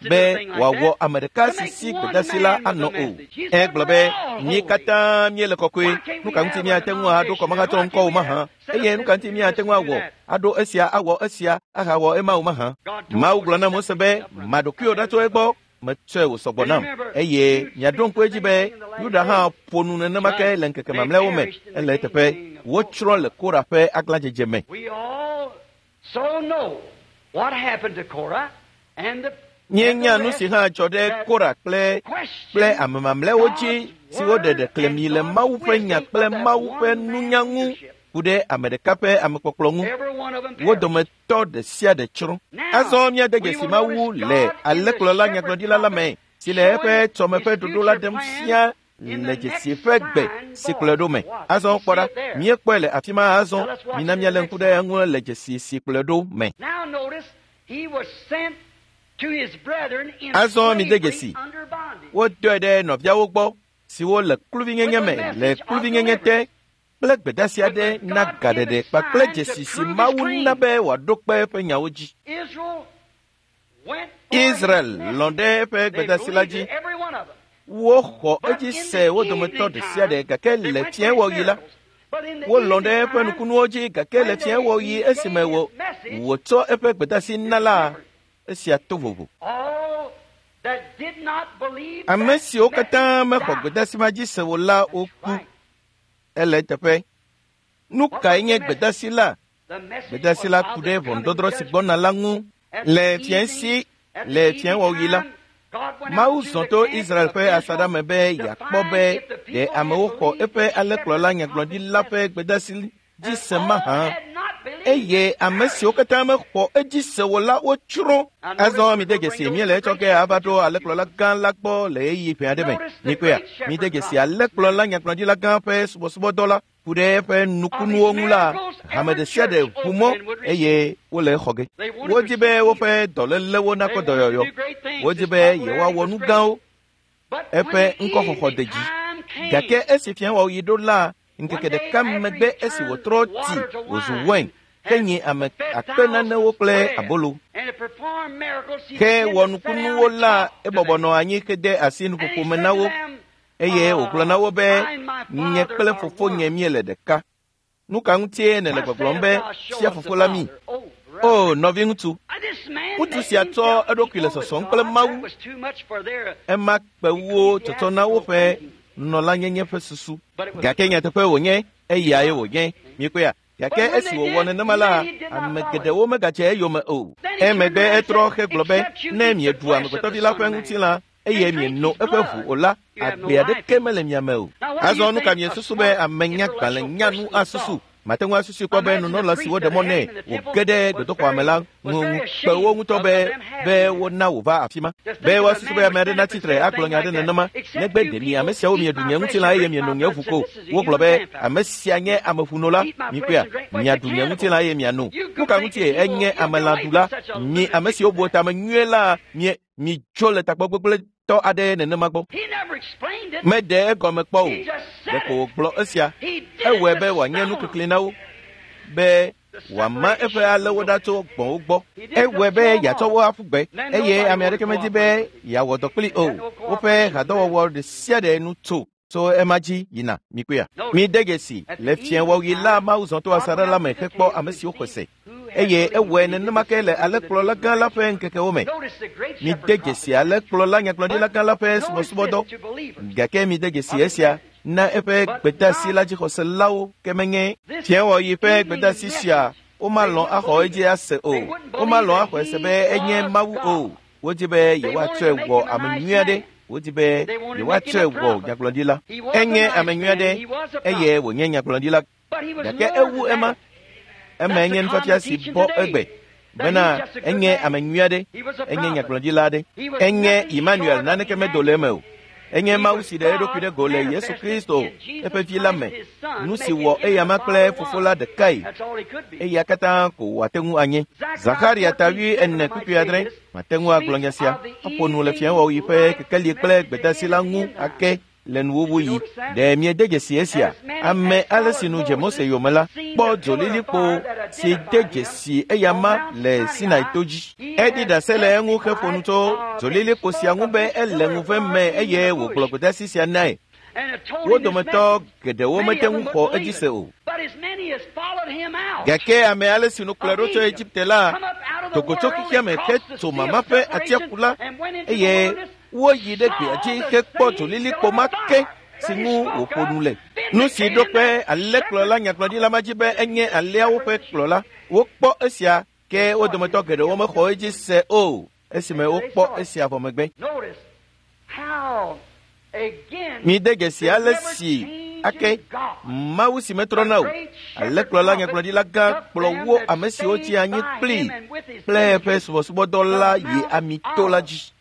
be wòawɔ ame ɖeka si si gbedasi la anɔ o. Egblɔ be mí katã míele kɔkɔe, nu ka ŋuti míate ŋu aɖo kɔmahatsɔ ŋkɔ o mahã? Eye nu ka ŋuti míate ŋu awɔ aɖo esia awɔ esia ahawɔ ema o mahã? Mawu gblɔ na Mose be maɖokuiwò ɖa tso egbɔ, metsɔe wòsɔgbɔ nam. Eye miaɖo ŋku edzi be Yuda hã ƒo nu nenema ke le ŋkeke mamlɛawo me. Ele eteƒe wotsrɔ̃ le Kora ƒe aglãdzedze me. Míenya nu si hã dzɔ ɖe Kora kple kple ame mamlɛawo dzi siwo ɖe ɖeklemi le Mawu ƒe nya kple Mawu ƒe nunya ŋu ku ɖe ame ɖeka ƒe amekpɔkplɔ ŋu. Wo dometɔ ɖe sia ɖe tsrɔ̃. Azɔ míade dzesi Mawu le alẽkplɔla nyagblɔɖila la me si le eƒe tsɔme ƒe ɖoɖo la ɖem fia le dzesi ƒe gbe si kplɔe ɖo me. Azɔ kpɔ ɖa, míekpɔe le afi ma azɔ. Mina míalé ŋku ɖe eŋu le dzesi si kplɔe ɖo me. Azɔ mide dzesi, wodɔe ɖe nɔviawo gbɔ siwo le kluvinyenye me le kluvinyenye te kple gbedasi aɖe na gaɖeɖe kpakple dzesi si Mawu na be wòaɖo kpe eƒe nyawo dzi. Israel lɔ̃ ɖe eƒe gbedasi la dzi. Woxɔ edzi se wo dometɔ ɖe sia ɖe gake le fiẽwɔɣi la, wolɔ̃ ɖe eƒe nukunuwo dzi gake le fiẽwɔɣi esime wò wòtsɔ eƒe gbedasi na la, esia to vovo. Ame siwo katã mexɔ gbedasi ma dzi se o la woku. Ele eteƒe. Nu kae nye gbedasi la? Gbedasi la ku ɖe ʋɔnudɔdrɔ̃ si gbɔna la ŋu. Le fiẽsi le fiẽwɔɣi la, Mawu zɔ to Israel ƒe asaɖa me be yeakpɔ be ɖe amewo xɔ eƒe alẽkplɔla nyagblɔɖila ƒe gbedeasi dzi se mahã. Eye ame siwo katã mexɔ edzi se o la wotsrɔ̃. Azɔ mide dzesi míele etsɔ ke ava ɖo alẽkplɔla gã la gbɔ le ɣeyiɣi ƒe aɖe me. Mikpɔea, mide dzesi alẽkplɔla nyagblɔɖila gã ƒe subɔsubɔdɔ la ku ɖe eƒe nukunuwo ŋu la, hame ɖe sia ɖe ʋu mɔ eye wole exɔ ge. Wodi be woƒe dɔlélewo nakpɔ dɔyɔyɔ. Wodi be yewoawɔ nu gãwo. Eƒe ŋkɔxɔxɔ de dzi. Gake esi fiẽwɔɣi ɖo la, ŋkeke ɖeka megbe esi wòtrɔ tsi wòzu wain ke nyi ame akpe nanewo kple abolo. Ke wɔ nukunuwo la, ebɔbɔ nɔ anyi hede asi nuƒoƒo me na wo eye wògblɔ na wo be nye kple fofonye míele ɖeka. Nu ka ŋutie nèle gbɔgblɔm be fia fofo la mí? O nɔviŋutsu, ŋutsu sia tsɔ eɖokui le sɔsɔm kple Mawu. Ema kpe wo tsɔtsɔ na woƒe nunɔlanyenye ƒe susu. Gake nyateƒe wònye, eyae wònye. Mikpɔea? Gake esi wòwɔ nenema la, ame geɖewo megadze eyome o. Emegbe etrɔ hegblɔ be ne mieɖu amegbetɔvi la ƒe ŋutilã eye mieno eƒe ʋu o la, agbe aɖeke mele mia me o. Azɔ nu ka miesusu be ame nyagbalẽ nyanu asusu? Mate ŋu asusui kpɔ be nunɔla si woɖe mɔ nɛ wòge ɖe gbedoxɔa me la ŋu kpe wo ŋutɔ be be wona wòva afi ma. Be woasusu be ame aɖe natsi tre agblɔ nya aɖe nenema, negbe ɖe mi ame siawo mieɖu nye ŋutilã eye mieno nye ʋu ko. Wogblɔ be ame sia nye ameƒunola. Mikpɔea, miaɖu nye ŋutilã eye miano. Nu ka ŋutie enye amelãɖula? Mi ame siwo bu tame nyuie la, mie midzo le tagbɔ gbegblẽtɔ aɖe nenema gbɔ. Meɖe egɔme kpɔ o. Ɖeko wògblɔ esia. Ewɔe be wòanye nukikli na wo, be wòama eƒe alẽwo ɖa tso gbɔ̃wo gbɔ. Ewɔe be yeatsɔ wo aƒu gbe eye ame aɖeke medi be yeawɔ dɔ kpli o. Woƒe hadɔwɔwɔ ɖe sia ɖe nu tso tso ema dzi yina. Mikpɔea? Mide dzesi le fiẽwɔɣi la, Mawu zɔ to asaɖa la me hekpɔ ame siwo xɔe se. Eye ewɔe nenema ke le alẽkplɔla gã la ƒe ŋkekewo me. Mide dzesi alẽkplɔla nyagblɔɖila gã la ƒe subɔsubɔdɔ. Gake mide dzesi esia na eƒe gbedeasi la dzixɔselawo ke menye fiẽwɔɣi ƒe gbedeasi sia womalɔ̃ axɔ edzi ase o. Womalɔ̃ axɔe se be enye Mawu o. Wodi be yewoatsɔe wɔ ame nyui aɖe. Wodi be yewoatsɔe wɔ nyagblɔɖila. Enye ame nyui aɖe eye wònye nyagblɔɖila. Gake ewu ema. Ema nye nufiafia si bɔ egbe bena enye ame nyui aɖe, enye nyagblɔɖila aɖe, enye Emmanuel naneke medo le eme o. Enye Mawu si ɖe eɖokui ɖe go le Yesu Kristo eƒe vi la me. Nu si wɔ eyama kple fofo la ɖekae, eya katã ko wòate ŋu anye. Zakaria ta wui ene kpukpui adre mate ŋu agblɔ nya sia aƒo nu le fiẽwɔɣi ƒe kekeli kple gbedeasi la ŋu ake le nuwuwuɣi. Ɖe miede dzesi esia? Ame ale si nu dze Mose yome la kpɔ dzolilikpo si de dzesi eyama le Sinai to dzi. Eɖi ɖase le eŋu heƒo nu tso dzolilikpo sia ŋu be ele ŋuve me eye wògblɔ gbedeasi sia nae. Wo dometɔ geɖewo mete ŋu xɔ edzi se o. Gake ame ale si nu kplɔe ɖo tso Egipte la do go tso xexea me hetso mama ƒe atsiaƒu la eye woyi ɖe gbea dzi hekpɔ dzolilikpo ma ke si ŋu wòƒo nu le. Nu si ɖo kpe alẽkplɔla nyagblɔɖila ma dzi be enye alẽawo ƒe kplɔla. Wokpɔ esia ke wo dometɔ geɖewo mexɔ edzi se o esime wokpɔ esia vɔ megbe. Mide dzesi ale si ake Mawu si metrɔna o, alẽkplɔla nyagblɔɖila gã kplɔ wo ame siwo tsi anyi kplii kple eƒe subɔsubɔdɔ la yi amito la dzi.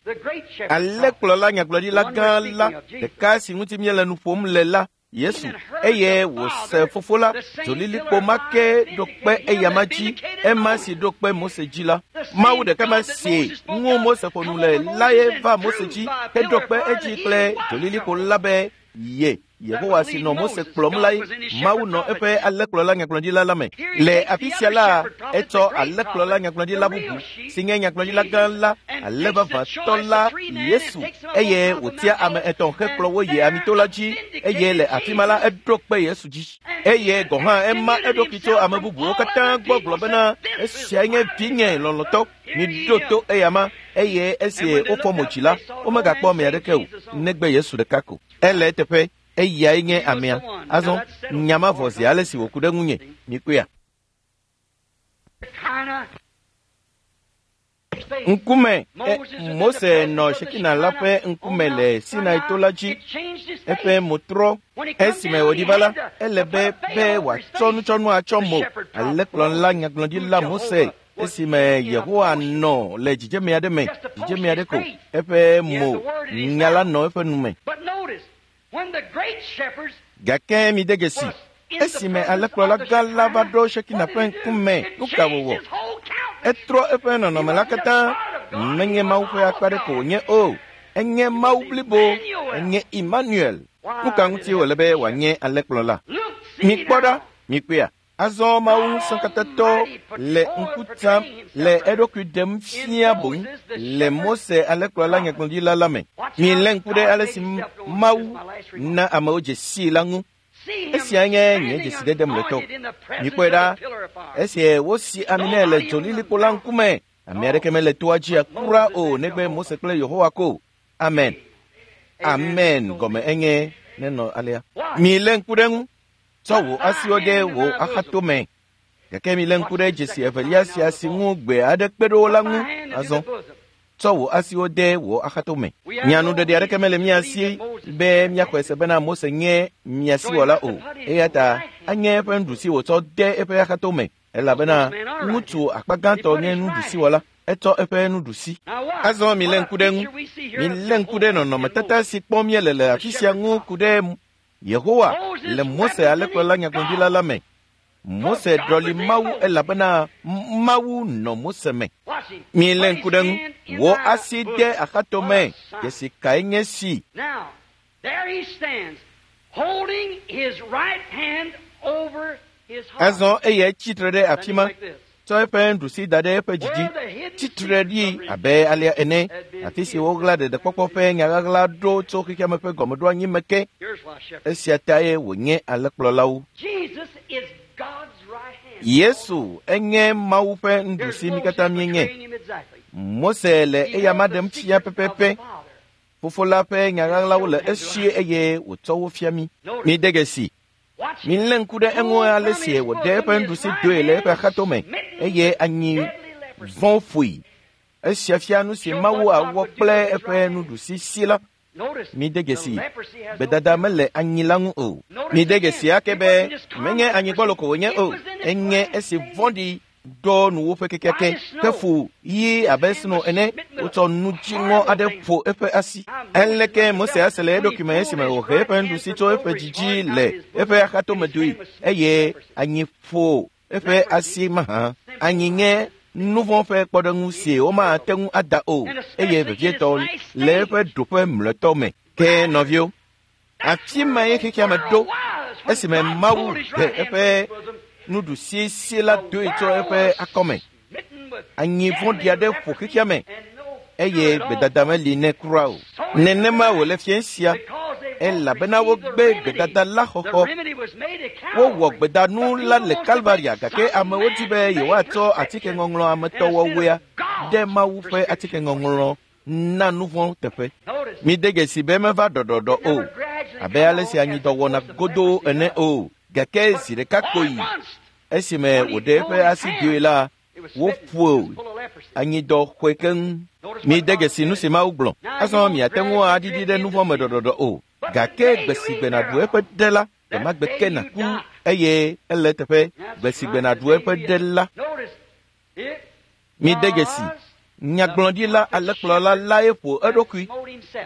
Alẽkplɔla nyagblɔɖila gã la ɖeka si ŋuti míele nu ƒom le la, Yesu, eye wòse fofo la, dzolilikpo ma ke ɖo kpe eyama dzi, ema si ɖo kpe Mose dzi la. Mawu ɖeka ma si ŋu Mose ƒo nu le lae va Mose dzi heɖo kpe edzi kple dzolilikpo la be ye Yehowa si nɔ Mose kplɔm lae. Mawu nɔ eƒe alẽkplɔla nyagblɔɖila la me. Le afi sia la, etsɔ alẽkplɔla nyagblɔɖila bubu si nye nyagblɔɖila gã la, alẽ vavãtɔ la, Yesu, eye wòtia ame etɔ̃ hekplɔ wo yi amito la dzi eye le afi ma la eɖo kpe Yesu dzi. Eye gɔ̃ hã ema eɖokui tso ame bubuwo katã gbɔ gblɔ bena esiae nye vinye lɔlɔ̃tɔ, miɖo to eyama. Eye esi wofɔ mo dzi la, womegakpɔ ame aɖeke o negbe Yesu ɖeka ko. Ele eteƒe. Eyae nye amea. Azɔ nya ma vɔ zi ale si wòku ɖe ŋunye. Mikpɔea? Ŋkume Mose nɔ Shekina la ƒe ŋkume le Sinai to la dzi. Eƒe mo trɔ. Esime wòɖi va la, ele be be wòatsɔ nutsɔnu atsɔ mo. Alẽkplɔla nyagblɔɖila Mose esime Yehowa nɔ le dzidzeme aɖe me, dzidzeme aɖe ko, eƒe mo nya la nɔ eƒe nume. Gake mide dzesi, esime alẽkplɔla gã la va ɖo Shekina ƒe ŋkume, nu ka wòwɔ? Etrɔ eƒe nɔnɔme la katã. Menye Mawu ƒe akpa ɖe ko wònye o, enye Mawu blibo, enye Emmanuel. Nu ka ŋuti wòle be wòanye alẽkplɔla? Mikpɔ ɖa, mikpɔea. Azɔ Mawu ŋusẽkatãtɔ le ŋku tam le eɖokui ɖem fia boŋ le Mose alẽkplɔla nyagblɔɖila la me. Milé ŋku ɖe ale si Mawu na amewo dze sii la ŋu. Esia nye nye dzesidede mlɔetɔ. Mikpɔe ɖa, esie wosi ami nɛ le dzolilikpo la ŋkume. Ame aɖeke mele toa dzi kura o negbe Mose kple Yehowa ko. Amen. Amen gɔme enye nenɔ alea. Milé ŋku ɖe ŋu. Tsɔ wò asiwo ɖe wò axatome. Gake milé ŋku ɖe dzesi evelia sia si ŋu gbe aɖe kpe ɖo la ŋu azɔ. Tsɔ wò asiwo de wò axatome. Nyanuɖeɖe aɖeke mele mía si be míaxɔe se bena Mose nye miasiwɔla o. Eya ta anye eƒe nuɖusi wòtsɔ de eƒe axatome elabena ŋutsu akpa gãtɔ nye nuɖusiwɔla. Etsɔ eƒe nuɖusi. Azɔ milé ŋku ɖe ŋu. Milé ŋku ɖe nɔnɔmetata si kpɔm míele le afi sia ŋu ku ɖe Yehowa le Mose alẽkplɔla nyagblɔɖila la me. Mose ɖɔli Mawu elabena Mawu nɔ Mose me. Milé ŋku ɖe ŋu. Wò asi de axatome. Dzesi kae nye si? Azɔ eyae tsitre ɖe afi ma, tsɔ eƒe nuɖusi da ɖe eƒe dzidzi, tsitre ɖi abe alea ene, afi si woɣla ɖeɖekpɔkpɔ ƒe nyaɣaɣla ɖo tso xexeame ƒe gɔmeɖoanyi me ke. Esia tae wònye alẽkplɔlawo. Yesu enye Mawu ƒe nuɖusi mí katã míenye. Mose le eyama ɖem fia pɛpɛpɛ. Fofo la ƒe nyaɣaɣlawo le esi eye wòtsɔ wo fia mí. Mide dzesi. Milé ŋku ɖe eŋu ale si wòɖe eƒe nuɖusi doe le eƒe axatome eye anyi vɔ̃ ƒoe. Esia fia nu si Mawu awɔ kple eƒe nuɖusi si la. Mide dzesi, gbedada mele anyi la ŋu o. Mide dzesi ake be menye anyigbɔlo ko wònye o, enye esi vɔ̃ɖi ɖɔ nuwòƒe kekeake hefu ɣi abe sno ene. Wotsɔ nu dziŋɔ aɖe ƒo eƒe asi. Aleke Mose ase le eɖokui me esime wòhe eƒe nuɖusi tso eƒe dzidzi le eƒe axatome doe eye anyi ƒo eƒe asi mahã. Anyi nye nuvɔ̃ ƒe kpɔɖeŋu si womate ŋu ada o eye vevietɔ le eƒe ɖoƒe mlɔetɔ me. Ke nɔviwo, afi mae xexeame ɖo esime Mawu he eƒe nuɖusi si la doe tso eƒe akɔme. Anyi vɔ̃ɖi aɖe ƒo xexeame eye gbedada meli nɛ kura o. Nenema wòle fia sia elabena wogbe gbedada la xɔxɔ. Wowɔ gbedanu la le Kalvaria gake amewo di be yewoatsɔ atikeŋɔŋlɔ ametɔwɔwɔea ɖe Mawu ƒe atikeŋɔŋlɔ na nuvɔ̃ teƒe. Mide dzesi be meva ɖɔɖɔɖɔ o, abe ale si anyidɔ wɔna godoo ene o. Gake zi ɖeka kpoyi esime wòɖe eƒe asi doe la, woƒo anyidɔ xɔe keŋ. Mide dzesi nu si Mawu gblɔ. Azɔ miate ŋu aɖiɖi ɖe nuvɔ̃ me ɖɔɖɔɖɔ o. Gake gbe si gbe nàɖu eƒe ɖe la, gbe ma gbe ke nàku eye ele eteƒe. Gbe si gbe nàɖu eƒe ɖe la. Mide dzesi, nyagblɔɖila alẽkplɔla lae ƒo eɖokui.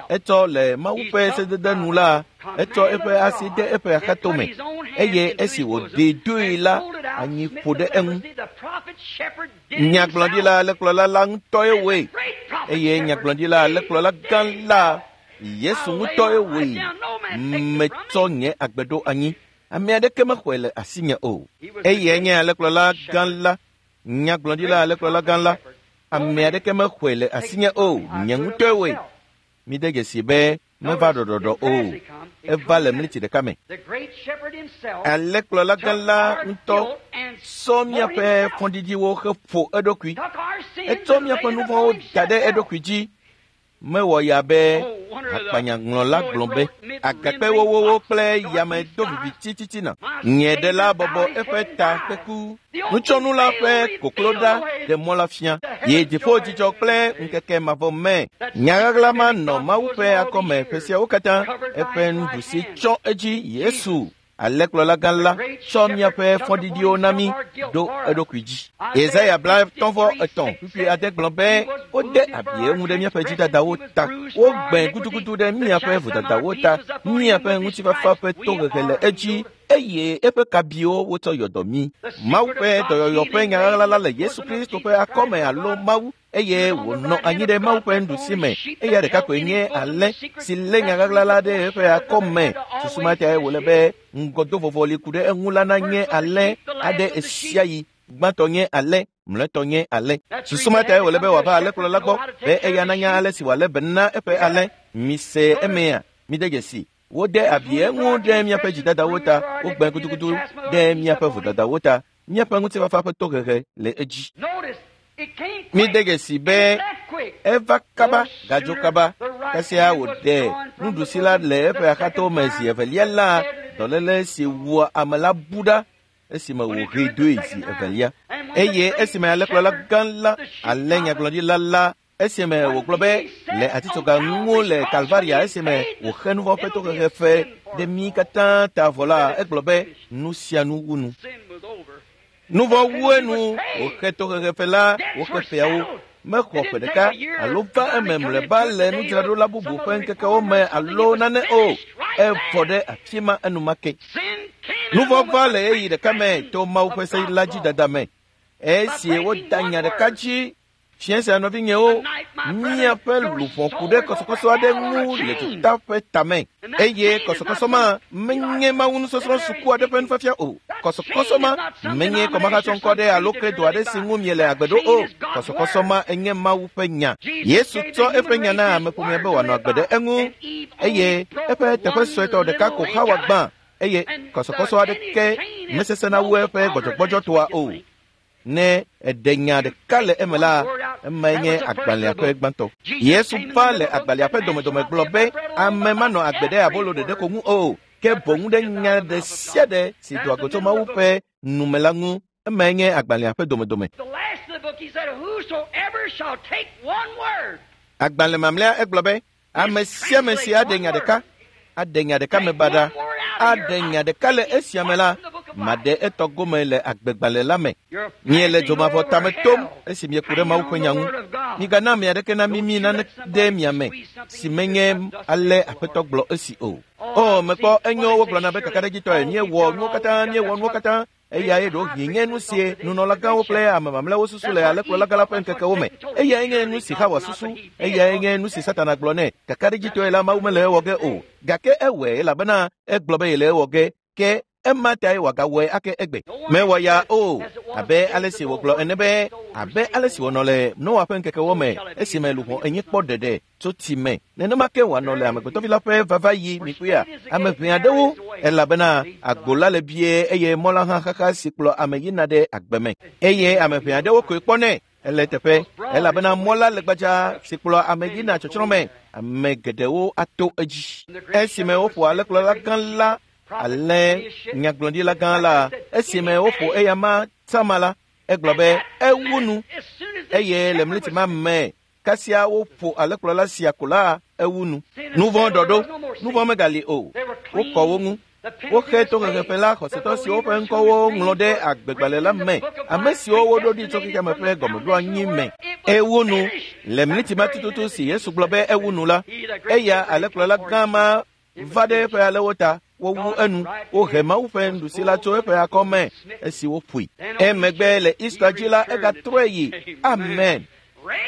Etsɔ le Mawu ƒe sedede nu la, etsɔ eƒe asi de eƒe axatome eye esi wòɖee doe la, anyi ƒo ɖe eŋu. Nyagblɔɖila alẽkplɔla la ŋutɔe wɔe eye nyagblɔɖila alẽkplɔla gã la Yesu ŋutɔe wɔe. Metsɔ nye agbe ɖo anyi. Ame aɖeke mexɔe le asinye o. Eyae nye alẽkplɔla gã la, nyagblɔɖila alẽkplɔla gã la. Ame aɖeke mexɔe le asinye o. Nye ŋutɔe wɔe. Mide dzesi be meva ɖɔɖɔɖɔ o. Eva le mliti ɖeka me. Alẽkplɔla gã la ŋutɔ sɔ míaƒe fɔɖiɖiwo heƒo eɖokui. Etsɔ míaƒe nuvɔ̃wo da ɖe eɖokui dzi. Mewɔ ya be hakpanyaŋlɔla gblɔ be agakpewowowo kple yame do viviti titina. Nye ɖe la bɔbɔ eƒe ta kpeku. Nutsɔnu la ƒe koklo ɖa ɖe mɔ la fia. Yi dziƒo dzidzɔ kple ŋkeke mavɔ me. Nyaɣaɣla ma nɔ Mawu ƒe akɔme ƒe siawo katã. Eƒe nuɖusi tsɔ edzi Yesu. Alẽkplɔla gã la tsɔ míaƒe fɔɖiɖiwo na mí ɖo eɖokui dzi. Yesaya bla etɔ̃ vɔ etɔ̃ kpukpui ade gblɔ be wode abi eŋu ɖe míaƒe dzidadawo ta, wogbẽ gudugudu ɖe míaƒe vodadawo ta, míaƒe ŋutifafa ƒe tohehe le edzi eye eƒe kabiwo wotsɔ yɔdɔ mí. Mawu ƒe dɔyɔyɔ ƒe nyaɣaɣla la le Yesu Kristo ƒe akɔme alo Mawu eye wònɔ anyi ɖe Mawu ƒe nuɖusi me. Eya ɖeka koe nye alẽ si lé nyaɣaɣla la ɖe eƒe akɔme. Susu ma tae wòle be ŋgɔdovɔvɔli ku ɖe eŋu la nanye alẽ aɖe ɣesiaɣi. Gbãtɔ nye alẽ, mlɔetɔ nye alẽ. Susu ma tae wòle be wòava alẽkplɔla gbɔ be eya nanya ale si wòalé be na eƒe alẽ. Mise emea, mide dzesi. Wode abi eŋu ɖe míaƒe dzidadawo ta, wogbẽ gudugudu ɖe míaƒe vodadawo ta. Míaƒe ŋutifafa ƒe tohehe le edzi. Mide dzesi be eva kaba gadzo kaba. Kasia wòɖe nuɖusi la le eƒe axato me zi evelia la, dɔléle si wua ame la bu ɖa esime wòhee doe zi evelia. Eye esime alẽkplɔla gã la, alẽ nyagblɔɖila la, esime wògblɔ be le atitsoga ŋu le Kalvaria esime wòxe nu vɔ̃ ƒe tohehe fe ɖe mí katã ta vɔ la, egblɔ be nu sia nu wu nu. Nu vɔ̃ wu enu wòxe tohehe fe la, wòxe feawo. Mexɔ ƒe ɖeka alo va eme mlɔeba le nudzraɖola bubu ƒe ŋkekewo me alo nane o. Evɔ ɖe afi ma enumake. Nu vɔ̃ va le ɣeyiɣi ɖeka me to Mawu ƒe se la dzi dada me. Esi woda nya ɖeka dzi fiẽ sia nɔvinyewo, míaƒe luʋɔ ku ɖe kɔsɔkɔsɔ aɖe ŋu le duta ƒe tame. Eye kɔsɔkɔsɔ ma menye Mawu nusɔsrɔ̃ suku aɖe ƒe nufiafia o. Kɔsɔkɔsɔ ma menye kɔmahatsɔŋkɔ aɖe alo kredo aɖe si ŋu miele agbe ɖo o. Kɔsɔkɔsɔ ma enye Mawu ƒe nya. Yesu tsɔ eƒe nya na ameƒomea be wòanɔ agbe ɖe eŋu eye eƒe teƒe suetɔ ɖeka ko Xawa gbã eye kɔsɔkɔsɔ aɖeke mesesẽna wu eƒe gbɔdzɔgbɔdzɔtoa o. Ne eɖe nya ɖeka le eme la, emae nye agbalẽa ƒe gbãtɔ. Yesu va le agbalẽa ƒe domedome gblɔ be ame manɔ agbe ɖe abolo ɖeɖe ko ŋu o, ke boŋ ɖe nya ɖe sia ɖe si doa go tso Mawu ƒe nume la ŋu. Emae nye agbalẽa ƒe domedome. Agbalẽ mamlɛa egblɔ be ame sia ame si aɖe nya ɖeka, aɖe nya ɖeka me baɖa, aɖe nya ɖeka le esia me la, maɖe etɔ gome le agbegbalẽ la me. Miele dzomavɔ tame tom esi mieku ɖe Mawu ƒe nya ŋu. Migana ame aɖeke namimi nane ɖe mia me si menye ale Aƒetɔ gblɔ esi o. O, mekpɔ enyo wogblɔna be kakaɖedzitɔe míewɔ nuwo katã, míewɔ nuwo katã. Eyae ɖewohĩ nye nu sie nunɔlagãwo kple ame mamlɛawo susu le alẽkplɔlagã la ƒe ŋkekewo me. Eyae nye nu si Xawa susu, eyae nye nu si Satana gblɔ nɛ. Kakaɖedzitɔe la Mawu mele ewɔ ge o. Gake ewɔe elabena egblɔ be yele ewɔ ge. Ke ema tae wòagawɔe ake egbe. Mewɔ ya o, abe ale si wògblɔ ene be abe ale si wònɔ le Noa ƒe ŋkekewo me esime luʋɔ enyi kpɔ ɖeɖe tso tsi me. Nenema ke wòanɔ le amegbetɔvi la ƒe vava yi mikpɔea ame ʋɛ aɖewo elabena agbo la le bie eye mɔ la hã xaxa si kplɔ ame yina ɖe agbe me. Eye ame ʋɛ aɖewo koe kpɔnɛ ele teƒe elabena mɔ la le gbadza si kplɔ ame yina tsɔtsrɔ̃ me. Ame geɖewo ato edzi. Esime woƒo alẽkplɔla gã la alẽ nyagblɔɖila gã la, esime woƒo eya ma tama la, egblɔ be ewu nu eye le mliti ma me kasia woƒo alẽkplɔla sia ko la ewu nu. Nu vɔ̃ ɖɔɖo, nu vɔ̃ megali o. Wokɔ wo ŋu. Woxe tohehefe la xɔsetɔ siwo ƒe ŋkɔwo ŋlɔ ɖe agbegbalẽ la me, ame siwo woɖo ɖi tso xexeame ƒe gɔmeɖoanyi me. Ewu nu le mliti ma tututu si Yesu gblɔ be ewu nu la, eya alẽkplɔla gã ma va ɖe eƒe alẽwo ta. Wowu enu, wohe Mawu ƒe nuɖusi la tso eƒe akɔme esi woƒoe. Emegbe le Easter dzi la, egatrɔe yi. Amen.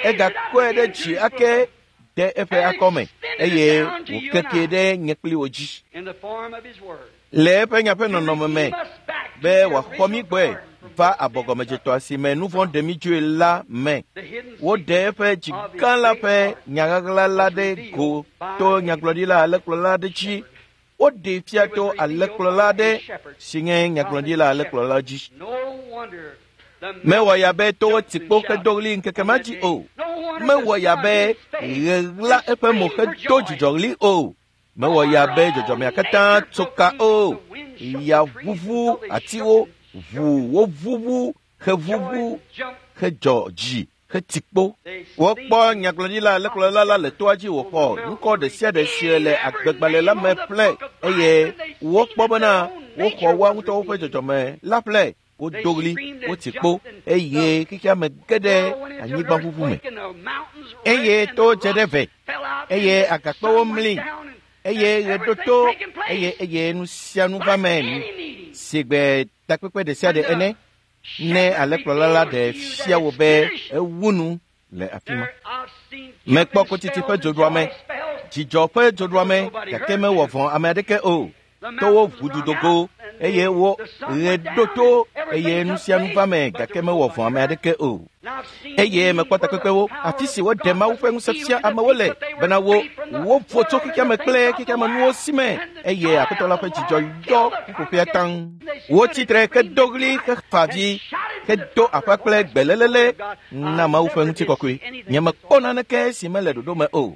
Egakɔe ɖe dzi ake de eƒe akɔme eye wòkekee ɖe nye kpli wo dzi. Le eƒe nya ƒe nɔnɔme me be wòaxɔ mí gbɔe va abɔgɔmedzetɔa si me nu vɔ̃ ɖe mí dzoe la me. Woɖe eƒe dzi gã la ƒe nyaɣaɣla la ɖe go to nyagblɔɖila alẽkplɔla aɖe dzi. Woɖee fia to alẽkplɔla aɖe si nye nyagblɔɖila alẽkplɔla dzi. Mewɔ ya be towo ti kpo hedo ɣli ŋkeke ma dzi o. Mewɔ ya be ɣe ɣla eƒe mo hedo dzidzɔɣli o. Mewɔ ya be dzɔdzɔmea katã tso ka o. Ya ʋuʋu atiwo, ʋu woʋuʋu heʋuʋu hedzɔ dzi heti kpo. Wokpɔ nyagblɔɖila alẽkplɔla la le toa dzi wòxɔ ŋkɔ ɖe sia ɖe si le agbegbalẽ la me ƒle eye wokpɔ bena woxɔ woa ŋutɔwo ƒe dzɔdzɔme la ƒle. Wodo ɣli, woti kpo eye xexea me ge ɖe anyigbaʋuʋu me. Eye to dze ɖe ve eye agakpewo mli eye ɣe ɖo to eye eye nu sia nu va me si gbe takpekpe ɖe sia ɖe ene. Ne alẽkplɔla la ɖe fia wò be ewu nu le afi ma. Mekpɔ kotsitsi ƒe dzoɖuame, dzidzɔ ƒe dzoɖuame gake mewɔ vɔ̃ ame aɖeke o. Towo ʋu dogo eye wo ɣe ɖo to eye nu sia nu va me gake mewɔ vɔ̃ ame aɖeke o. Eye mekpɔ takpekpewo afi si woɖe Mawu ƒe ŋusẽ fia amewo le bena wo wovo tso xexeame kple xexeame nuwo si me eye Aƒetɔ la ƒe dzidzɔ yɔ ƒuƒoƒea taŋ. Wotsi tre hedo ɣli hefa avi hedo aƒa kple gbelelele na Mawu ƒe ŋutikɔkɔe. Nyemekpɔ naneke si mele ɖoɖo me o.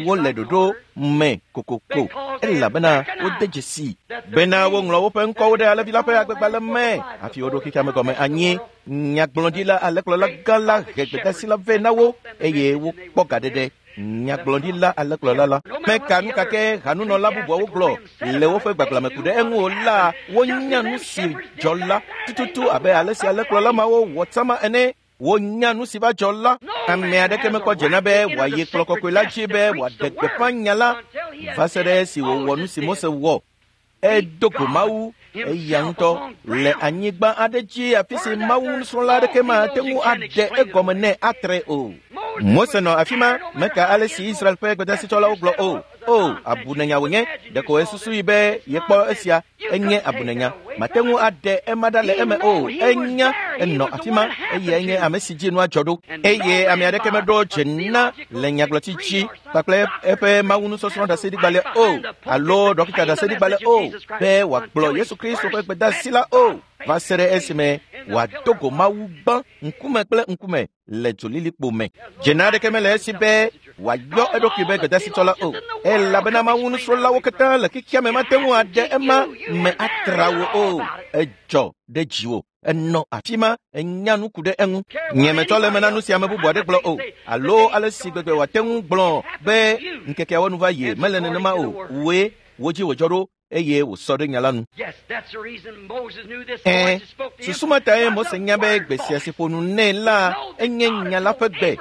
Wole ɖoɖo me kokoko elabena wode dzesi bena woŋlɔ woƒe ŋkɔwo ɖe alẽvi la ƒe agbegbalẽ me hafi woɖo xexeame gɔme anyi. Nyagblɔɖila alẽkplɔla gã la he gbedeasi la vɛ na wo eye wokpɔ gaɖeɖe. Nyagblɔɖila alẽkplɔla la meka nu kake hanunɔla bubuawo gblɔ le woƒe gbagblame ku ɖe eŋu o la, wonya nu si dzɔ la tututu abe ale si alẽkplɔla mawo wɔ tsama ene. Wonya nu si va dzɔ la. Ame aɖeke mekpɔ dzena be wòayi kplɔ kɔkɔe la dzi be wòaɖe gbeƒã nya la va se ɖe esi wòwɔ nu si Mose wɔ. Edo go Mawu eya ŋutɔ le anyigba aɖe dzi afi si Mawu nusrɔ̃la aɖeke mate ŋu aɖe egɔme nɛ atre o. Mose nɔ afi ma meka ale si Israel ƒe gbedasitsɔlawo gblɔ o. O, abunenya wònye. Ɖeko esusu yi be yekpɔ esia enye abunenya. Mate ŋu aɖe ema ɖa le eme o. Enya enɔ afi ma eye enye ame si dzi nua dzɔ ɖo. Eye ame aɖeke meɖo dze na le nyagblɔtsi dzi kpakple eƒe Mawu nusɔsrɔ̃ ɖaseɖigbalẽ o alo ɖɔkita ɖaseɖigbalẽ o be wòagblɔ Yesu Kristo ƒe gbedeasi la o va se ɖe esime wòado go Mawu gbã ŋkume kple ŋkume le dzolilikpo me. Dzena aɖeke mele esi be wòayɔ eɖokui be gbedasitsɔla o elabena Mawu nusrɔ̃lawo katã le xexea me mate ŋu aɖe ema me atra wo o. Edzɔ ɖe dziwò. Enɔ afi ma enya nu ku ɖe eŋu. Nyemetsɔ le eme na nu si ame bubu aɖe gblɔ o alo ale si gbegbe wòate ŋu gblɔ be ŋkekeawo nu va yi mele nenema o. Wòe wo dzi wòdzɔ ɖo eye wòsɔ ɖe nya la nu. Ɛ̃, susu ma tae Mose nya be gbe sia si ƒo nu nɛ la enye nya la ƒe gbe.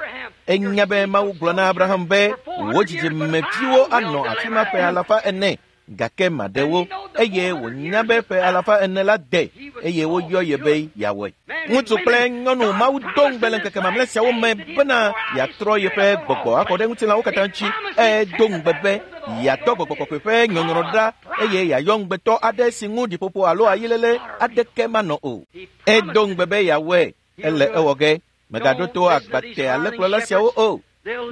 Enya be Mawu gblɔ na Abraham be wò dzidzimeviwo anɔ afi ma ƒe alafa ene gake maɖe wo eye wònya be ƒe alafa ene la de eye woyɔ ye be yeawɔe. Ŋutsu kple nyɔnu Mawu do ŋugbe le ŋkeke mamlɛ siawo me bena yeatrɔ yeƒe gbɔgbɔ akɔ ɖe ŋutilãwo katã dzi. Edo ŋugbe be yeatɔ gbɔgbɔ kɔkɔe ƒe nyɔnyrɔ ɖa eye yeayɔ ŋugbetɔ aɖe si ŋu ɖiƒoƒo alo ayilele aɖeke manɔ o. Edo ŋugbe be yeawɔe. Ele ewɔ ge. Mègaɖo to agbate alẽkplɔla siawo o.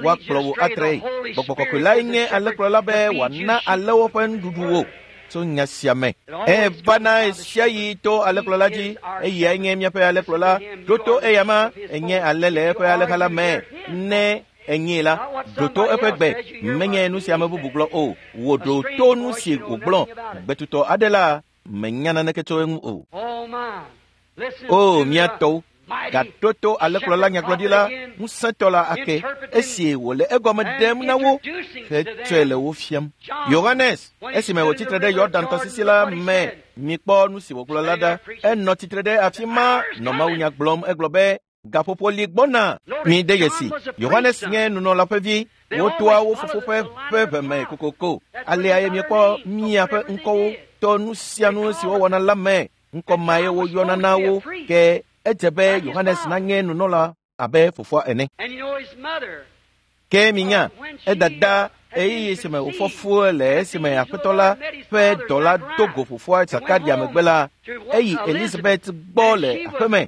Woakplɔ wò atre. Gbɔgbɔ kɔkɔe lae nye alẽkplɔla be wòana alẽwo ƒe nuɖuɖu wò tso nya sia me. Evana ɣe yi to alẽkplɔla dzi eyae nye míaƒe alẽkplɔla. Ɖo to eyama enye alẽ le eƒe alẽha la me. Ne enyee la, ɖo to eƒe gbe. Menye nu si ame bubu gblɔ o. Wò ɖo to nu si wògblɔ. Gbetutɔ aɖe la menya naneke tso eŋu o. O mía tɔwo, gaɖo to alẽkplɔla nyagblɔɖila ŋusẽtɔ la ake esi wòle egɔme ɖem na wo hetsɔe le wo fiam. Yohanes esime wòtsi tre ɖe Yɔdan tɔsisi la me mikpɔ nu si wògblɔ la ɖa. Enɔ tsitre ɖe afi ma nɔ mawunya gblɔm. Egblɔ be gaƒoƒo li gbɔna. Mi de dzesi Yohanes nye nunɔla ƒe vi. Wotoa wo fofo ƒe ƒe ʋeme kokoko. Alea ye miekpɔ miaƒe ŋkɔwo to nu sia nu si wowɔna la me. Ŋkɔ mae woyɔna na wo ke edze be Yohanes nanye nunɔla abe fofoa ene. Ke minya edada ɣeyiɣi si me wòfɔ fu le esime Aƒetɔ la ƒe dɔla do go fofoa Zakaria megbe la, eyi Elizabeth gbɔ le aƒeme.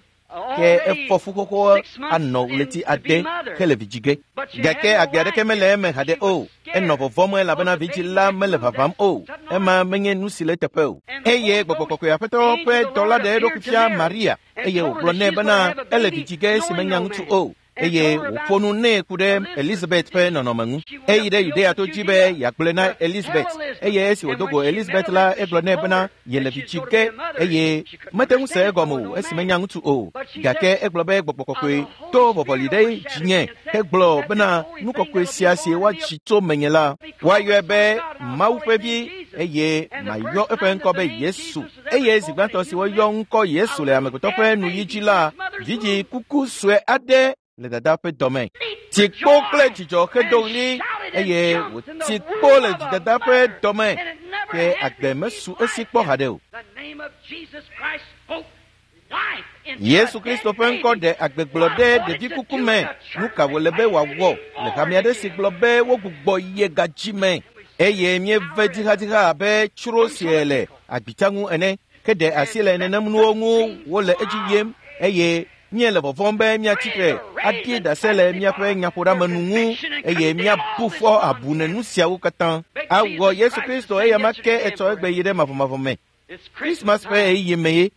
Ke efɔ fu xoxo anɔ ɣleti ade hele vidzi ge. Gake agbe aɖeke mele eme haɖe o. Enɔ vɔvɔ̃m elabena vidzi la mele vavam o. Ema menye nu si le eteƒe o. Eye gbɔgbɔ kɔkɔe Aƒetɔ ƒe dɔla ɖe eɖokui fia Maria eye wògblɔ nɛ bena ele vidzi ge esi menya ŋutsu o. eye wòƒo nu nɛ ku ɖe Elizabeth ƒe nɔnɔme ŋu. Eyi ɖe Yudea to dzi be yeagblɔe na Elizabeth eye esi wòdo go Elizabeth la egblɔ nɛ bena yele vi tsi ge eye mete ŋu se egɔme o esi menya ŋutsu o. Gake egblɔ be gbɔgbɔ kɔkɔe to vɔvɔli ɖe dzinye hegblɔ bena nu kɔkɔe sia si woatsi tso menye la woayɔe be Mawu ƒe vi eye mayɔ eƒe ŋkɔ be Yesu. Eye zi gbãtɔ si woyɔ ŋkɔ Yesu le amegbetɔ ƒe nuyi dzi la, vidzĩ kuku sue aɖe le dada ƒe dɔme. Tsikpo kple dzidzɔ hedo ɣli eye wòti kpo le dzidada ƒe dɔme ke agbe mesu esi kpɔ haɖe o. Yesu Kristo ƒe ŋkɔ ɖe agbegblɔ ɖe ɖevi kuku me. Nu ka wòle be wòawɔ le hame aɖe si gblɔ be wogbugbɔ ye gadzi me eye míeve dzixadzixa abe tsro sie le agbitsa ŋu ene ke ɖe asi le nenem nuwo ŋu wole edzi yim eye míele vɔvɔ̃m be míatsi tre aɖi ɖase le míaƒe nyaƒoɖeamenu ŋu eye míabu fɔ abu ne nu siawo katã. Awɔ Yesu Kristo eyama ke etsɔ egbe yi ɖe mavɔmavɔ me. Krismas ƒe ɣeyiɣi me ye.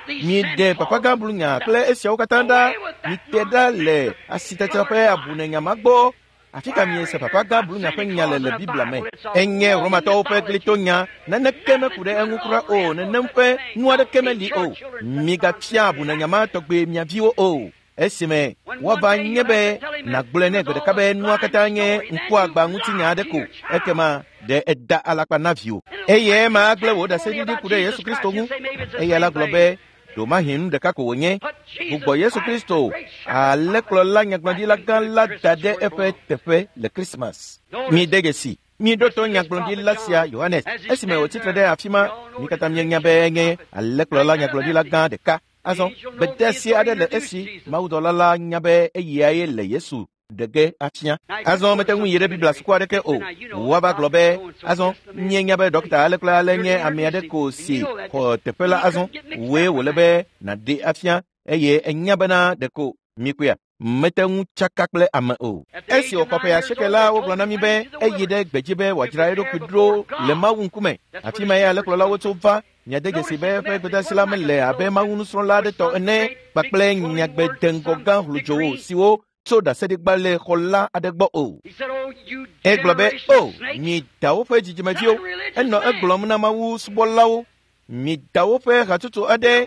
Miɖe papagãblunya kple esiawo katã ɖa. Mite ɖa le asitsatsa ƒe abunenya ma gbɔ. Afi ka miese papagãblunya ƒe nya le le Biblia me? Enye Romatɔwo ƒe glitonya. Naneke meku ɖe eŋu kura o. Nenem ƒe nu aɖeke meli o. Migafia abunenya ma tɔgbe mia viwo o. Esime woava nye be nàgblɔe nɛ gbe ɖeka be nua katã nye ŋkuagba ŋutinya aɖe ko ekema ɖe eda alakpa na viwò eye ema agblẽ wò ɖaseɖiɖi ku ɖe Yesu Kristo ŋu. Eya la gblɔ be ɖomahi nu ɖeka ko wònye. Gbugbɔ Yesu Kristo alẽkplɔla nyagblɔɖila gã la da ɖe eƒe teƒe le Krismas. Mide dzesi. Miɖo to nyagblɔɖila sia Yohanes esime wòtsi tre ɖe afi ma. Mi katã mienya be enye alẽkplɔla nyagblɔɖila gã ɖeka. Azɔ gbedeasi aɖe le esi mawudɔla la nya be eyae le Yesu ɖe ge afia. Azɔ mete ŋu yi ɖe Biblia suku aɖeke o. Woava gblɔ be azɔ míenya be ɖɔkita ale kple ale nye ame aɖe ko si xɔ teƒe la azɔ wòe wòle be nàɖe afia eye enya bena ɖeko mikpɔea mete ŋu tsaka kple ame o. Esi wòxɔ ƒe asieke la wogblɔ na mí be eyi ɖe gbedzi be wòadzra eɖokui ɖo le Mawu ŋkume. Afi ma ye alẽkplɔlawo tso va. Miade dzesi be eƒe gbedeasi la mele abe Mawu nusrɔ̃la aɖe tɔ ene kpakple nyagbedeŋgɔ gã hludzowo siwo tso ɖaseɖigbalẽ xɔla aɖe gbɔ o. Egblɔ be o mi dawo ƒe dzidzimeviwo. Enɔ egblɔm na Mawu subɔlawo. Mi dawo ƒe hatsotso aɖe.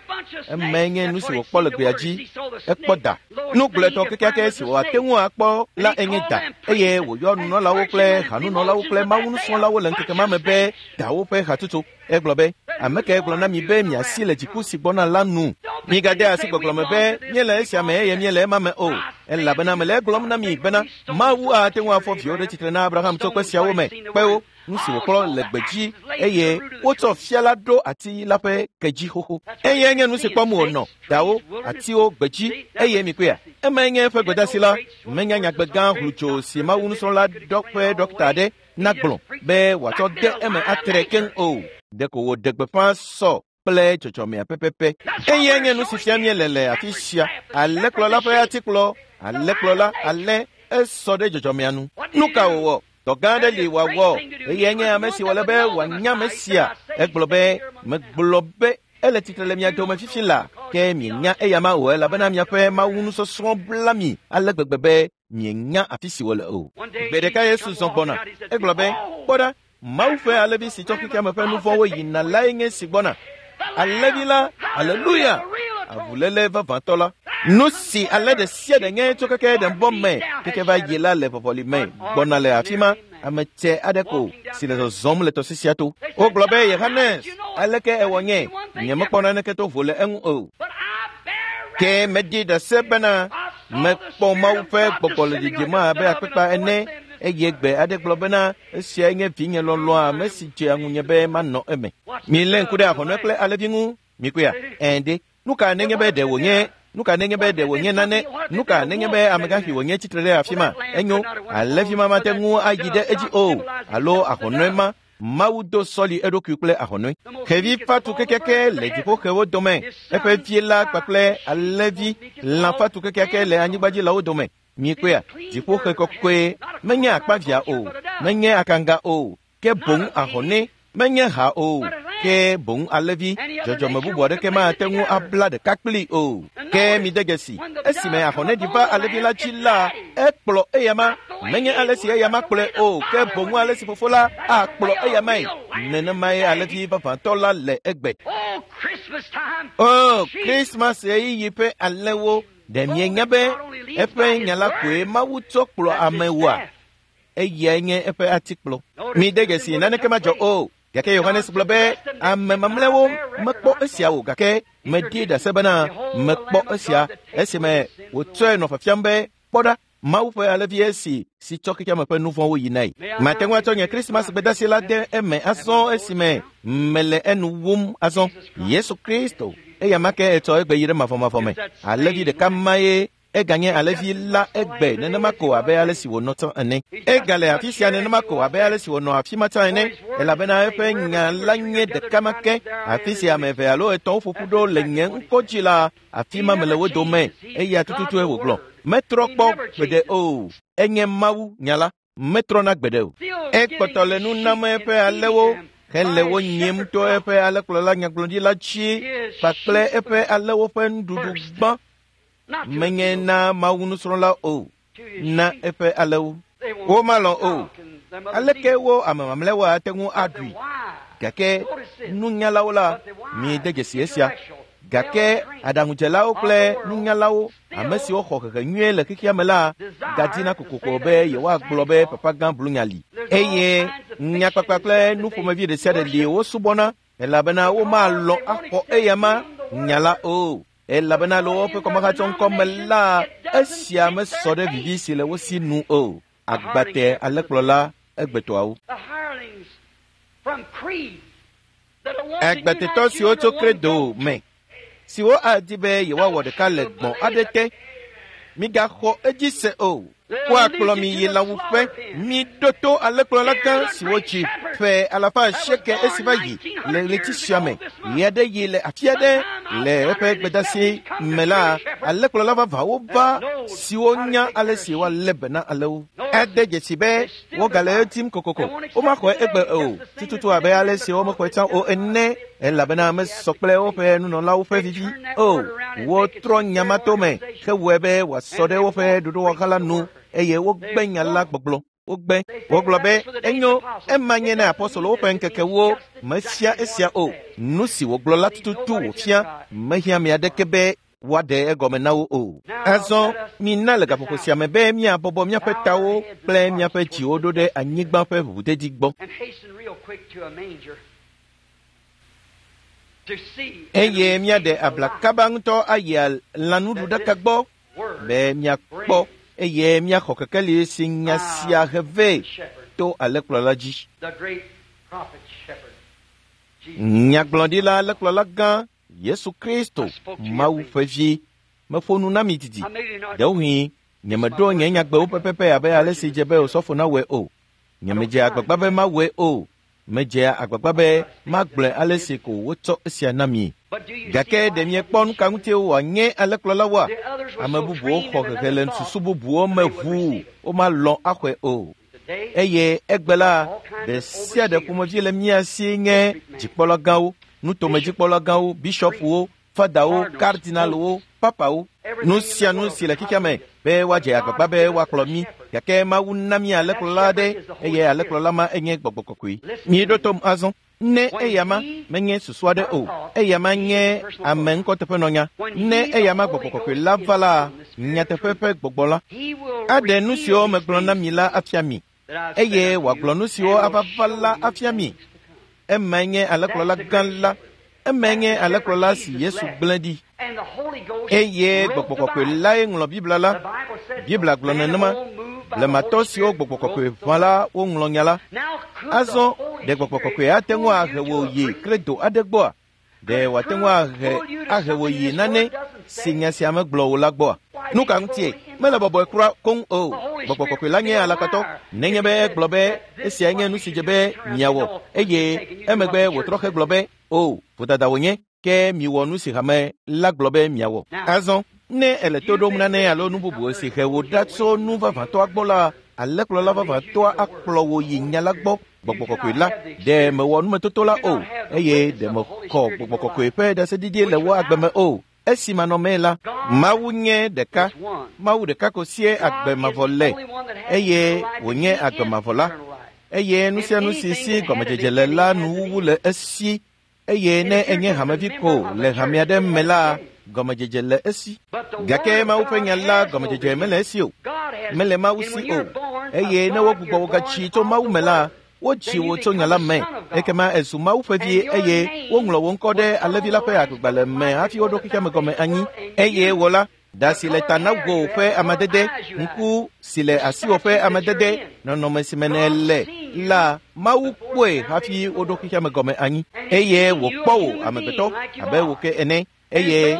Emae nye nu si wòkpɔ le gbea dzi. Ekpɔ da. Nu gblɔetɔ kekeake si wòate ŋu akpɔ la enye da eye wòyɔ nunɔlawo kple hanunɔlawo kple Mawu nusrɔ̃lawo le ŋkeke ma me be dawo ƒe hatsotso. Egblɔ be ame kae gblɔ na mi be miasi le dziku si gbɔna la nu? Migade asi gbɔgblɔ me be míele esia me eye míele ema me o. Elabena mele egblɔm na mi bena Mawu ate ŋu afɔ viwo ɖe tsitre na Abraham tso kpe siawo me. Kpewo nu si wòkplɔ le gbedzi eye wotsɔ fia la ɖo ati la ƒe ke dzi xoxo. Eye nye nu si kpɔm wònɔ dawo, atiwo, gbedzi eye mikpɔea. Emae nye eƒe gbedeasi la. Menya nyagbe gã hlutso si Mawu nusrɔ̃la ɖɔ ƒe ɖɔkita aɖe nagblɔ be wòatsɔ de eme atre keŋ o. Ɖeko wòɖe gbeƒã sɔ kple dzɔdzɔmea pɛpɛpɛ. Eye nye nu si fia míele le afi sia. Alẽkplɔla ƒe atikplɔ, alẽkplɔla alẽ esɔ ɖe dzɔdzɔmea nu. Nu ka wòwɔ? Dɔ gã aɖe li wòawɔ eye nye ame si wòle be wòanya ame sia. Egblɔ be megblɔ be ele tsitre le mia dome fifi la ke mienya eyama o elabena miaƒe Mawu nusɔsrɔ̃ bla mi ale gbegbe be mienya afi si wòle o. Gbe ɖeka Yesu zɔ gbɔna. Egblɔ be kpɔ ɖa Mawu ƒe alẽvi si tsɔ xexeame ƒe nu vɔ̃wo yina lae nye si gbɔna. Alẽvi la, aleluya, avuléle vavãtɔ la. Nu si alẽ ɖe sia ɖe nye tso keke ɖembɔ me keke va yi la le vɔvɔli me gbɔna le afi ma. Ame tsɛ aɖe ko si le zɔzɔm le tɔsisia to. Wogblɔ be Yohanes, aleke ewɔ nye? Nyemekpɔ naneke to vo le eŋu o. Ke meɖi ɖase bena mekpɔ Mawu ƒe gbɔgbɔ le dzidzim abe akpakpa ene eye gbe aɖe gblɔ bena esiae nye vinye lɔlɔ̃a ame si dzea ŋunye be manɔ eme. Milé ŋku ɖe ahɔnɔe kple alẽvi ŋu. Mikpɔea? Ɛ̃ ɖe. Nu ka nenye be ɖe wònye nu ka nenye be ɖe wònye nane? Nu ka nenye be amegãxi wònye tsitre ɖe afi ma? Enyo, alẽvi ma mate ŋu ayi ɖe edzi o alo ahɔnɔe ma. Mawu do sɔli eɖokui kple ahɔnɔe. Xevi fatu kekeake le dziƒoxewo dome. Eƒe vie la kpakple alẽvi lã fatu kekeake le anyigba dzi lãwo dome. Mikpɔea? Dziƒoxe kɔkɔe menye akpavia o, menye akanga o, ke boŋ ahɔnɛ menye ha o, Ke boŋ alẽvi dzɔdzɔme bubu aɖeke mate ŋu abla ɖeka kpli o. Ke mide dzesi, esime ahɔnɛɖi va alẽvi la dzi la, ekplɔ eyama. Menye ale si eyama kplɔe o, ke boŋ ale si fofo la akplɔ eyamae. Nenemae alẽvi vavãtɔ la le egbe. O, Krismas ɣeyiɣi ƒe alẽwo, ɖe mienya be eƒe nya la koe Mawu tsɔ kplɔ amewoa? Eyae nye eƒe atikplɔ. Mide dzesi, naneke madzɔ o. Gake Yohanes gblɔ be ame mamlɛawo mekpɔ esia o, gake medi ɖase bena mekpɔ esia esime wòtsɔe nɔ fiafiam be kpɔ ɖa, Mawu ƒe alẽvi esi si tsɔ xexeame ƒe nu vɔ̃wo yinae. Mate ŋu atsɔ nye Krismas gbedasi la de eme azɔ esime mele enu wum azɔ. Yesu Kristo, eya ma ke etsɔ egbe yi ɖe mavɔmavɔ me. Alẽvi ɖeka mae eganye alẽvi la egbe nenema ko abe ale si wònɔ tsã ene. Egale afi sia nenema ko abe ale si wònɔ afi ma tsã ene, elabena eƒe nya la nye ɖeka ma ke. Afi sia ame eve alo etɔ̃wo ƒo ƒu ɖo le nye ŋkɔ dzi la, afi ma mele wo dome. Eya tututue wògblɔ. Metrɔ kpɔ gbeɖe o. Enye Mawu nya la, metrɔna gbeɖe o. Ekpɔtɔ le nu nam eƒe alẽwo hele wo nyim to eƒe alẽkplɔla nyagblɔɖila dzi kpakple eƒe alẽwo ƒe nuɖuɖu gbã. Menye na Mawu nusrɔ̃la o, na eƒe alẽwo. Womalɔ̃ o. Aleke wo ame mamlɛawo ate ŋu aɖui? Gake nunyalawo la, mide dzesi esia. Gake aɖaŋudzelawo kple nunyalawo, ame siwo xɔ hehe nyuie le xexea me la, gadina kokoko be yewoagblɔ be papa gã blunya li. Eye nyakpakpa kple nuƒomevi ɖe sia ɖe li wosubɔna, elabena womalɔ̃ axɔ eyama nya la o. Elabena le woƒe kɔmahatsɔŋkɔ me la, esia mesɔ ɖe vivi si le wo si nu o. Agbate alẽkplɔla egbetɔawo. Agbatetɔ siwo tso Kredo me, siwo adi be yewoawɔ ɖeka le gbɔ̃ aɖe te, migaxɔ edzi se o. Woakplɔ mi yi lãwuƒe. Miɖo to alẽkplɔla gã siwo dzi ƒe alafa asieke esi va yi le ɣleti sia me. Ɣe aɖe yi le afi aɖe le eƒe gbedasi me la, alẽkplɔla vavãwo va siwo nya ale si woalé be na alẽwo. Ede dzesi be wogale edim kokoko. Womaxɔe egbe o, tututu abe ale si womexɔe tsã o ene, elabena mesɔ kple woƒe nunɔlawo ƒe vivi o. Wotrɔ nya ma to me hewɔe be wòasɔ ɖe woƒe ɖoɖowɔha la nu, eye wogbe nya la gbɔgblɔ. Wogbe. Wogblɔ be enyo, ema nye na apɔstolowo ƒe ŋkekewo mefia esia o. Nu si wògblɔ la tututu wòfia, mehiã ame aɖeke be woaɖe egɔme na wo o. Azɔ mina le gaƒoƒo sia me be míabɔbɔ míaƒe tawo kple míaƒe dziwo ɖo ɖe anyigba ƒe ʋuʋudedi gbɔ. Eye míaɖe abla kaba ŋutɔ ayi lãnuɖuɖaka gbɔ be míakpɔ eye míaxɔ kekeli si nya sia he vɛ to alẽkplɔla dzi. Nyagblɔɖila alẽkplɔla gã Yesu Kristo, Mawu ƒe vi, meƒo nu na mi didi. Ɖewohĩ nyemeɖo nye nyagbewo pɛpɛpɛ abe ale si dze be osɔfo nawɔe o. Nyemedzea agbagba be mawɔe o. Medzea agbagba be magblɔe ale si ko wotsɔ esia na mi. Gake ɖe miekpɔ nu ka ŋutie wòanye alẽkplɔlawoa? Ame bubuwo xɔ hehe le susu bubuwo me ʋuu, womalɔ̃ axɔe o. Eye egbe la, ɖe sia ɖe ƒomevi le mía si nye dzikpɔla gãwo, nutomedzikpɔla gãwo, bishɔpuwo, fadawo, kardinalwo, papawo, nu sia nu si le xexea me be woadze agbagba be woakplɔ mí. Gake Mawu na mí alẽkplɔla aɖe, eye alẽkplɔla ma enye gbɔgbɔ kɔkɔe. Míeɖo tom azɔ. Ne eyama menye susu aɖe o, eyama nye ame ŋkɔteƒenɔnya. Ne eyama gbɔgbɔ kɔkɔe la va la, nyateƒe ƒe gbɔgbɔ la aɖe nu siwo megblɔ na mi la afia mi, eye wòagblɔ nu siwo ava va la afia mi. Emae nye alẽkplɔla gã la. Emae nye alẽkplɔla si Yesu gblẽ ɖi. Eye gbɔgbɔ kɔkɔe lae ŋlɔ Biblia la. Biblia gblɔ nenema. Blematɔ siwo gbɔgbɔ kɔkɔe ʋã la woŋlɔ nya la. Azɔ ɖe gbɔgbɔ kɔkɔe ate ŋu ahe wò yi kredo aɖe gbɔa? Ɖe wòate ŋu ahe ahe wò yi nane si nya sia megblɔ wò la gbɔa? Nu ka ŋutie? Mele bɔbɔe kura koŋ o. Gbɔgbɔ kɔkɔe la nye alakpatɔ. Nenye be egblɔ be esia nye nu si dze be miawɔ, eye emegbe wòtrɔ hegblɔ be o, vodada wònye, ke miwɔ nu si hame la gblɔ be miawɔ. Azɔ ne ele to ɖom nane alo nu bubu si he wò ɖa tso nu vavãtɔa gbɔ la, alẽkplɔla vavãtɔa akplɔ wò yi nya la gbɔ. Gbɔgbɔ Kɔkɔe la, ɖe mewɔ numetoto la o, eye ɖe mexɔ Gbɔgbɔ Kɔkɔe ƒe ɖaseɖiɖi le wò agbe me o. Esi manɔmee la, Mawu nye ɖeka. Mawu ɖeka ko sie agbe mavɔ le, eye wònye agbe mavɔ la. Eye nu sia nu si si gɔmedzedze le la nuwuwu le esi, eye ne enye hamevi ko le hame aɖe me la, gɔmedzedze le esi. Gake Mawu ƒe nya la gɔmedzedze mele esi o, mele Mawu si o. Eye ne wogbugbɔ wò gatsi tso Mawu me la, wodzi wò tso nya la me, ekema ezu Mawu ƒe vi, eye woŋlɔ wò ŋkɔ ɖe alẽvi la ƒe agbegbalẽ me hafi woɖo xexea me gɔme anyi. Eye wò la, ɖa si le ta na wò ƒe amadede, ŋku si le asiwò ƒe amadede, nɔnɔme si me nèle la, Mawu kpɔe hafi woɖo xexea me gɔme anyi. Eye wòkpɔ wò amegbetɔ abe wò ke ene. Eye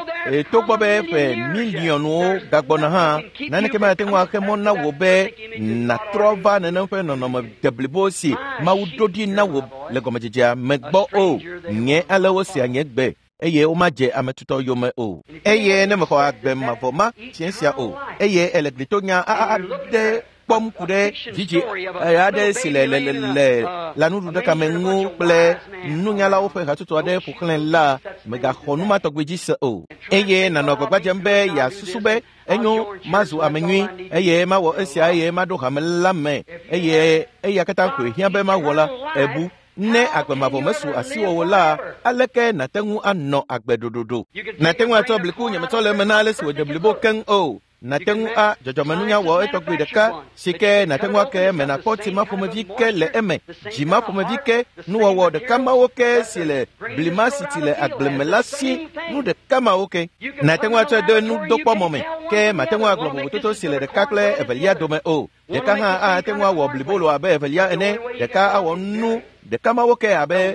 togbɔ be ƒe miliɔnwo gagbɔna hã, naneke mate ŋu axe mɔ na wò be nàtrɔ va nenem ƒe nɔnɔme deblibo si Mawu ɖo ɖi na wò le gɔmedzedzea me gbɔ o. Nye ale wosea nye gbe, eye womadze ame tutɔ yome o. Eye ne mexɔ agbe mavɔ ma fiẽ sia o, eye ele glitonya aɖe kpɔm ku ɖe dzidzi aɖe si le le le lãnuɖuɖaka me ŋu kple nunyalawo ƒe hatsotso aɖe ƒo xlẽ la, mègaxɔ nu ma tɔgbi dzi se o. Eye nànɔ agbagba dzem be yeasusu be enyo mazu ame nyui, eye mawɔ esia, eye maɖo hame la me, eye eya katã koe hiã be mawɔ la, ebu. Ne agbe mavɔ mesu asiwò o la, aleke nàte ŋu anɔ agbe ɖoɖoɖo? Nàte ŋu atsɔ bliku nyemetsɔ le eme na ale si wòdze blibo keŋ o. Nàte ŋu a dzɔdzɔmenunya wɔ etɔgbi ɖeka si ke nàte ŋu ake eme nàkpɔ tsi ma ƒomevi ke le eme, dzi ma ƒomevi ke, nuwɔwɔ ɖeka mawo ke si le blima si tsi le agble me la si, nu ɖeka mawo ke. Nàte ŋu atsɔe de nudokpɔmɔ me, ke màte ŋu agblɔ vovototo si le ɖeka kple evelia dome o. Ɖeka hã ate ŋu awɔ blibolo abe evelia ene, ɖeka awɔ nu ɖeka mawo ke abe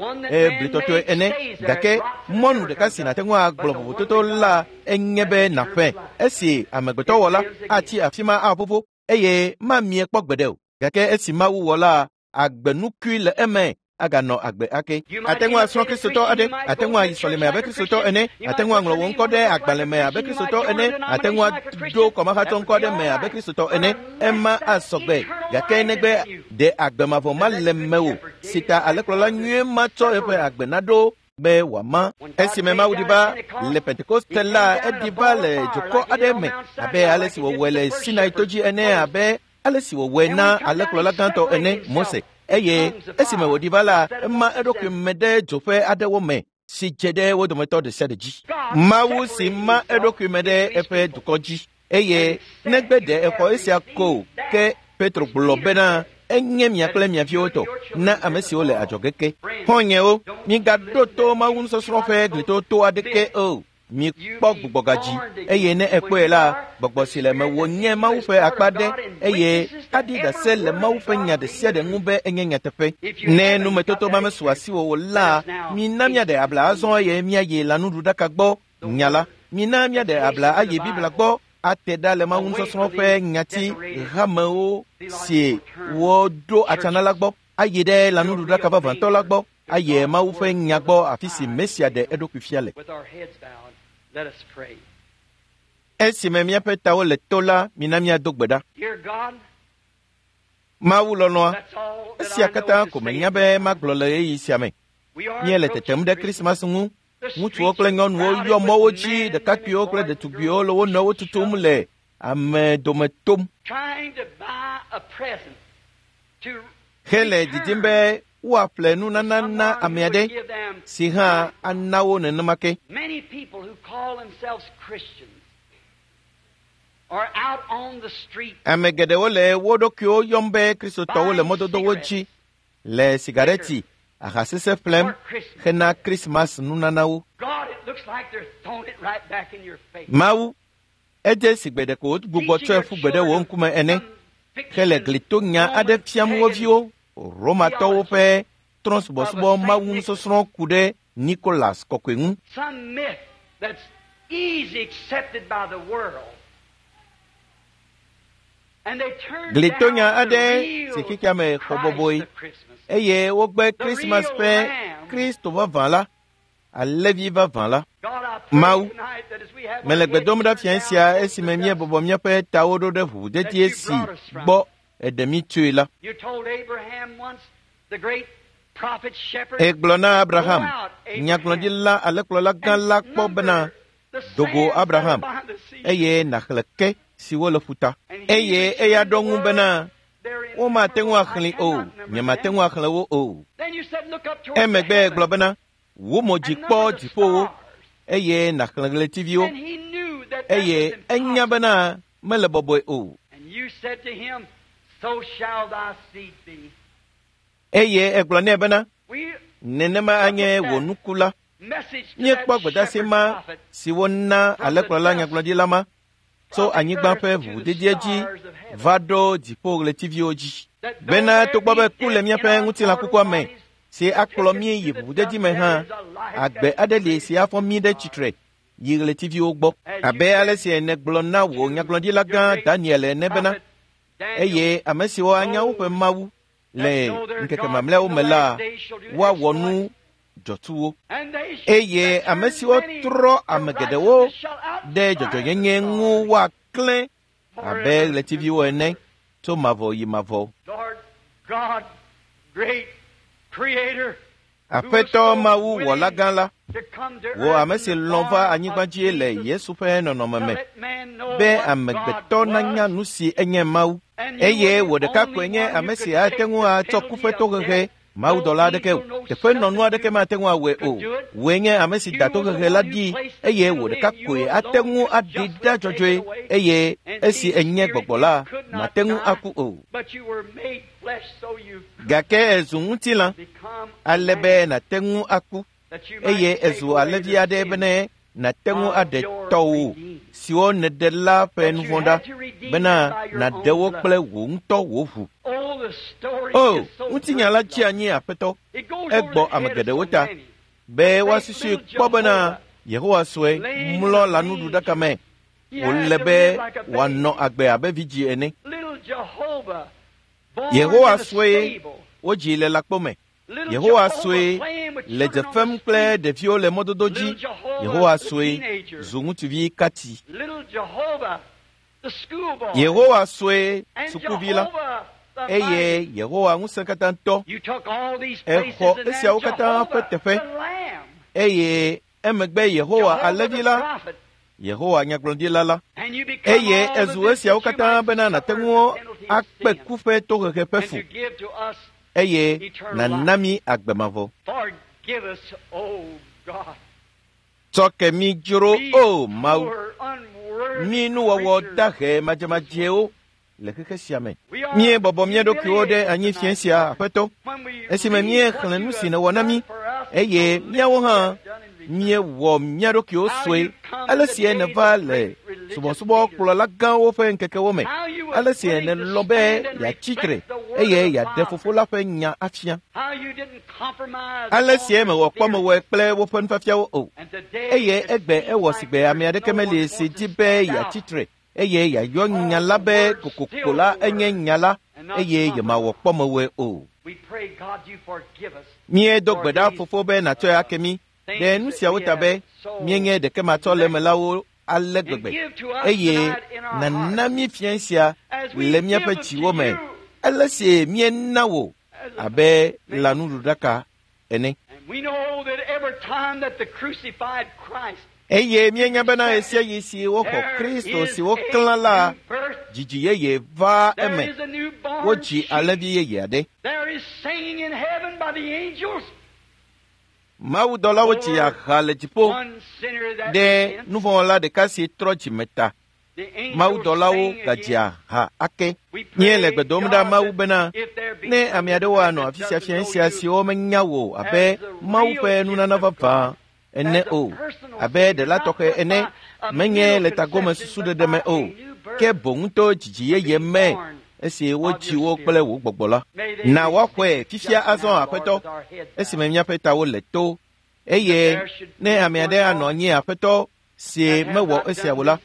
blitɔtɔe ene. Gake mɔnu ɖeka si nàte ŋu agblɔ vovototo la enye be nàƒẽ. Esi amegbetɔ wɔ la, atsi afi ma aƒoƒo, eye mamie kpɔ gbeɖe o. Gake esi Mawu wɔ la, agbenukui le eme aganɔ agbe ake. Ate ŋu asrɔ̃ Kristotɔ aɖe, ate ŋu ayi sɔleme abe Kristotɔ ene, ate ŋu aŋlɔ wò ŋkɔ ɖe agbalẽ me abe Kristotɔ ene, ate ŋu aɖo kɔmahatsɔ ŋkɔ ɖe me abe Kristotɔ ene. Ema asɔgbe, gake negbe ɖe agbe mavɔ ma le mewò, si ta alẽkplɔla nyuie matsɔ eƒe agbe naɖo be wòama. Esime Mawu ɖi va le Pentekoste la, eɖi va le dzokɔ aɖe me abe ale si wòwɔe le Sinai to dzi ene, abe ale si wòwɔe na alẽkplɔla gãtɔ ene, Mose. Eye esime wòɖi va la, ema eɖokui me ɖe dzoƒe aɖewo me si dze ɖe wo dometɔ ɖe sia ɖe dzi. Mawu si ma eɖokui me ɖe eƒe dukɔ dzi, eye negbe ɖe exɔ esia ko ke Petro gblɔ bena enye mia kple mia viwo tɔ na ame siwo le adzɔge ke. Xɔ̃nyewo, migaɖo to Mawu nusɔsrɔ̃ ƒe glitoto aɖeke o. Mikpɔ gbugbɔgadzi, eye ne ekpɔe la, gbɔgbɔ si le mewò nye Mawu ƒe akpa ɖe, eye aɖi ɖase le Mawu ƒe nya ɖe sia ɖe ŋu be enye nyateƒe. Ne numetoto ma mesu asiwò o la, mina míaɖe abla azɔ eye míayi lãnuɖuɖaka gbɔ nya la. Mina míaɖe abla ayi Biblia gbɔ ate ɖa le Mawu nusɔsrɔ̃ ƒe nyati hamewo si woɖo atsana la gbɔ, ayi ɖe lãnuɖuɖaka vavãtɔ la gbɔ, ayi Mawu ƒe nya gbɔ afi si Mesia ɖe eɖokui fia le. Esime míaƒe tawo le to la, mina míado gbe ɖa. Mawu lɔlɔ̃a, esia katã ko menya be magblɔ le ɣeyiɣi sia me. Míele tetem ɖe Krismas ŋu. Ŋutsuwo kple nyɔnuwo yɔ mɔwo dzi, ɖekakpuiwo kple ɖetugbiwo le wo nɔewo tutum le ame dome tom hele didim be woaƒle nunana na ame aɖe si hã ana wo nenema ke. Ame geɖewo le wo ɖokuiwo yɔm be Kristotɔwo le mɔdodowo dzi le sigareti, aha sesẽ ƒlem hena Krismas nunanawo. Mawu, edze si gbe ɖeko wogbugbɔ tsɔe ƒu gbe ɖe wò ŋkume ene, hele glitonya aɖe fiam wo viwo, Romatɔwo ƒe trɔ̃subɔsubɔ Mawu nusɔsrɔ̃ ku ɖe Nikolas kɔkɔe ŋu. Glitonya aɖe si xexea me xɔ bɔbɔe, eye wogbe Krismas ƒe Kristo vavã la, alẽvi vavã la. Mawu, mele gbe dom ɖa fiẽ sia esime míebɔbɔ míaƒe tawo ɖo ɖe ʋuʋudedie si gbɔ eɖe mí tsoe la. Egblɔ na Abraham, nyagblɔɖila alẽkplɔla gã la kpɔ bena, do go Abraham, eye nàxlẽ ke siwo le ƒuta. Eye eya ɖo ŋu bena, womate ŋu axlẽe o, nyemate ŋu axlẽ wo o. Emegbe egblɔ bena, wò mo dzi kpɔ dziƒowo, eye nàxlẽ ɣletiviwo. Eye enya bena mele bɔbɔe o. Eye egblɔ nɛ bena, nenema anye wò nuku la. Míekpɔ gbedeasi ma si wona alẽkplɔla nyagblɔɖila ma tso anyigba ƒe ʋuʋudedie dzi va ɖo dziƒoɣletiviwo dzi. Bena togbɔ be ku le míaƒe ŋutilã kukua me si akplɔ mí yi ʋuʋudedi me hã, agbe aɖe li si afɔ mí ɖe tsitre yi ɣletiviwo gbɔ. Abe ale si nègblɔ na wò nyagblɔɖila gã Daniel ene bena, eye ame siwo anya woƒe Mawu le ŋkeke mamlɛawo me la, woawɔ nu dzɔtsuwo. Eye ame siwo trɔ ame geɖewo ɖe dzɔdzɔnyenye ŋu woaklẽ abe ɣletiviwo ene tso mavɔ yi mavɔ. Aƒetɔ Mawu wɔla gã la, wò ame si lɔ̃ va anyigba dzi le Yesu ƒe nɔnɔme me, be amegbetɔ nanya nu si enye Mawu, eye wò ɖeka koe nye ame si ate ŋu atsɔ ku ƒe tohehe mawudɔla aɖeke o, teƒenɔnu aɖeke mate ŋu awɔe o. Wòe nye ame si da tohehe la ɖi, eye wò ɖeka koe ate ŋu aɖi ɖa dzɔdzɔe, eye esi enye gbɔgbɔ la, mate ŋu aku o. Gake ezu ŋutilã, ale be nàte ŋu aku, eye ezu alẽvi aɖe bene nàte ŋu aɖe tɔwò siwo nèɖe la ƒe nu vɔ̃ ɖa, bena nàɖe wo kple wò ŋutɔ wò ʋu. O, ŋutinya la tsi anyi Aƒetɔ, egbɔ ame geɖewo ta, be woasusui kpɔ bena Yehowa sue mlɔ lãnuɖuɖaka me, wòle be wòanɔ agbe abe vidzĩ ene. Yehowa sue wodzi le lãkpo me. Yehowa sue le dze fem kple ɖeviwo le mɔdodo dzi. Yehowa sue zu ŋutsuvi kati. Yehowa sue sukuvi la, eye Yehowa ŋusẽkatãtɔ exɔ esiawo katã ƒe teƒe, eye emegbe Yehowa alẽvi la, Yehowa nyagblɔɖila la, eye ezu esiawo katã bena nàte ŋu akpe ku ƒe tohehe ƒe fu, eye nàna mí agbe mavɔ. Tsɔ ke mí dzro, o Mawu, mí nuwɔwɔ dahe madzemadzewo le xexe sia me. Míebɔbɔ mía ɖokuiwo ɖe anyi fiẽ sia, Aƒetɔ, esime míexlẽ nu si nèwɔ na mí, eye míawo hã míewɔ mía ɖokuiwo sue, ale si nèva le subɔsubɔkplɔla gãwo ƒe ŋkekewo me, ale si nèlɔ̃ be yeatsi tre eye yeaɖe Fofo la ƒe nya afia, ale si mewɔ kpɔmewɔe kple woƒe nufiafiawo o, eye egbe ewɔ sigbe ame aɖeke meli si di be yeatsi tre eye yeayɔ nya la be kokoko la enye nya la, eye yemawɔ kpɔmewɔe o. Míedo gbe ɖa Fofo be nàtsɔe ake mí ɖe nu siawo ta be míenye ɖekematsɔlemelawo ale gbegbe, eye nàna mí fiẽ sia le míaƒe dziwo me, ale si míena wò abe lãnuɖuɖaka ene. Eye míenya bena ɣesiaɣi si woxɔ Kristo si woklã la, dzidzi yeye va eme, wodzi alẽvi yeye aɖe. Mawudɔlawo tsi aha le dziƒo ɖe nuvɔ̃wɔla ɖeka si trɔ dzime ta. Mawudɔlawo gadzi aha ake. Míele gbe dom ɖa Mawu bena, ne ame aɖewo anɔ afi sia fiẽ sia siwo menya wò abe Mawu ƒe nunana vavã ene o, abe ɖela tɔxɛ ene, menye le tagome susuɖeɖe me o, ke boŋ to dzidzi yeye me esi wodzi wo kple wò gbɔgbɔ la. Na woaxɔe fifia azɔ, Aƒetɔ, esime míaƒe tawo le to, eye ne ame aɖe anɔ anyi, Aƒetɔ, si mewɔ esia o la,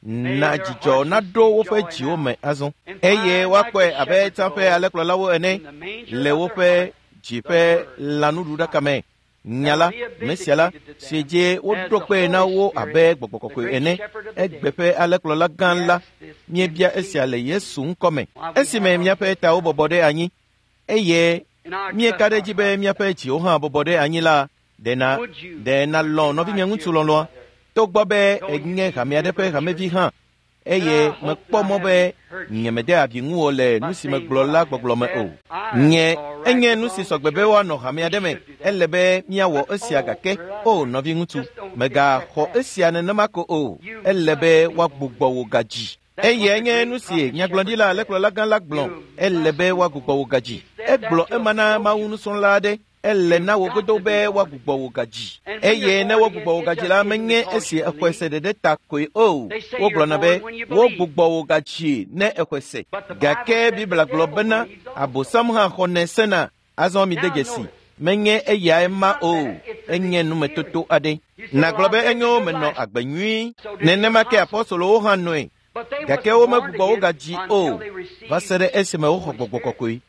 na dzidzɔ naɖo woƒe dziwo me azɔ, eye woakpɔe abe tsã ƒe alẽkplɔlawo ene le woƒe dzi ƒe lãnuɖuɖaka me. Nya la, Mesia la, si dzi woɖo kpe na wo abe gbɔgbɔ kɔkɔe ene, egbe ƒe alẽkplɔla gã la, míebia esia le Yesu ŋkɔ me. Esime míaƒe tawo bɔbɔ ɖe anyi, eye Míeka ɖe edzi be míaƒe dziwo hã bɔbɔ ɖe anyi la, ɖe na ɖe nalɔ̃ nɔvinye ŋutsu lɔlɔ̃a, togbɔ be enye hame aɖe ƒe hamevi hã, eye mekpɔ mɔ be nyemede abi ŋuwò le nu si megblɔ la gbɔgblɔ me o. Nye enye nu si sɔgbe be woanɔ hame aɖe me, ele be míawɔ esia gake o nɔviŋutsu, mègaxɔ esia nenema ko o, ele be woagbugbɔ wò gadzi. Eye nye nu si nyagblɔɖila alẽkplɔla gã la gblɔ, ele be woagbugbɔ wò gadzi. Egblɔ ema na Mawu nusrɔ̃la aɖe, ele na wò godo be woagbugbɔ wò gadzi. Eye ne wogbugbɔ wò gadzi la, menye esi exɔe se ɖeɖe ta koe o. Wogblɔna be wogbugbɔ wò gadzi ne exɔe se. Gake Biblia gblɔ bena Abosam hã xɔnɛ sena. Azɔ mide dzesi, menye eyae ma o, enye numetoto aɖe. Nàgblɔ be enyo menɔ agbe nyui. Nenema ke apɔstolowo hã nɔe. Gake womegbugbɔ wo gadzi o va se ɖe esime woxɔ gbɔgbɔ kɔkɔe.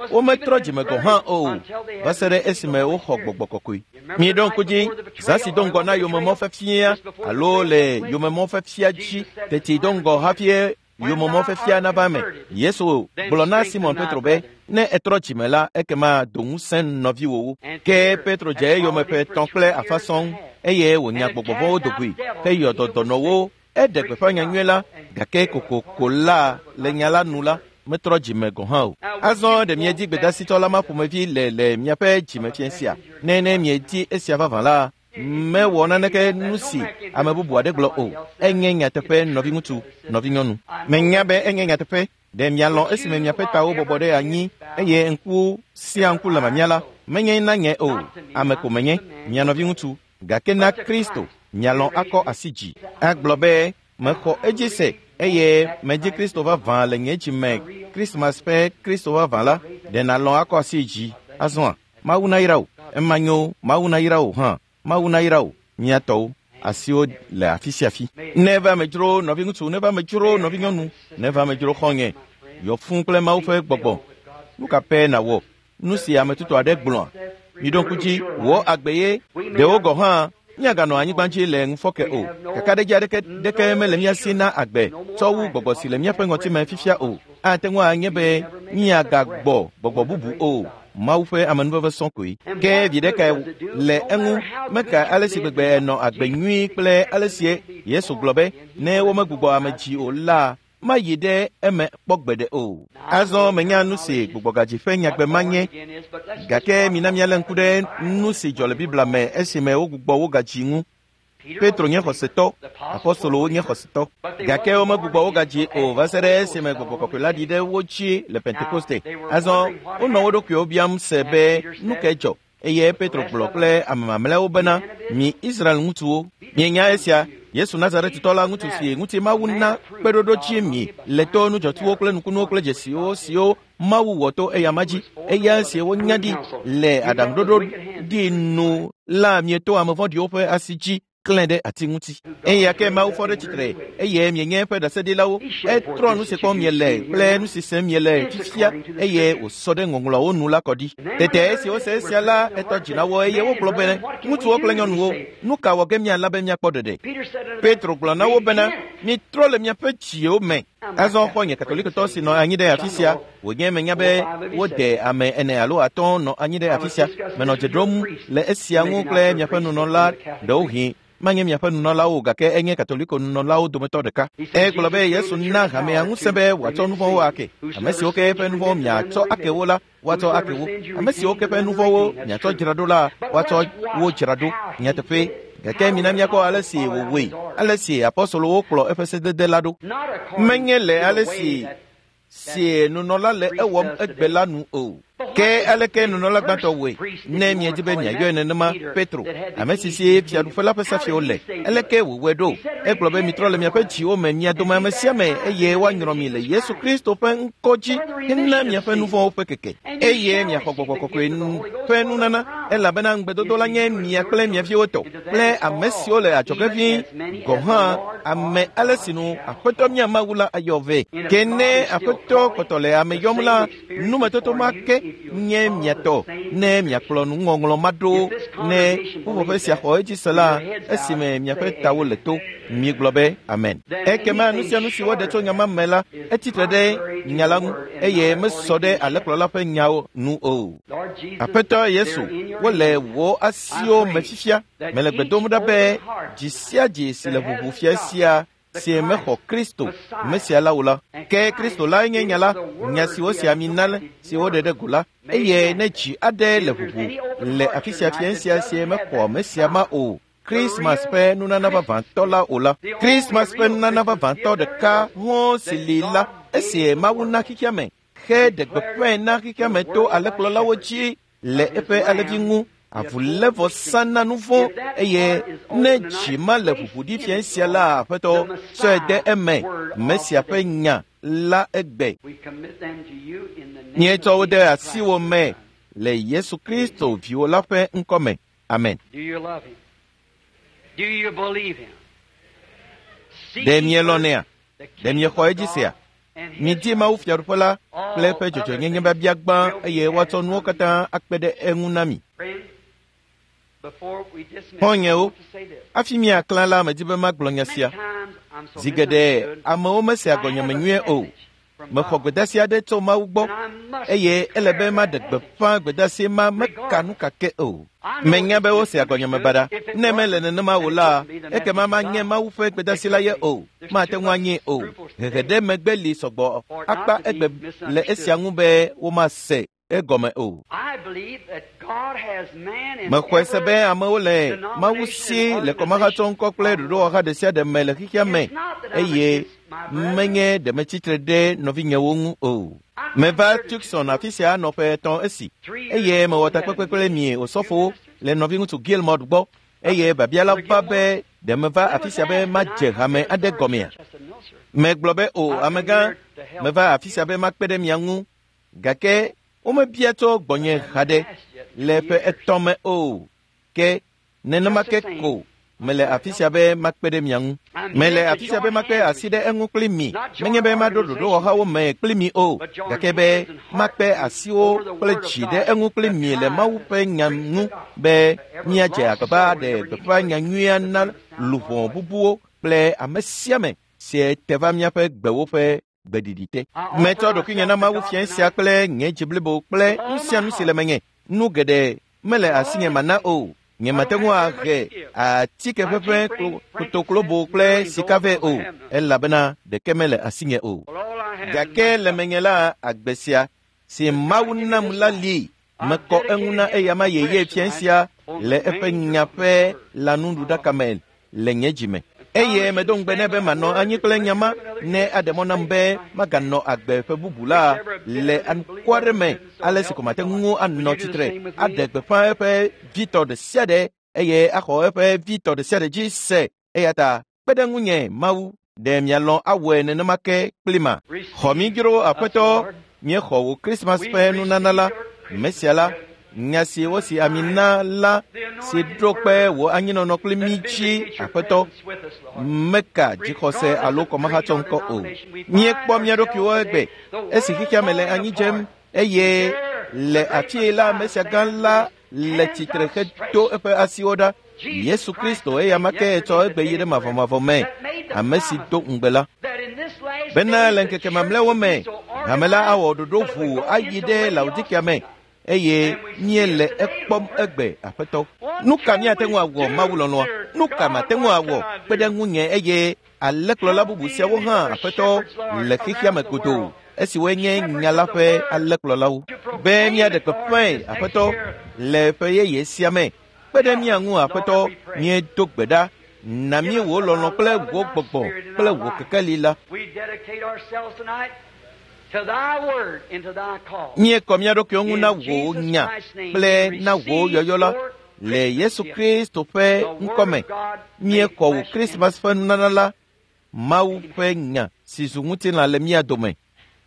Wometrɔ dzime gɔ̃ hã o va se ɖe esime woxɔ gbɔgbɔ kɔkɔe. Miɖo ŋku dzi, zã si do ŋgɔ na yomemɔfiafia alo le yomemɔfiafia dzi teti do ŋgɔ hafi yomemɔfiafia nava eme. Yesu gblɔ na Simon Petro be, ne etrɔ dzime la, ekema do ŋusẽ nɔviwòwo. Ke Petro dze eyome ƒe etɔ̃ kple afã sɔŋ eye wònya gbɔgbɔ vɔ̃wo do goe heyɔ dɔ dɔnɔwo. Eɖe gbeƒã nyanyui la, gake kokoko la le nya la nu la, metrɔ dzime gɔ̃ hã o. Azɔ ɖe miedi gbedasitɔ la ma ƒomevi le le miaƒe dzime sia. Ne ne miedi esia vavã la, mewɔ naneke nu si ame bubu aɖe gblɔ o. Enye nyateƒe nɔviŋutsu, nɔvinyɔnu. Menya be enye nyateƒe. Ɖe mialɔ̃ esime miaƒe tawo bɔbɔ ɖe anyi eye ŋku sia ŋku le mamia la, menye na nye o. Ame ko menye, mia nɔviŋutsu, gake na Kristo. Mialɔ̃ akɔ asi dzi. Agblɔ be mexɔ edzi se eye medzi Kristo vavã le nye dzime. Krismas ƒe Kristo vavã la, ɖe nàlɔ̃ akɔ asi dzi azɔa? Mawu nayra wò. Ema nyo, Mawu nayra wò hã. Mawu nayra wò, mia tɔwo. Asiwo le afi sia afi. Neva amedzro nɔviŋutsu, neva amedzro nɔvinyɔnu, neva amedzro xɔ̃nye. Yɔ fũu kple Mawu ƒe gbɔgbɔ. Nu ka pɛ nàwɔ? Nu si ame tutu aɖe gblɔa? Miɖo ŋku dzi, wò agbe ye. Ɖewo gɔ̃ hã míaganɔ anyigba dzi le ŋufɔke o. Kakaɖedzi aɖeke ɖeke mele mía si na agbe tsɔ wu gbɔgbɔ si le míaƒe ŋɔtime fifia o. Ate ŋu anye be míagagbɔ gbɔgbɔ bubu o. Mawu ƒe amenuveve sɔŋ koe. Ke viɖe kae le eŋu meka ale si gbegbe enɔ agbe nyui kple ale si Yesu gblɔ be ne womegbugbɔ ame dzi o la, mayi ɖe eme kpɔ gbeɖe o. Azɔ menya nu si gbugbɔgadzi ƒe nyagbe ma nye, gake mina míalé ŋku ɖe nu si dzɔ le Biblia me esime wogbugbɔ wo gadzi ŋu. Petro nye xɔsetɔ, apɔstolowo nye xɔsetɔ, gake womegbugbɔ wo gadzi o va se ɖe esime gbɔgbɔ kɔkɔe la ɖi ɖe wo dzi le Pentekoste. Azɔ wonɔ wo ɖokuiwo biam se be nu kae dzɔ, eye Petro gblɔ kple ame mamlɛawo bena, mi Israel ŋutsuwo, mienya esia, Yesu Nazaretitɔ la ŋutsu si ŋuti Mawu na kpeɖoɖo dzi mi le to nudzɔtsuwo kple nukunuwo kple dzesiwo siwo Mawu wɔ to eyama dzi, eya si wonya ɖi le aɖaŋuɖoɖo ɖi nu la mieto ame vɔ̃ɖiwo ƒe asi dzi klẽ ɖe ati ŋuti. Eya ke Mawu fɔ ɖe tsitre eye mienye eƒe ɖaseɖilawo. Etrɔ nu si kpɔm miele kple nu si sem miele fifia eye wòsɔ ɖe ŋɔŋlɔawo nu la kɔ ɖi. Tete esi wose esia la, etɔ dzi na wo eye wogblɔ be, ŋutsuwo kple nyɔnuwo, nu ka wɔ ge miala be miakpɔ ɖeɖe? Petro gblɔ na wo bena, mitrɔ le miaƒe dziwo me. Azɔ xɔ̃nye katolikotɔ si nɔ anyi ɖe afi sia, wònye menya be wode ame ene alo atɔ̃ nɔ anyi ɖe afi sia. Menɔ dze ɖom le esia ŋu kple miaƒe nunɔla ɖewohĩ. Manye miaƒe nunɔlawo gake enye katoliko nunɔlawo dometɔ ɖeka. Egblɔ be Yesu na hamea ŋusẽ be wòatsɔ nu vɔ̃wo ake. Ame siwo ke ƒe nu vɔ̃wo miatsɔ ake wo la, woatsɔ ake wo. Ame siwo ke ƒe nu vɔ̃wo miatsɔ dzra ɖo la, woatsɔ wo dzra ɖo. Nyateƒe. Gake mina míakpɔ ale si wòwɔe, ale si apɔstolowo kplɔ eƒe sedede la ɖo. Menye le ale si si nunɔla le ewɔm egbe la nu o. Ke aleke nunɔla gbãtɔ wɔe? Ne miedi be miayɔe nenema, Petro, ame si si fiaɖuƒe la ƒe safiwo le, aleke wòwɔe ɖo? Egblɔ be mitrɔ le miaƒe dziwo me, mia dome ame sia ame, eye woanyrɔ mi le Yesu Kristo ƒe ŋkɔ dzi hena miaƒe nu vɔ̃wo ƒe keke, eye miaxɔ gbɔgbɔ kɔkɔe ƒe nunana, elabena ŋugbedodo la nye mia kple mia viwo tɔ kple ame siwo le adzɔge ʋĩi gɔ̃ hã, ame ale si nu Aƒetɔ mía Mawu la ayɔ vɛ. Ke ne Aƒetɔ kpɔtɔ le ame yɔm la, numetoto ma ke nye miatɔ ne miakplɔ nuŋɔŋlɔ ma ɖo ne ƒuƒoƒe sia xɔ edzi se la esime miaƒe tawo le to miegblɔ be amen. Ekema nu sia nu si woɖe tso nya ma me la etsitre ɖe nya la ŋu eye mesɔ ɖe alẽkplɔla ƒe nyawo nu o. Aƒetɔ Yesu, wole wò asiwo me fifia. Mele gbe dom ɖa be dzi sia dzi si le ʋuʋu fia sia si mexɔ Kristo Mesia la o la. Ke Kristo lae nye nya la, nya si wosi ami na si woɖe ɖe go la, eye ne dzi aɖe le ʋuʋu le afi sia fia sia si mexɔ Mesia ma o, Christmas ƒe nunana vavãtɔ la o la. Christmas ƒe nunana vavãtɔ ɖeka hɔ̃ si li la, esi Mawu na xexea me, xe ɖe gbeƒãe na xexea me to alẽkplɔlawo dzi le eƒe alẽvi ŋu. Avulévɔsa na nu vɔ̃ eye ne dzi ma le ʋuʋu ɖi fia sia la, Aƒetɔ, tsɔe de eme Mesia ƒe nya la egbe. Míetsɔ wo de asiwò me le Yesu Kristo viwò la ƒe ŋkɔ me. Amen. Ɖe mielɔ̃nɛa? Ɖe miexɔ edzi sea? Midi Mawu Fiaɖuƒe la kple eƒe dzɔdzɔenyenye biabia gbã eye woatsɔ nuwo katã akpe ɖe eŋu na mi. Xɔ̃nyewo, hafi miaklã la, medi be magblɔ nya sia. Zi geɖe amewo mesea gɔnyeme nyuie o. Mexɔ gbedeasi aɖe tso Mawu gbɔ eye ele be maɖe gbeƒã gbedeasi ma meka nu kake o. Menya be wosea gɔnyeme baɖa. Ne mele nenema o la, ekema manye Mawu ƒe gbedeasi la ye o. Mate ŋu anyee o. Hehe ɖe megbe li sɔgbɔ akpa egbe le esia ŋu be womase egɔme o. Mexɔe se be amewo le Mawu si le kɔmahatsɔŋkɔ kple ɖoɖowɔha ɖe sia ɖe me le xexea me eye menye ɖe metsitre ɖe nɔvinyewo ŋu o. Meva Tucson afi sia nɔ ƒe etɔ̃ esi eye mewɔ takpekpe kple mi osɔfowo le nɔviŋutsu Gilmore gbɔ eye biabia la va be ɖe meva afi sia be madze hame aɖe gɔmea? Megblɔ be o, amegã, meva afi sia be makpe ɖe mia ŋu gake womebia tso gbɔnye haɖe le ƒe etɔ̃ me o. Ke nenema ke ko mele afi sia be makpe ɖe mia ŋu. Mele afi sia be makpe asi ɖe eŋu kpli mi. Menye be maɖo ɖoɖowɔhawo me kpli mi o, gake be makpe asiwo kple dzi ɖe eŋu kpli mi le Mawu ƒe nya ŋu be míadze agbagba ɖe gbeƒã nya nyuia na luʋɔ bubuwo kple ame sia ame si te va míaƒe gbewo ƒe gbeɖiɖi te. Metsɔ ɖokuinye na Mawu fia sia kple nye dzi blibo kple nu sia nu si le menye. Nu geɖe mele asinye mana o. Nye mate ŋu ahe atike ʋeʋẽ kotoklobo kple sika vɛ o, elabena ɖeke mele asinye o. Gake le menye la, agbe sia si Mawu nam la li. Mekɔ eŋu na eyama yeye fia sia le eƒe nya ƒe lãnuɖuɖaka me le nye dzi me. Eye medo ŋugbe nɛ be manɔ anyi kple nya ma ne aɖe mɔ nam be maganɔ agbe ƒe bubu la le anukware me ale si ko mate ŋu anɔ tsitre aɖe gbeƒã eƒe vitɔ ɖe sia ɖe eye axɔ eƒe vitɔ ɖe sia ɖe dzi se. Eya ta kpe ɖe ŋunye Mawu, ɖe mialɔ̃ awɔe nenema ke kpli ma. Xɔ mi dzro Aƒetɔ, míexɔ wò Christmas ƒe nunana la, Mesia la, nya si wosi ami na la si ɖo kpe wò anyinɔnɔ kpli mí dzi, Aƒetɔ, meka dzixɔse alo kɔmahatsɔŋkɔ o. Míekpɔ mía ɖokuiwo egbe esi xexea me le anyi dzem eye le afii la Mesia gã la le tsitre hedo eƒe asiwo ɖa. Yesu Kristo eyama ke etsɔ egbe yi ɖe mavɔmavɔ me, ame si do ŋugbe la. Bena le ŋkeke mamlɛawo me, hame la awɔ ɖoɖo ʋuu ayi ɖe Laodikea me eye míele ekpɔm egbe, Aƒetɔ. Nu ka míate ŋu awɔ, Mawu lɔlɔ̃a? Nu ka mate ŋu awɔ? Kpe ɖe ŋunye eye alẽkplɔla bubu siawo hã, Aƒetɔ, le xexea me godoo, esiwoe nye nya la ƒe alẽkplɔlawo. Be míaɖe gbeƒãe, Aƒetɔ, le ƒe yeye sia me. Kpe ɖe mía ŋu, Aƒetɔ, míedo gbe ɖa. Na mí wò lɔlɔ̃ kple wò gbɔgbɔ kple wò kekeli la. Míekɔ mía ɖokuiwo ŋu na wò nya kple na wò yɔyɔ la le Yesu Kristo ƒe ŋkɔme. Míekɔ wò Christmas ƒe nunana la, Mawu ƒe nya si zu ŋutilã le mía dome.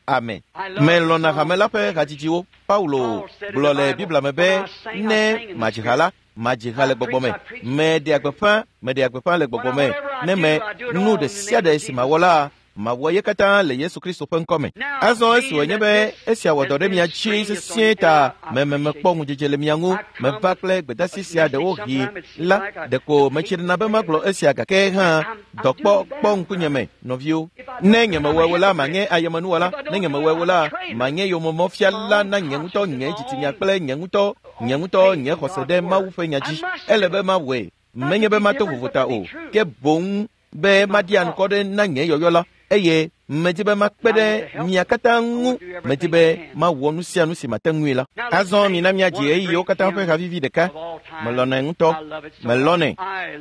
Amen. Melɔ̃na hame la ƒe hadzidziwo. Paulo gblɔ le Biblia me be ne madzi ha la, madzi ha le gbɔgbɔ me. Meɖea gbeƒã, meɖea gbeƒã le gbɔgbɔ me. Ne me nu ɖe sia ɖe si mawɔ la, Mawɔ ye katã le Yesu Kristo ƒe ŋkɔme. Azɔ esi wònye be esia wɔ dɔ ɖe mia dzi sesĩe ta meme mekpɔ ŋudzedze le mia ŋu, meva kple gbedeasi sia ɖewohĩ la, ɖeko metsina be magblɔ esia gake hã dɔkpɔ kpɔ ŋkunye me, nɔviwo. Ne nyemewɔe o la, manye ayemenuwɔla. Ne nyemewɔe o la, manye yomemɔfiala na nye ŋutɔ nye dzitsinya kple nye ŋutɔ nye ŋutɔ nye xɔse ɖe Mawu ƒe nya dzi. Ele be mawɔe, menye be mato vovota o, ke boŋ be maɖi anukɔ ɖe na nye yɔyɔ la, eye medi be makpe ɖe mia katã ŋu. Medi be mawɔ nu sia nu si mate ŋui la. Azɔ mina míadzi ɣeyiɣiwo katã ƒe havivi ɖeka. Melɔ̃nɛ ŋutɔ, melɔ̃nɛ.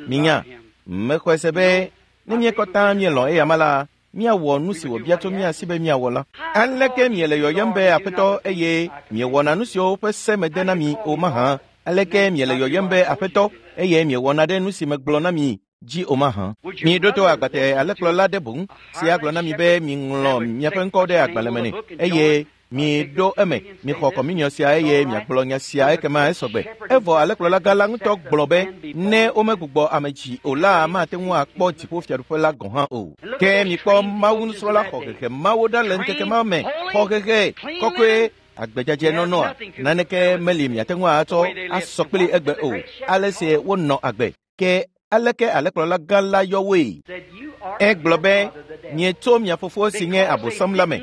Minya, mexɔe se be ne míekɔtã míelɔ̃ eyama la, míawɔ nu si wòbia tso mía si be míawɔ la. Aleke miele yɔyɔm be Aƒetɔ eye miewɔna nu siwo ƒe se mede na mi o mahã? Aleke miele yɔyɔm be Aƒetɔ eye miewɔna ɖe nu si megblɔ na mi dzi o mahã? Miɖo to agbate alẽkplɔla ɖe boŋ si agblɔ na mi be miŋlɔ miaƒe ŋkɔ ɖe agbalẽ me nɛ eye miɖo eme, mixɔ kɔminiɔ sia eye miagblɔ nya sia ekema esɔgbe. Evɔ alẽkplɔla gã la ŋutɔ gblɔ be ne womegbugbɔ ame dzi o la, mate ŋu akpɔ dziƒofiaɖuƒe la gɔ̃ hã o. Ke mikpɔ Mawu nusrɔ̃la xɔ hehe mawo ɖa le ŋkeke ma me. Xɔ hehe kɔkɔe agbedzadze nɔnɔa, naneke meli miate ŋu atsɔ asɔ kpli egbe o. Ale si wonɔ agbe. Ke aleke alẽkplɔla gã la yɔ woe? Egblɔ be mietso mia fofo si nye Abosam la me,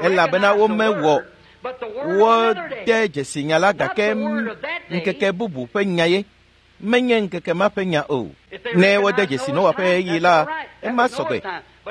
elabena womewɔ wode dzesi nya la gake ŋkeke bubu ƒe nya ye, menye ŋkeke ma ƒe nya o. Ne wode dzesi Noa ƒe ɣeyiɣi la, ema sɔgbe.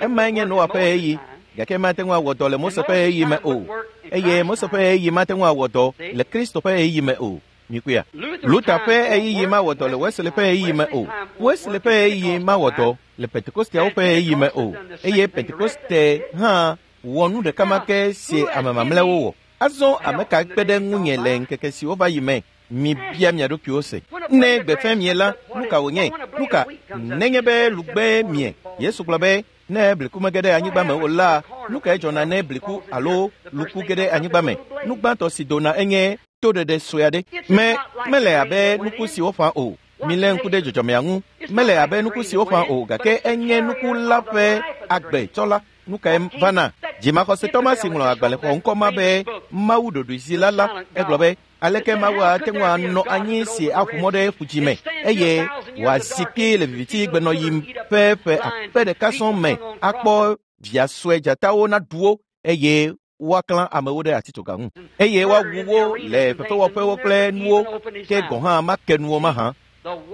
Emae nye Noa ƒe ɣeyiɣi, gake mate ŋu awɔ dɔ le Mose ƒe ɣeyiɣi me o, eye Mose ƒe ɣeyiɣi mate ŋu awɔ dɔ le Kristo ƒe ɣeyiɣi me o. Mikuya. Luther ƒe ɣeyiɣi mawɔ dɔ le Wesley ƒe ɣeyiɣi me o. Wesley ƒe ɣeyiɣi mawɔ dɔ le Pentekosteawo ƒe ɣeyiɣi me o, eye Pentekoste hã wɔ nu ɖeka ma ke si ame mamlɛawo wɔ. Azɔ ame ka kpe ɖe ŋunye le ŋkeke siwo va yi me? Mibia mia ɖokuiwo se. Ne gbe fẽ mie la, nu ka wònye? Nu ka nenye be lugbe mie? Yesu gblɔ be ne bliku mege ɖe anyigba me o la, nu kae dzɔna ne bliku alo luku ge ɖe anyigba me? Nu gbãtɔ si dona enye toɖeɖe sue aɖe. Me mele abe nuku si woƒã o. Milé ŋku ɖe dzɔdzɔmea ŋu. Mele abe nuku si woƒã o, gake enye nuku la ƒe agbetsɔla. Nu kae vana? Dzimaxɔsetɔ ma si ŋlɔ agbalẽ xɔ ŋkɔ ma be Mawu ɖoɖoezila la, egblɔ be aleke Mawu ate ŋu anɔ anyi si aƒu mɔ ɖe ƒudzi me eye wòazi kpi le viviti gbenɔɣi ƒe ƒe akpe ɖeka sɔŋ me akpɔ via sue dzatawo naɖu wo eye woaklã amewo ɖe atitsoga ŋu eye woawu wo le fefewɔƒewo kple nuwo ke gɔ̃ hã make nuwo mahã.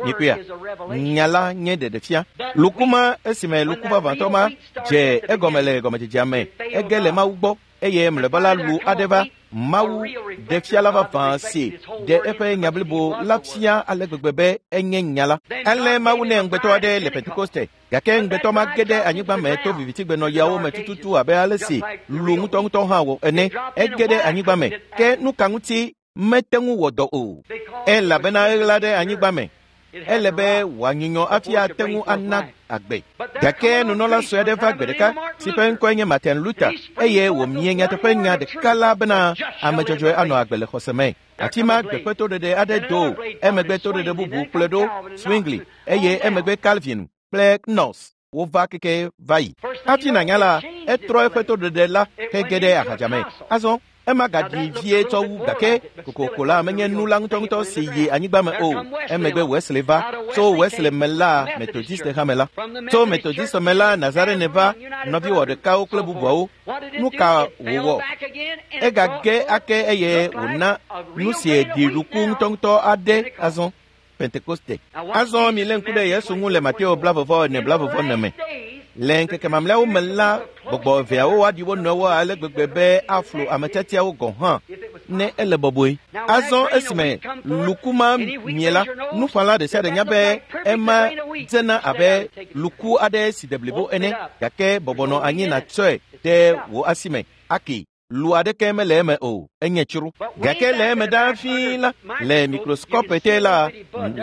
Mikuya, nya la nye ɖeɖefia. Luku ma esime luku vavãtɔ ma dze egɔme le gɔmedzedzea me, ege le Mawu gbɔ eye mlɔeba la lu aɖe va Mawu ɖefiala vavã si ɖe eƒe nya blibo la fia ale gbegbe be enye nya la. Ale Mawu nɛ ŋugbetɔ aɖe le Pentekoste, gake ŋugbetɔ ma ge ɖe anyigba me to vivitigbenɔɣiawo me tututu abe ale si lu ŋutɔŋutɔ hã wɔ ene. Ege ɖe anyigba me, ke nu ka ŋuti mete ŋu wɔ dɔ o? Elabena eɣla ɖe anyigba me. Ele be wòanyunyɔ hafi ate ŋu ana agbe. Gake nunɔla sue aɖe va gbe ɖeka si ƒe ŋkɔe nye Martin Luther eye wòmie nyateƒe nya ɖeka la bena ame dzɔdzɔe anɔ agbe le xɔse me. Ati ma gbeƒe toɖeɖe aɖe do, emegbe toɖeɖe bubu kplɔe ɖo Zwingli eye emegbe Calvin kple Knox wova keke va yi. Hafi nànya la, etrɔ eƒe toɖeɖe la hege ɖe ahadzame. Azɔ ema gaɖi vie tsɔ wu gake kokoko la menye nu la ŋutɔŋutɔ si yi anyigba me o. Emegbe Wesley va. Tso Wesley me la Methodiste hame la. Tso Methodiste me la Nazarene va, nɔviwɔ ɖekawo kple bubuawo. Nu ka wòwɔ? Egage ake eye wòna nu si ɖi luku ŋutɔŋutɔ aɖe azɔ. Pentekoste. Azɔ milé ŋku ɖe Yesu ŋu le Mateo blavɔvɔ ene blavɔvɔ ene me. Le ŋkeke mamlɛawo me la, gbɔgbɔ eveawo aɖi wo nɔewo ale gbegbe be aflu ame tiatiawo gɔ̃ hã ne ele bɔbɔe. Azɔ esime luku ma mie la, nuƒãla ɖe sia ɖe nya be ema dzena abe luku aɖe si de blibo ene, gake bɔbɔ nɔ anyi nàtsɔe ɖe wò asi me ake. Lu aɖeke mele eme o, enye tsro. Gake le eme ɖaa fĩi la, le mikroskɔp te la,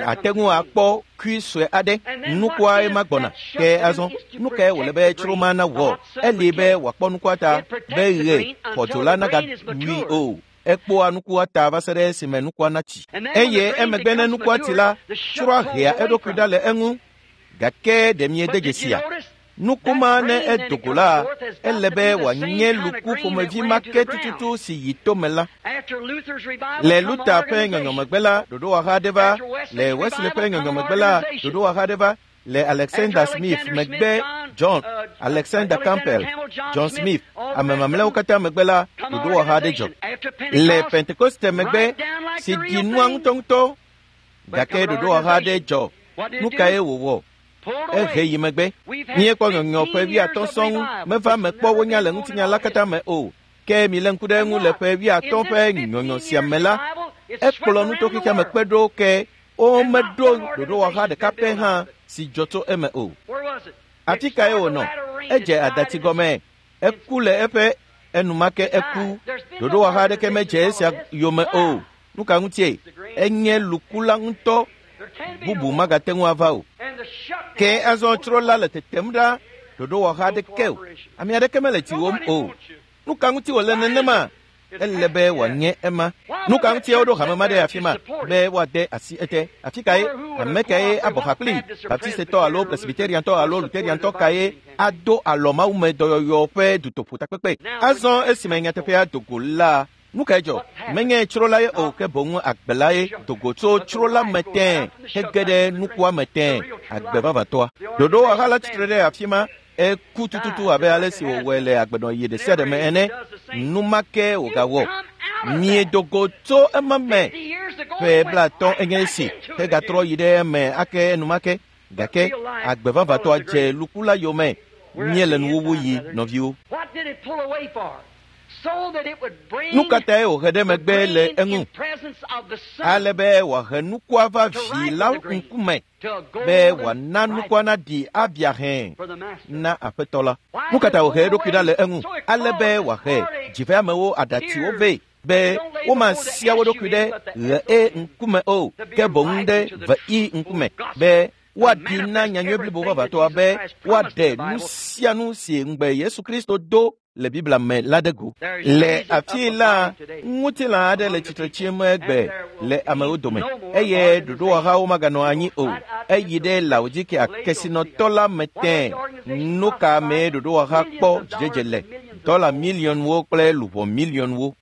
ate ŋu akpɔ kui sue aɖe. Nukua ema gbɔna. Ke azɔ, nu kae wòle be tsro ma nawɔ? Eli be wòakpɔ nukua ta be ɣe xɔdzo la nagawui o. Ekpɔa nukua ta va se ɖe esime nukua natsi. Eye emegbe ne nukua tsi la, tsroa hea eɖokui ɖa le eŋu. Gake ɖe miede dzesia? Nuku ma ne edo go la, ele be wòanye luku ƒomevi ma ke tututu si yi tome la. Le Luther ƒe nyɔnyɔmegbe la, ɖoɖowɔha aɖe va. Le Wesley ƒe nyɔnyɔmegbe la, ɖoɖowɔha aɖe va. Le Alexander Smith megbe, John Alexander Campbell, John Smith, ame mamlɛawo katã megbe la, ɖoɖowɔha aɖe dzɔ. Le Pentekoste megbe, si ɖi nua ŋutɔŋutɔ, gake ɖoɖowɔha aɖe dzɔ. Nu kae wòwɔ? Ehe yi megbe. Míekpɔ nyɔnyɔ ƒe wuiatɔ̃ sɔŋ meva me kpɔ wonya le ŋutinya la katã me o. Ke milé ŋku ɖe eŋu le ƒe wuiatɔ̃ ƒe nyɔnyɔ sia me la, ekplɔ nuto xexea me kpe ɖo ke womeɖo ɖoɖowɔha ɖeka pɛ hã si dzɔ tso eme o. Afi kae wònɔ? Edze adati gɔme. Eku le eƒe enumake eku. Ɖoɖowɔha aɖeke medze esia yome o. Nu ka ŋutie? Enye luku la ŋutɔ. Bubu magate ŋu ava o. Ke azɔ tsro la le tetem ɖa ɖoɖowɔha aɖeke o. Ame aɖeke mele dziwòm o. Nu ka ŋuti wòle nenema? Ele be wòanye ema. Nu ka ŋuti woɖo hame ma ɖe afi ma be woade asi ete? Afi kae? Ame kae abɔ ha kpli? Baptistetɔ alo Presbyteriantɔ alo Lutheriantɔ kae ado alɔ mawume dɔyɔyɔ ƒe dutoƒotakpekpe? Azɔ esime nyateƒea do go la, nu kae dzɔ? Menye tsro la ye o, ke boŋ agbe la ye do go tso tsro la me tẽe hege ɖe nukua me tẽe, agbe vavãtɔa. Ɖoɖowɔha la tsitre ɖe afi ma. Eku tututu abe ale si wòwɔe le agbenɔɣi ɖe sia ɖe me ene. Nu ma ke wògawɔ. Miedo go tso ema me ƒe blaatɔ̃ enye esi hegatrɔ yi ɖe eme ake enumake. Gake agbe vavãtɔa dze luku la yome. Míele nuwuwu yi, nɔviwo. Nu ka tae wòhe ɖe megbe le eŋu? Ale be wòahe nukua va vi la ŋkume, be wòana nukua naɖi abia hẽ na aƒetɔ la. Nu ka ta wòhe eɖokui ɖa le eŋu? Ale be wòahe dziveamewo aɖatiwo vɛ, be womasia wo ɖokui ɖe ɣe e ŋkume o, ke boŋ ɖe ve i ŋkume, be woaɖi na nyanyui blibo vavãtɔa be woaɖe nu sia nu si ŋugbe Yesu Kristo do le Biblia me la ɖe go. Le afii la, ŋutilã aɖe le tsitre tsim egbe le amewo dome, eye ɖoɖowɔhawo maganɔ anyi o. Eyi ɖe Laodikea kesinɔtɔ la me tẽe. Nu ka mee ɖoɖowɔha kpɔ dzidzedze le? Dɔla miliɔnwo kple luʋɔ miliɔnwo.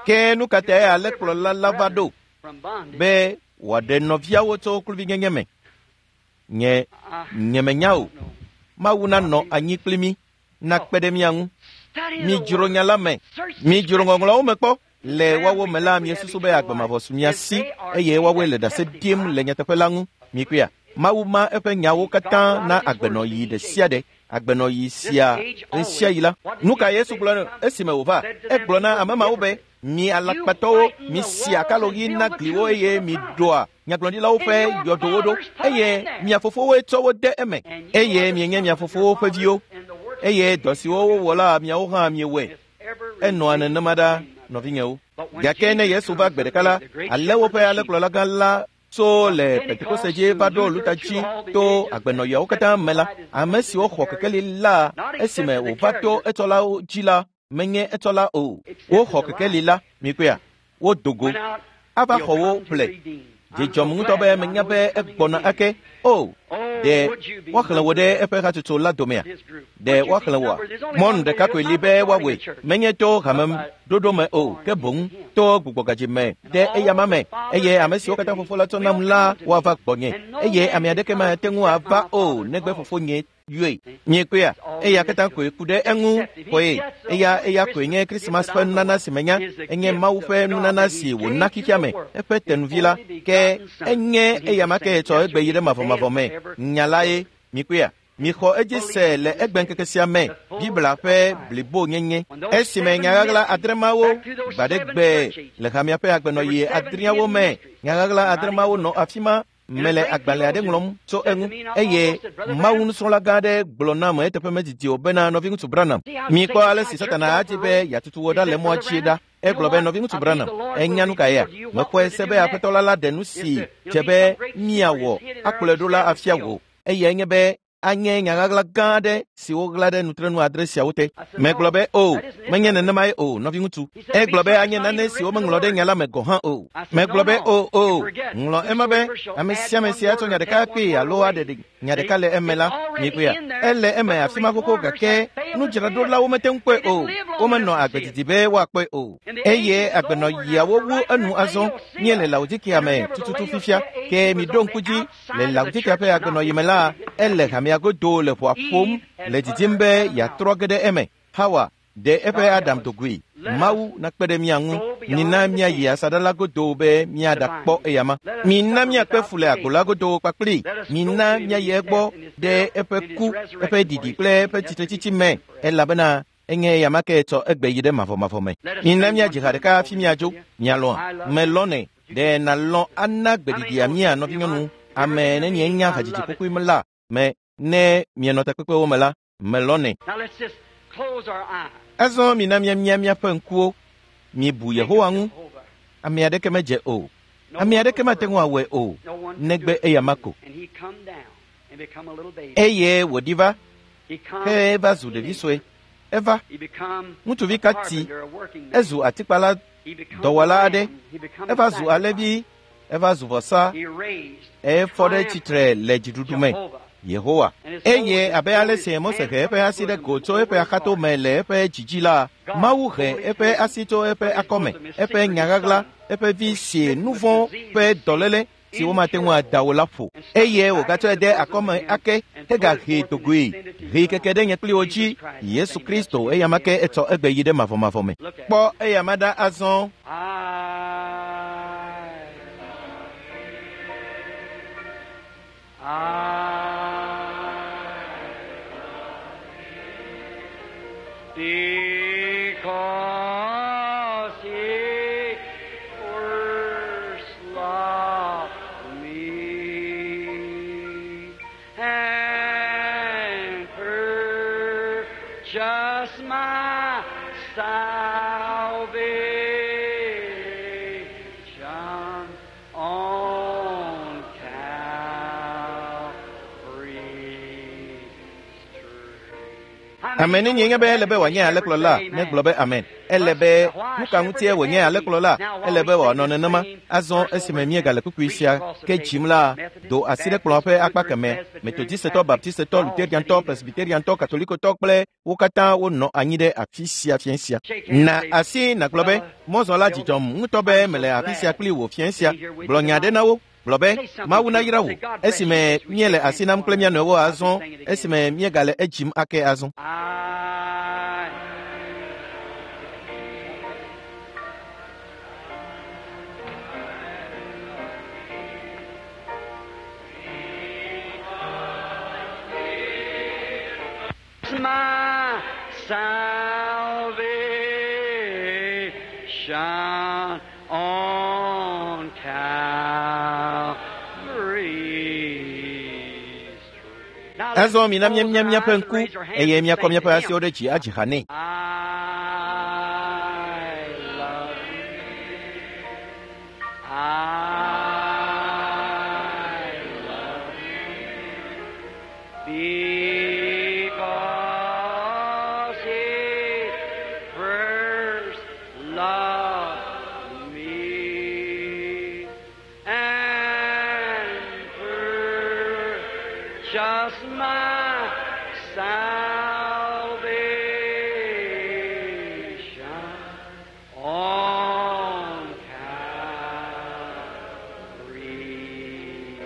Ke nu ka tae alẽkplɔla la va ɖo? Be wòaɖe nɔviawo tso kluvinyenye me. Nye nyemenya o. Mawu nanɔ anyi kpli mí, nakpe ɖe mía ŋu. Midzro nya la me. Midzro ŋɔŋlɔawo me kpɔ. Le woawo me la, miesusu be agbe mavɔ su mia si, eye woawoe le ɖase ɖim le nyateƒe la ŋu. Mikpɔea? Mawu ma eƒe nyawo katã na agbenɔɣi ɖe sia ɖe. Agbenɔɣi sia ɣesiaɣi la. Nu ka Yesu gblɔ esime wòva? Egblɔ na ame mawo be, mi alakpatɔwo, misi akaloɣi na gliwo eye miɖoa nyagblɔɖilawo ƒe yɔdowo ɖo, eye mia fofowoe tsɔ wo de eme, eye mienye mia fofowo ƒe viwo, eye dɔ siwo wowɔ la miawo hã miewɔe. Enɔa nenema ɖa, nɔvinyewo. Gake ne Yesu va gbe ɖeka la, alẽwo ƒe alẽkplɔlagã la tso le Pentekoste dzi va ɖo Luther dzi to agbenɔɣiawo katã me la, ame siwo xɔ kekeli la esime wòva to etsɔlawo dzi la menye etsɔla o. Woxɔ kekeli la, mikpɔea? Wodo go. Ava xɔ wo ƒle. Dzidzɔm ŋutɔ be menya be egbɔna ake. O, ɖe woaxlẽ wò ɖe eƒe hatsotso la domea? Ɖe woaxlẽ wòa? Mɔnu ɖeka koe li be woawɔe. Menye to hame ɖoɖo me o, ke boŋ to gbugbɔgadzi me ɖe eyama me. Eye ame siwo katã fofo la tsɔ nam la woava gbɔnye. Eye ame aɖeke mate ŋu ava o negbe fofonye yɔe. Miekpɔea? Eya katã koe ku ɖe eŋu xɔe. Eya eya koe nye Krismas ƒe nunana si menya. Enye Mawu ƒe nunana si wòna xexea me, eƒe tenuvi la. Ke enye eya ma ke tsɔ egbe yi ɖe mavɔmavɔ me. Nya la ye. Mikpɔea? Mixɔ edzi se le egbeŋkeke sia me Biblia ƒe blibonyenye. Esime nyaɣaɣla adremawo gbaɖegbe le hamea ƒe agbenɔɣi adreawo me, nyaɣaɣla adremawo nɔ afi ma. Mele agbalẽ aɖe ŋlɔm tso eŋu, eye Mawu nusrɔ̃la gã aɖe gblɔ nam eteƒe medidi o bena nɔviŋutsu Branham, mikpɔ ale si Satana adi be yeatutu wò ɖa le mɔa dzi ɖa. Egblɔ be nɔviŋutsu Branham, enya nu ka yea? Mexɔe se be aƒetɔ la la ɖe nu si dze be míawɔ akplɔe ɖo la afia wò. Eyae nye be Anye nya ɣaɣla gã aɖe si woɣla ɖe nutrenu adre siawo te. Megblɔ be o, menye nenemae o, nɔviŋutsu. Egblɔ be anye nane si womeŋlɔ ɖe nya la me gɔ̃ hã o. Megblɔ be o, o, ŋlɔ ema be ame sia ame si atsɔ nya ɖeka kpee alo aɖe nya ɖeka le eme la, mikpɔea, ele eme afi ma xoxo gake nudzraɖolawo mete ŋu kpɔe o. Womenɔ agbe didi be woakpɔe o. Eye agbenɔɣiawo wu enu azɔ. Míele Laodikea me tututu fifia. Ke miɖo ŋku dzi le Laodikea ƒe agbenɔɣi me la, ele hamea godo le ʋɔa ƒom le didim be yeatrɔ ge ɖe eme. Hawa ɖe eƒe Adam dogoe. Mawu nakpe ɖe mía ŋu. Mina míayi asaɖa la godo be míaɖakpɔ eyama. Mina míakpe fu le agbo la godo kpakpli. Mina míayi egbɔ ɖe eƒe ku, eƒe ɖiɖi kple eƒe tsitretsitsi me, elabena enye eyama ke tsɔ egbe yi ɖe mavɔmavɔ me. Mina míadzi ha ɖeka hafi míadzo. Mialɔ̃a? Melɔ̃nɛ. Ɖe nàlɔ̃ ana gbeɖiɖia mía nɔvinyɔnu ame ne mienya hadzidzi kpokpoe me la me ne mienɔ takpekpewo me la, melɔ̃nɛ. Azɔ mina míamia míaƒe ŋkuwo. Mibu Yehowa ŋu. Ame aɖeke medze o. Ame aɖeke mate ŋu awɔe o, negbe eyama ko. Eye wòɖi va, ke eva zu ɖevi sue. Eva, ŋutsuvi kati, ezu atikpala dɔwɔla aɖe, eva zu alẽvi, eva zu vɔsa, efɔ ɖe tsitre le dziɖuɖu me. Yehowa. Eye abe ale si Mose he eƒe asi ɖe go tso eƒe axato me le eƒe dzidzi la, Mawu he eƒe asi tso eƒe akɔme, eƒe nya ɣaɣla, eƒe vi si nu vɔ̃ ƒe dɔléle si womate ŋu ada o la ƒo. Eye wògatsɔe de akɔme ake hegahee dogoe, hee keke ɖe nye kpli wo dzi, Yesu Kristo, eyama ke etsɔ egbe yi ɖe mavɔmavɔ me. Kpɔ eyama ɖa azɔ. Because he first loved me and purchased my salvation on Calvary's tree. Ame nenye nye be ele be wòanye alẽkplɔla, negblɔ be amen. Ele be nu ka ŋutie wònye alẽkplɔla, ele be wòanɔ nenema. Azɔ esime míegale kpukpui sia ke dzim la, do asi ɖe kplɔ̃a ƒe akpa kemɛ. Metodistetɔ, Baptistetɔ, Luteriantɔ, Presbyteriantɔ, Katolikotɔ kple wo katã wonɔ anyi ɖe afi sia fiẽ sia. Na asi nàgblɔ be mɔzɔla dzidzɔm ŋutɔ be mele afi sia kpli wò fiẽ sia. Gblɔ nya ɖe na wo. Gblɔ be Mawu nayra wò esime míele asi nam kple mía nɔewo azɔ, esime míegale edzim ake azɔ. I my salvation on Calvary's tree. Now let's Azɔ mina close míamia our míaƒe eyes and ŋku raise our hands eye and míakɔ sing míaƒe to him. asiwo ɖe dzi adzi ha nɛ. I love I love because he first loved me and purchased my salvation on Calvary's tree.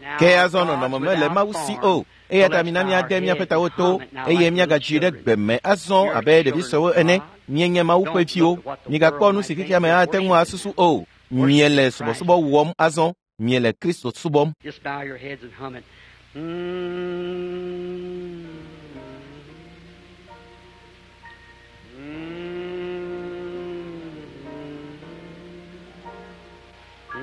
Now Ke azɔ God's nɔnɔme mele without Mawu si form. o. Eya So ta let's mina bow our míade míaƒe heads tawo and to hum it now eye like little míagadzi ɖe children. gbe me azɔ You're abe ɖevi children suewo of ene. God. Míenye Mawu ƒe Don't look viwo. at what the Migakpɔ world nu might si think. xexea me You're ate ŋu worshiping asusu o. Miele Worshiping Christ. subɔsubɔ wɔm azɔ. Miele Kristo subɔm. Just bow your heads and hum it. Mm. Mm. Mm.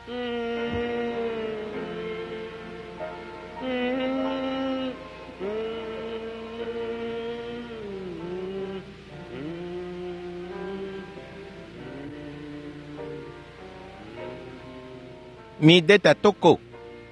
Mm. Mm. Mm. Mi de ta toko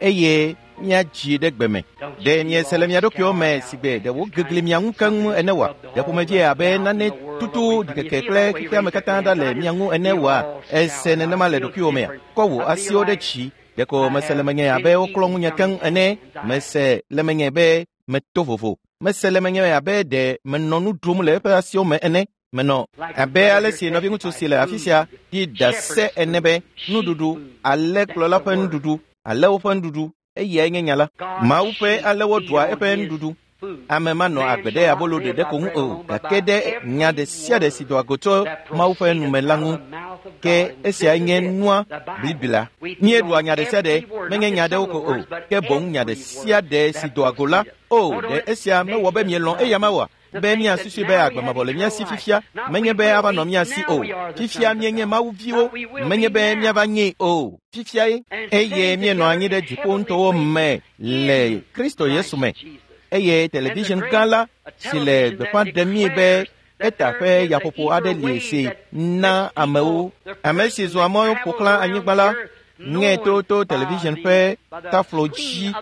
eye míadzi ɖe gbe me. Ɖe miese le mia ɖokuiwo me si gbe ɖe wogegli mia ŋu keŋ ene wa? Ɖe ƒomevie abe nane tutu ɖikeke kple xexea me katã ɖa le mia ŋu ene wa? Ese nenema le ɖokuiwo mea? Kɔ wò asiwo ɖe dzi. Ɖeko mese le menye abe woklɔ ŋunye keŋ ene. Mese le menye be meto vovo. Mese le menye abe ɖe menɔ nu ɖum le eƒe asiwo me ene. Menɔ abe ale si nɔviŋutsu si le afi sia ɖi ɖase ene be nuɖuɖu, alẽkplɔla ƒe nuɖuɖu, alẽwo ƒe nuɖuɖu, eyae nye nya la. Mawu ƒe alẽwo ɖua eƒe nuɖuɖu. Ame manɔ agbe ɖe abolo ɖeɖe ko ŋu o, gake ɖe nya ɖe sia ɖe si doa go tso Mawu ƒe nume la ŋu. Ke esiae nye nua blibi la. Míeɖua nya ɖe sia ɖe, menye nya aɖewo ko o, ke boŋ nya ɖe sia ɖe si doa go la. O, ɖe esia mewɔ be mielɔ̃ eya ma oa? Be míasusui be agbe mavɔ le mía si fifia, menye be ava nɔ mía si o. Fifia míenye Mawu viwo, menye be míava nyee o. Fifia ye eye míenɔ anyi ɖe dziƒo ŋutɔwo me le Kristo Yesu me. Eye television gã la si le gbeƒã ɖem mí be eta ƒe yaƒoƒo aɖe li si na amewo. Ame si zɔa mɔ ƒo xlã anyigba la ŋe to to television ƒe taflo dzi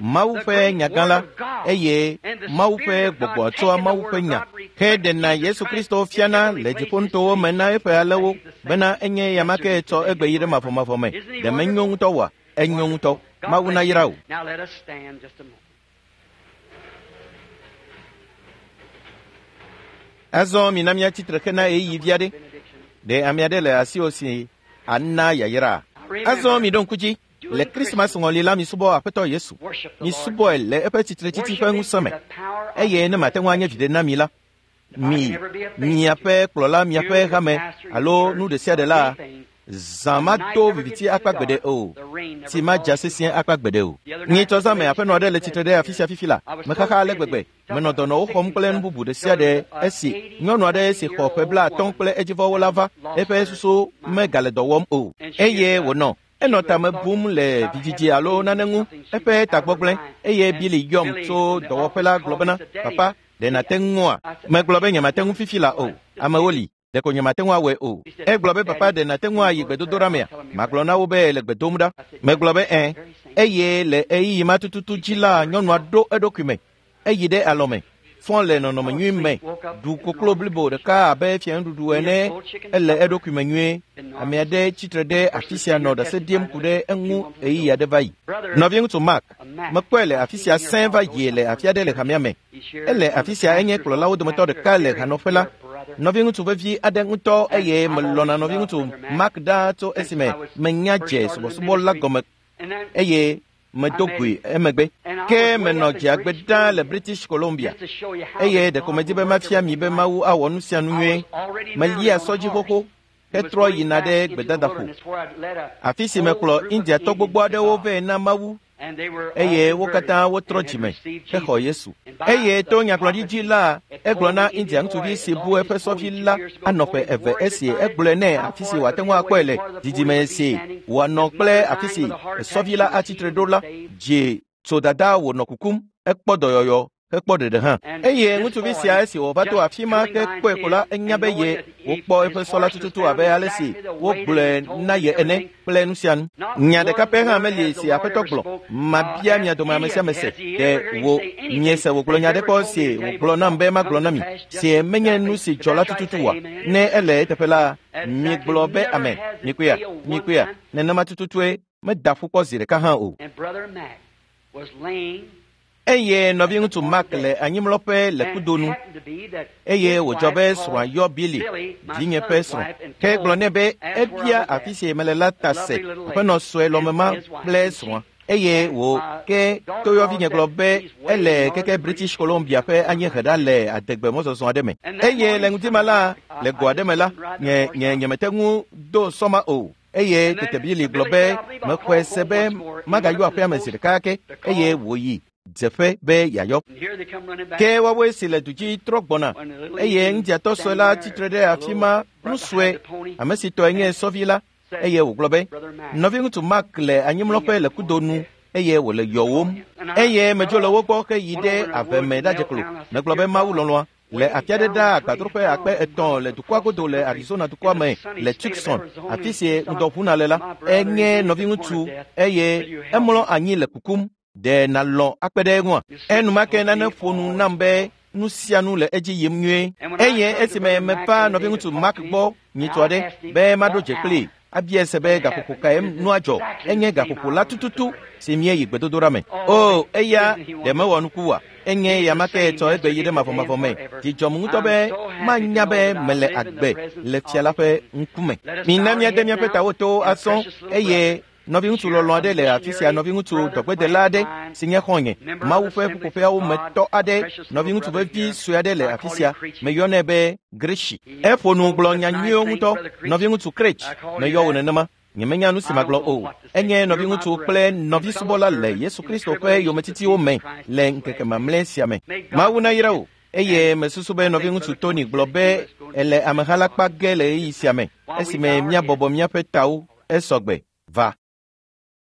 Mawu ƒe nyagã la, eye Mawu ƒe gbɔgbɔ tsɔa Mawu ƒe nya heɖena Yesu Kristo fiana le dziƒonutowo me na eƒe alẽwo bena enye ya ma ke tsɔ egbe yi ɖe mavɔmavɔ me. Ɖe menyo ŋutɔ oa? Enyo ŋutɔ. Mawu nayra wò. Now let us stand just a moment. Azɔ mina míatsi tre hena ɣeyiɣi vi aɖe. Benediction. Ɖe ame aɖe le asiwò si ana yayra? Azɔ mi ɖo ŋku dzi. Le Krismas ŋɔli la, misubɔ Aƒetɔ Yesu. Worship the Lord. Misubɔe le eƒe tsitretsitsi ƒe ŋusẽ me. Worship him in the power of Eye ne mate ŋu anye viɖe na mi la, mi, miaƒe kplɔla, miaƒe hame alo nu ɖe sia ɖe la, zã mado viviti akpa gbeɖe o, tsi madza sesĩe akpa gbeɖe o. Nyitsɔ zã me aƒenɔ aɖe le tsitre ɖe afi sia fifi la, mexaxa ale gbegbe. Menɔ dɔnɔwo xɔm kple nu bubu ɖe sia ɖe esi nyɔnu aɖe si xɔ ƒe blaatɔ̃ kple edzivɔwo la va, eƒe susu megale dɔ wɔm o. Eye wònɔ enɔ tame bum le vidzidzi alo nane ŋu, eƒe tagbɔ gblẽ, eye Billy yɔm tso dɔwɔƒe la gblɔ bena, papa, ɖe nàte ŋua? Megblɔ be nyemate ŋu fifi la o. Amewo li, ɖeko nyemate ŋu awɔe o. Egblɔ be papa ɖe nàte ŋu ayi gbedodoɖa mea? Magblɔ na wo be le gbe dom ɖa. Megblɔ be ẽ. Eye le ɣeyiɣi ma tututu dzi la, nyɔnua ɖo eɖokui me. Eyi ɖe alɔme, fɔ le nɔnɔme nyui me, ɖu koklo blibo ɖeka abe fianuɖuɖu ene, ele eɖokui me nyuie. Ame aɖe tsitre ɖe afi sia nɔ ɖase ɖim ku ɖe eŋu ɣeyiɣi aɖe va yi. Nɔviŋutsu Mark, mekpɔe le afi sia sẽe va yi le afi aɖe le hamea me. Ele afi sia enye kplɔlawo dometɔ ɖeka le hanɔƒe la. Nɔviŋutsu vevi aɖe ŋutɔ eye melɔ̃na nɔviŋutsu Mark ɖaa tso esime menya dze subɔsubɔ la gɔme And then, eye medo goe emegbe. Ke menɔ dziagbe ɖaa le British Columbia just to show you how eye that ɖeko God medi will be work mafia mi everything be out. Mawu awɔ nu sia nu I nyuie. was already Melia mounted on sɔ dzi a horse. xoxo and was hetrɔ going yina back ɖe into the gbedadaƒo. wilderness where I'd led a Afi si whole mekplɔ group of Indiatɔ Indians gbogbo to aɖewo God. vɛ na Mawu And they were all eye wo converted katã wotrɔ and had dzime received hexɔ Jesus. Yesu. And by Eye the to nyagblɔɖi dzi la, prophecy, it egblɔ told na the Indian India boy ŋutsuvi si that bu lost eƒe his pony sɔvi two la years ago, anɔ told ƒe him eve where he esi could find it, egblɔe nɛ how afi si far it wòate would ŋu be akpɔe away le from where the pony didime would be si standing. wòanɔ His kple mother afi dying si with a heart attack, sɔvi she la was atsitre healed ɖo and la saved. dze tso dada wònɔ kukum, ekpɔ dɔyɔyɔ hekpɔ ɖeɖe hã. And Eye this ŋutsuvi boy, sia esi wòva to just afi ma coming ke by kpɔe ko la, and enya be knowing ye that he, wokpɔ his eƒe sɔ la horse was tututu found abe ale si exactly the way that wogblɔe he told na and ye ene everything. kple nu sia nu. Not Nya ɖeka one pɛ hã word meli has the si Lord Aƒetɔ ever gblɔ. spoke. Uh, Mabia ask mia dome ame any sia of ame you, se. has he Ɖe ever heard him wò say anything miese wògblɔ that's nya ɖe ever kpɔ told me si to tell you wògblɔ nam before be magblɔ comes na to mi pass just si menye exactly? nu si If dzɔ la that's right, tututu say oa? amen. Ne ele eteƒe la, Exactly. migblɔ be Never amen. has it Mikuya, failed one mikuya. time. Nenema tututue meda ƒu kpɔ zi ɖeka hã o. And Brother Mac was laying Eye at the nɔviŋutsu point of Mark death. le anyimlɔƒe le And kudo it nu happened to be that eye his wòdzɔ wife be called srɔ̃a yɔ Billy, Billy, my vinye ƒe son's srɔ̃, wife, and ke gblɔ told, nɛ be asked where I ebia was afi at. si mele la A ta se lovely little lady aƒenɔ sue and lɔmema his wife. kple And she srɔ̃a eye and wò my ke daughter-in-law toyɔvinye said gblɔ be she's way ele in keke northern British British Columbia Columbia. ƒe anyiehe ɖa le adegbe mɔzɔzɔ aɖe me. And that Eye le morning ŋdi ma coming, la, I, le I go aɖe just me la, couldn't ride the nye horse nye out. nyemete ŋu do sɔma o. Eye And tete then Billy gblɔ Billy be said, I believe I'll mexɔe call se home be once more. And he went magayɔ up to aƒea the me zi post ɖeka ke to call. eye wòyi dzeƒe be yeayɔ. And here they come running back Ke woawoe si le du dzi trɔ gbɔna when the little eye Indian ŋdiatɔ sue standing la there, tsitre ɖe the afi little ma right nu sue behind the pony, ame si tɔe nye and sɔvi la said, eye wògblɔ be Brother Mac nɔviŋutsu Mark le anyimlɔƒe laying le at the point kudo of nu death. eye wòle Call yɔwòm him. And I eye got medzo le off, wo gbɔ heyi went ɖe over in the ave woods me and ɖadze knelt klo down. I said, megblɔ be Dear Mawu God, lɔlɔ̃a Le afi aɖe ɖaa agbadroƒe akpe etɔ̃ le dukɔa godo le Arizona dukɔa me le Tucson, afi si ŋdɔ ʋuna le la, enye nɔviŋutsu eye emlɔ anyi le kukum. Ɖe nàlɔ̃ akpe ɖe eŋua? Enumake nane ƒo nu nam be nu sia nu le edzi yim nyuie. Eye esime meva nɔviŋutsu Mark gbɔ nyitsɔ aɖe be maɖo dze kplii, abia se be gaƒoƒo kae nua dzɔ, enye gaƒoƒo la tututu si míeyi gbedodoɖa me. O, eya ɖe mewɔ nuku oa? Enye ya ma ke tsɔ egbe yi ɖe mavɔmavɔ me. Dzi dzɔm ŋutɔ be manya be mele agbe le fia la ƒe ŋkume. Mina míade míaƒe tawo to asɔ eye nɔviŋutsu lɔlɔ̃ aɖe le afi sia, nɔviŋutsu dɔgbedela aɖe si nye xɔ̃nye, Mawu ƒe ƒuƒoƒeawo me tɔ aɖe, nɔviŋutsu vevi sue aɖe le afi sia, meyɔnɛ be Greshi. Eƒo nu gblɔ nya nyuiwo ŋutɔ, nɔviŋutsu Krech, meyɔ wò nenema. Nyemenya nu si magblɔ o. Enye nɔviŋutsu kple nɔvisubɔla le Yesu Kristo ƒe yometitiwo me le ŋkeke mamlɛ sia me. Mawu nayra wò. Eye mesusu be nɔviŋutsu Tony gblɔ be ele ameha la kpa ge le ɣeyiɣi sia me esime míabɔbɔ míaƒe tawo esɔgbe va.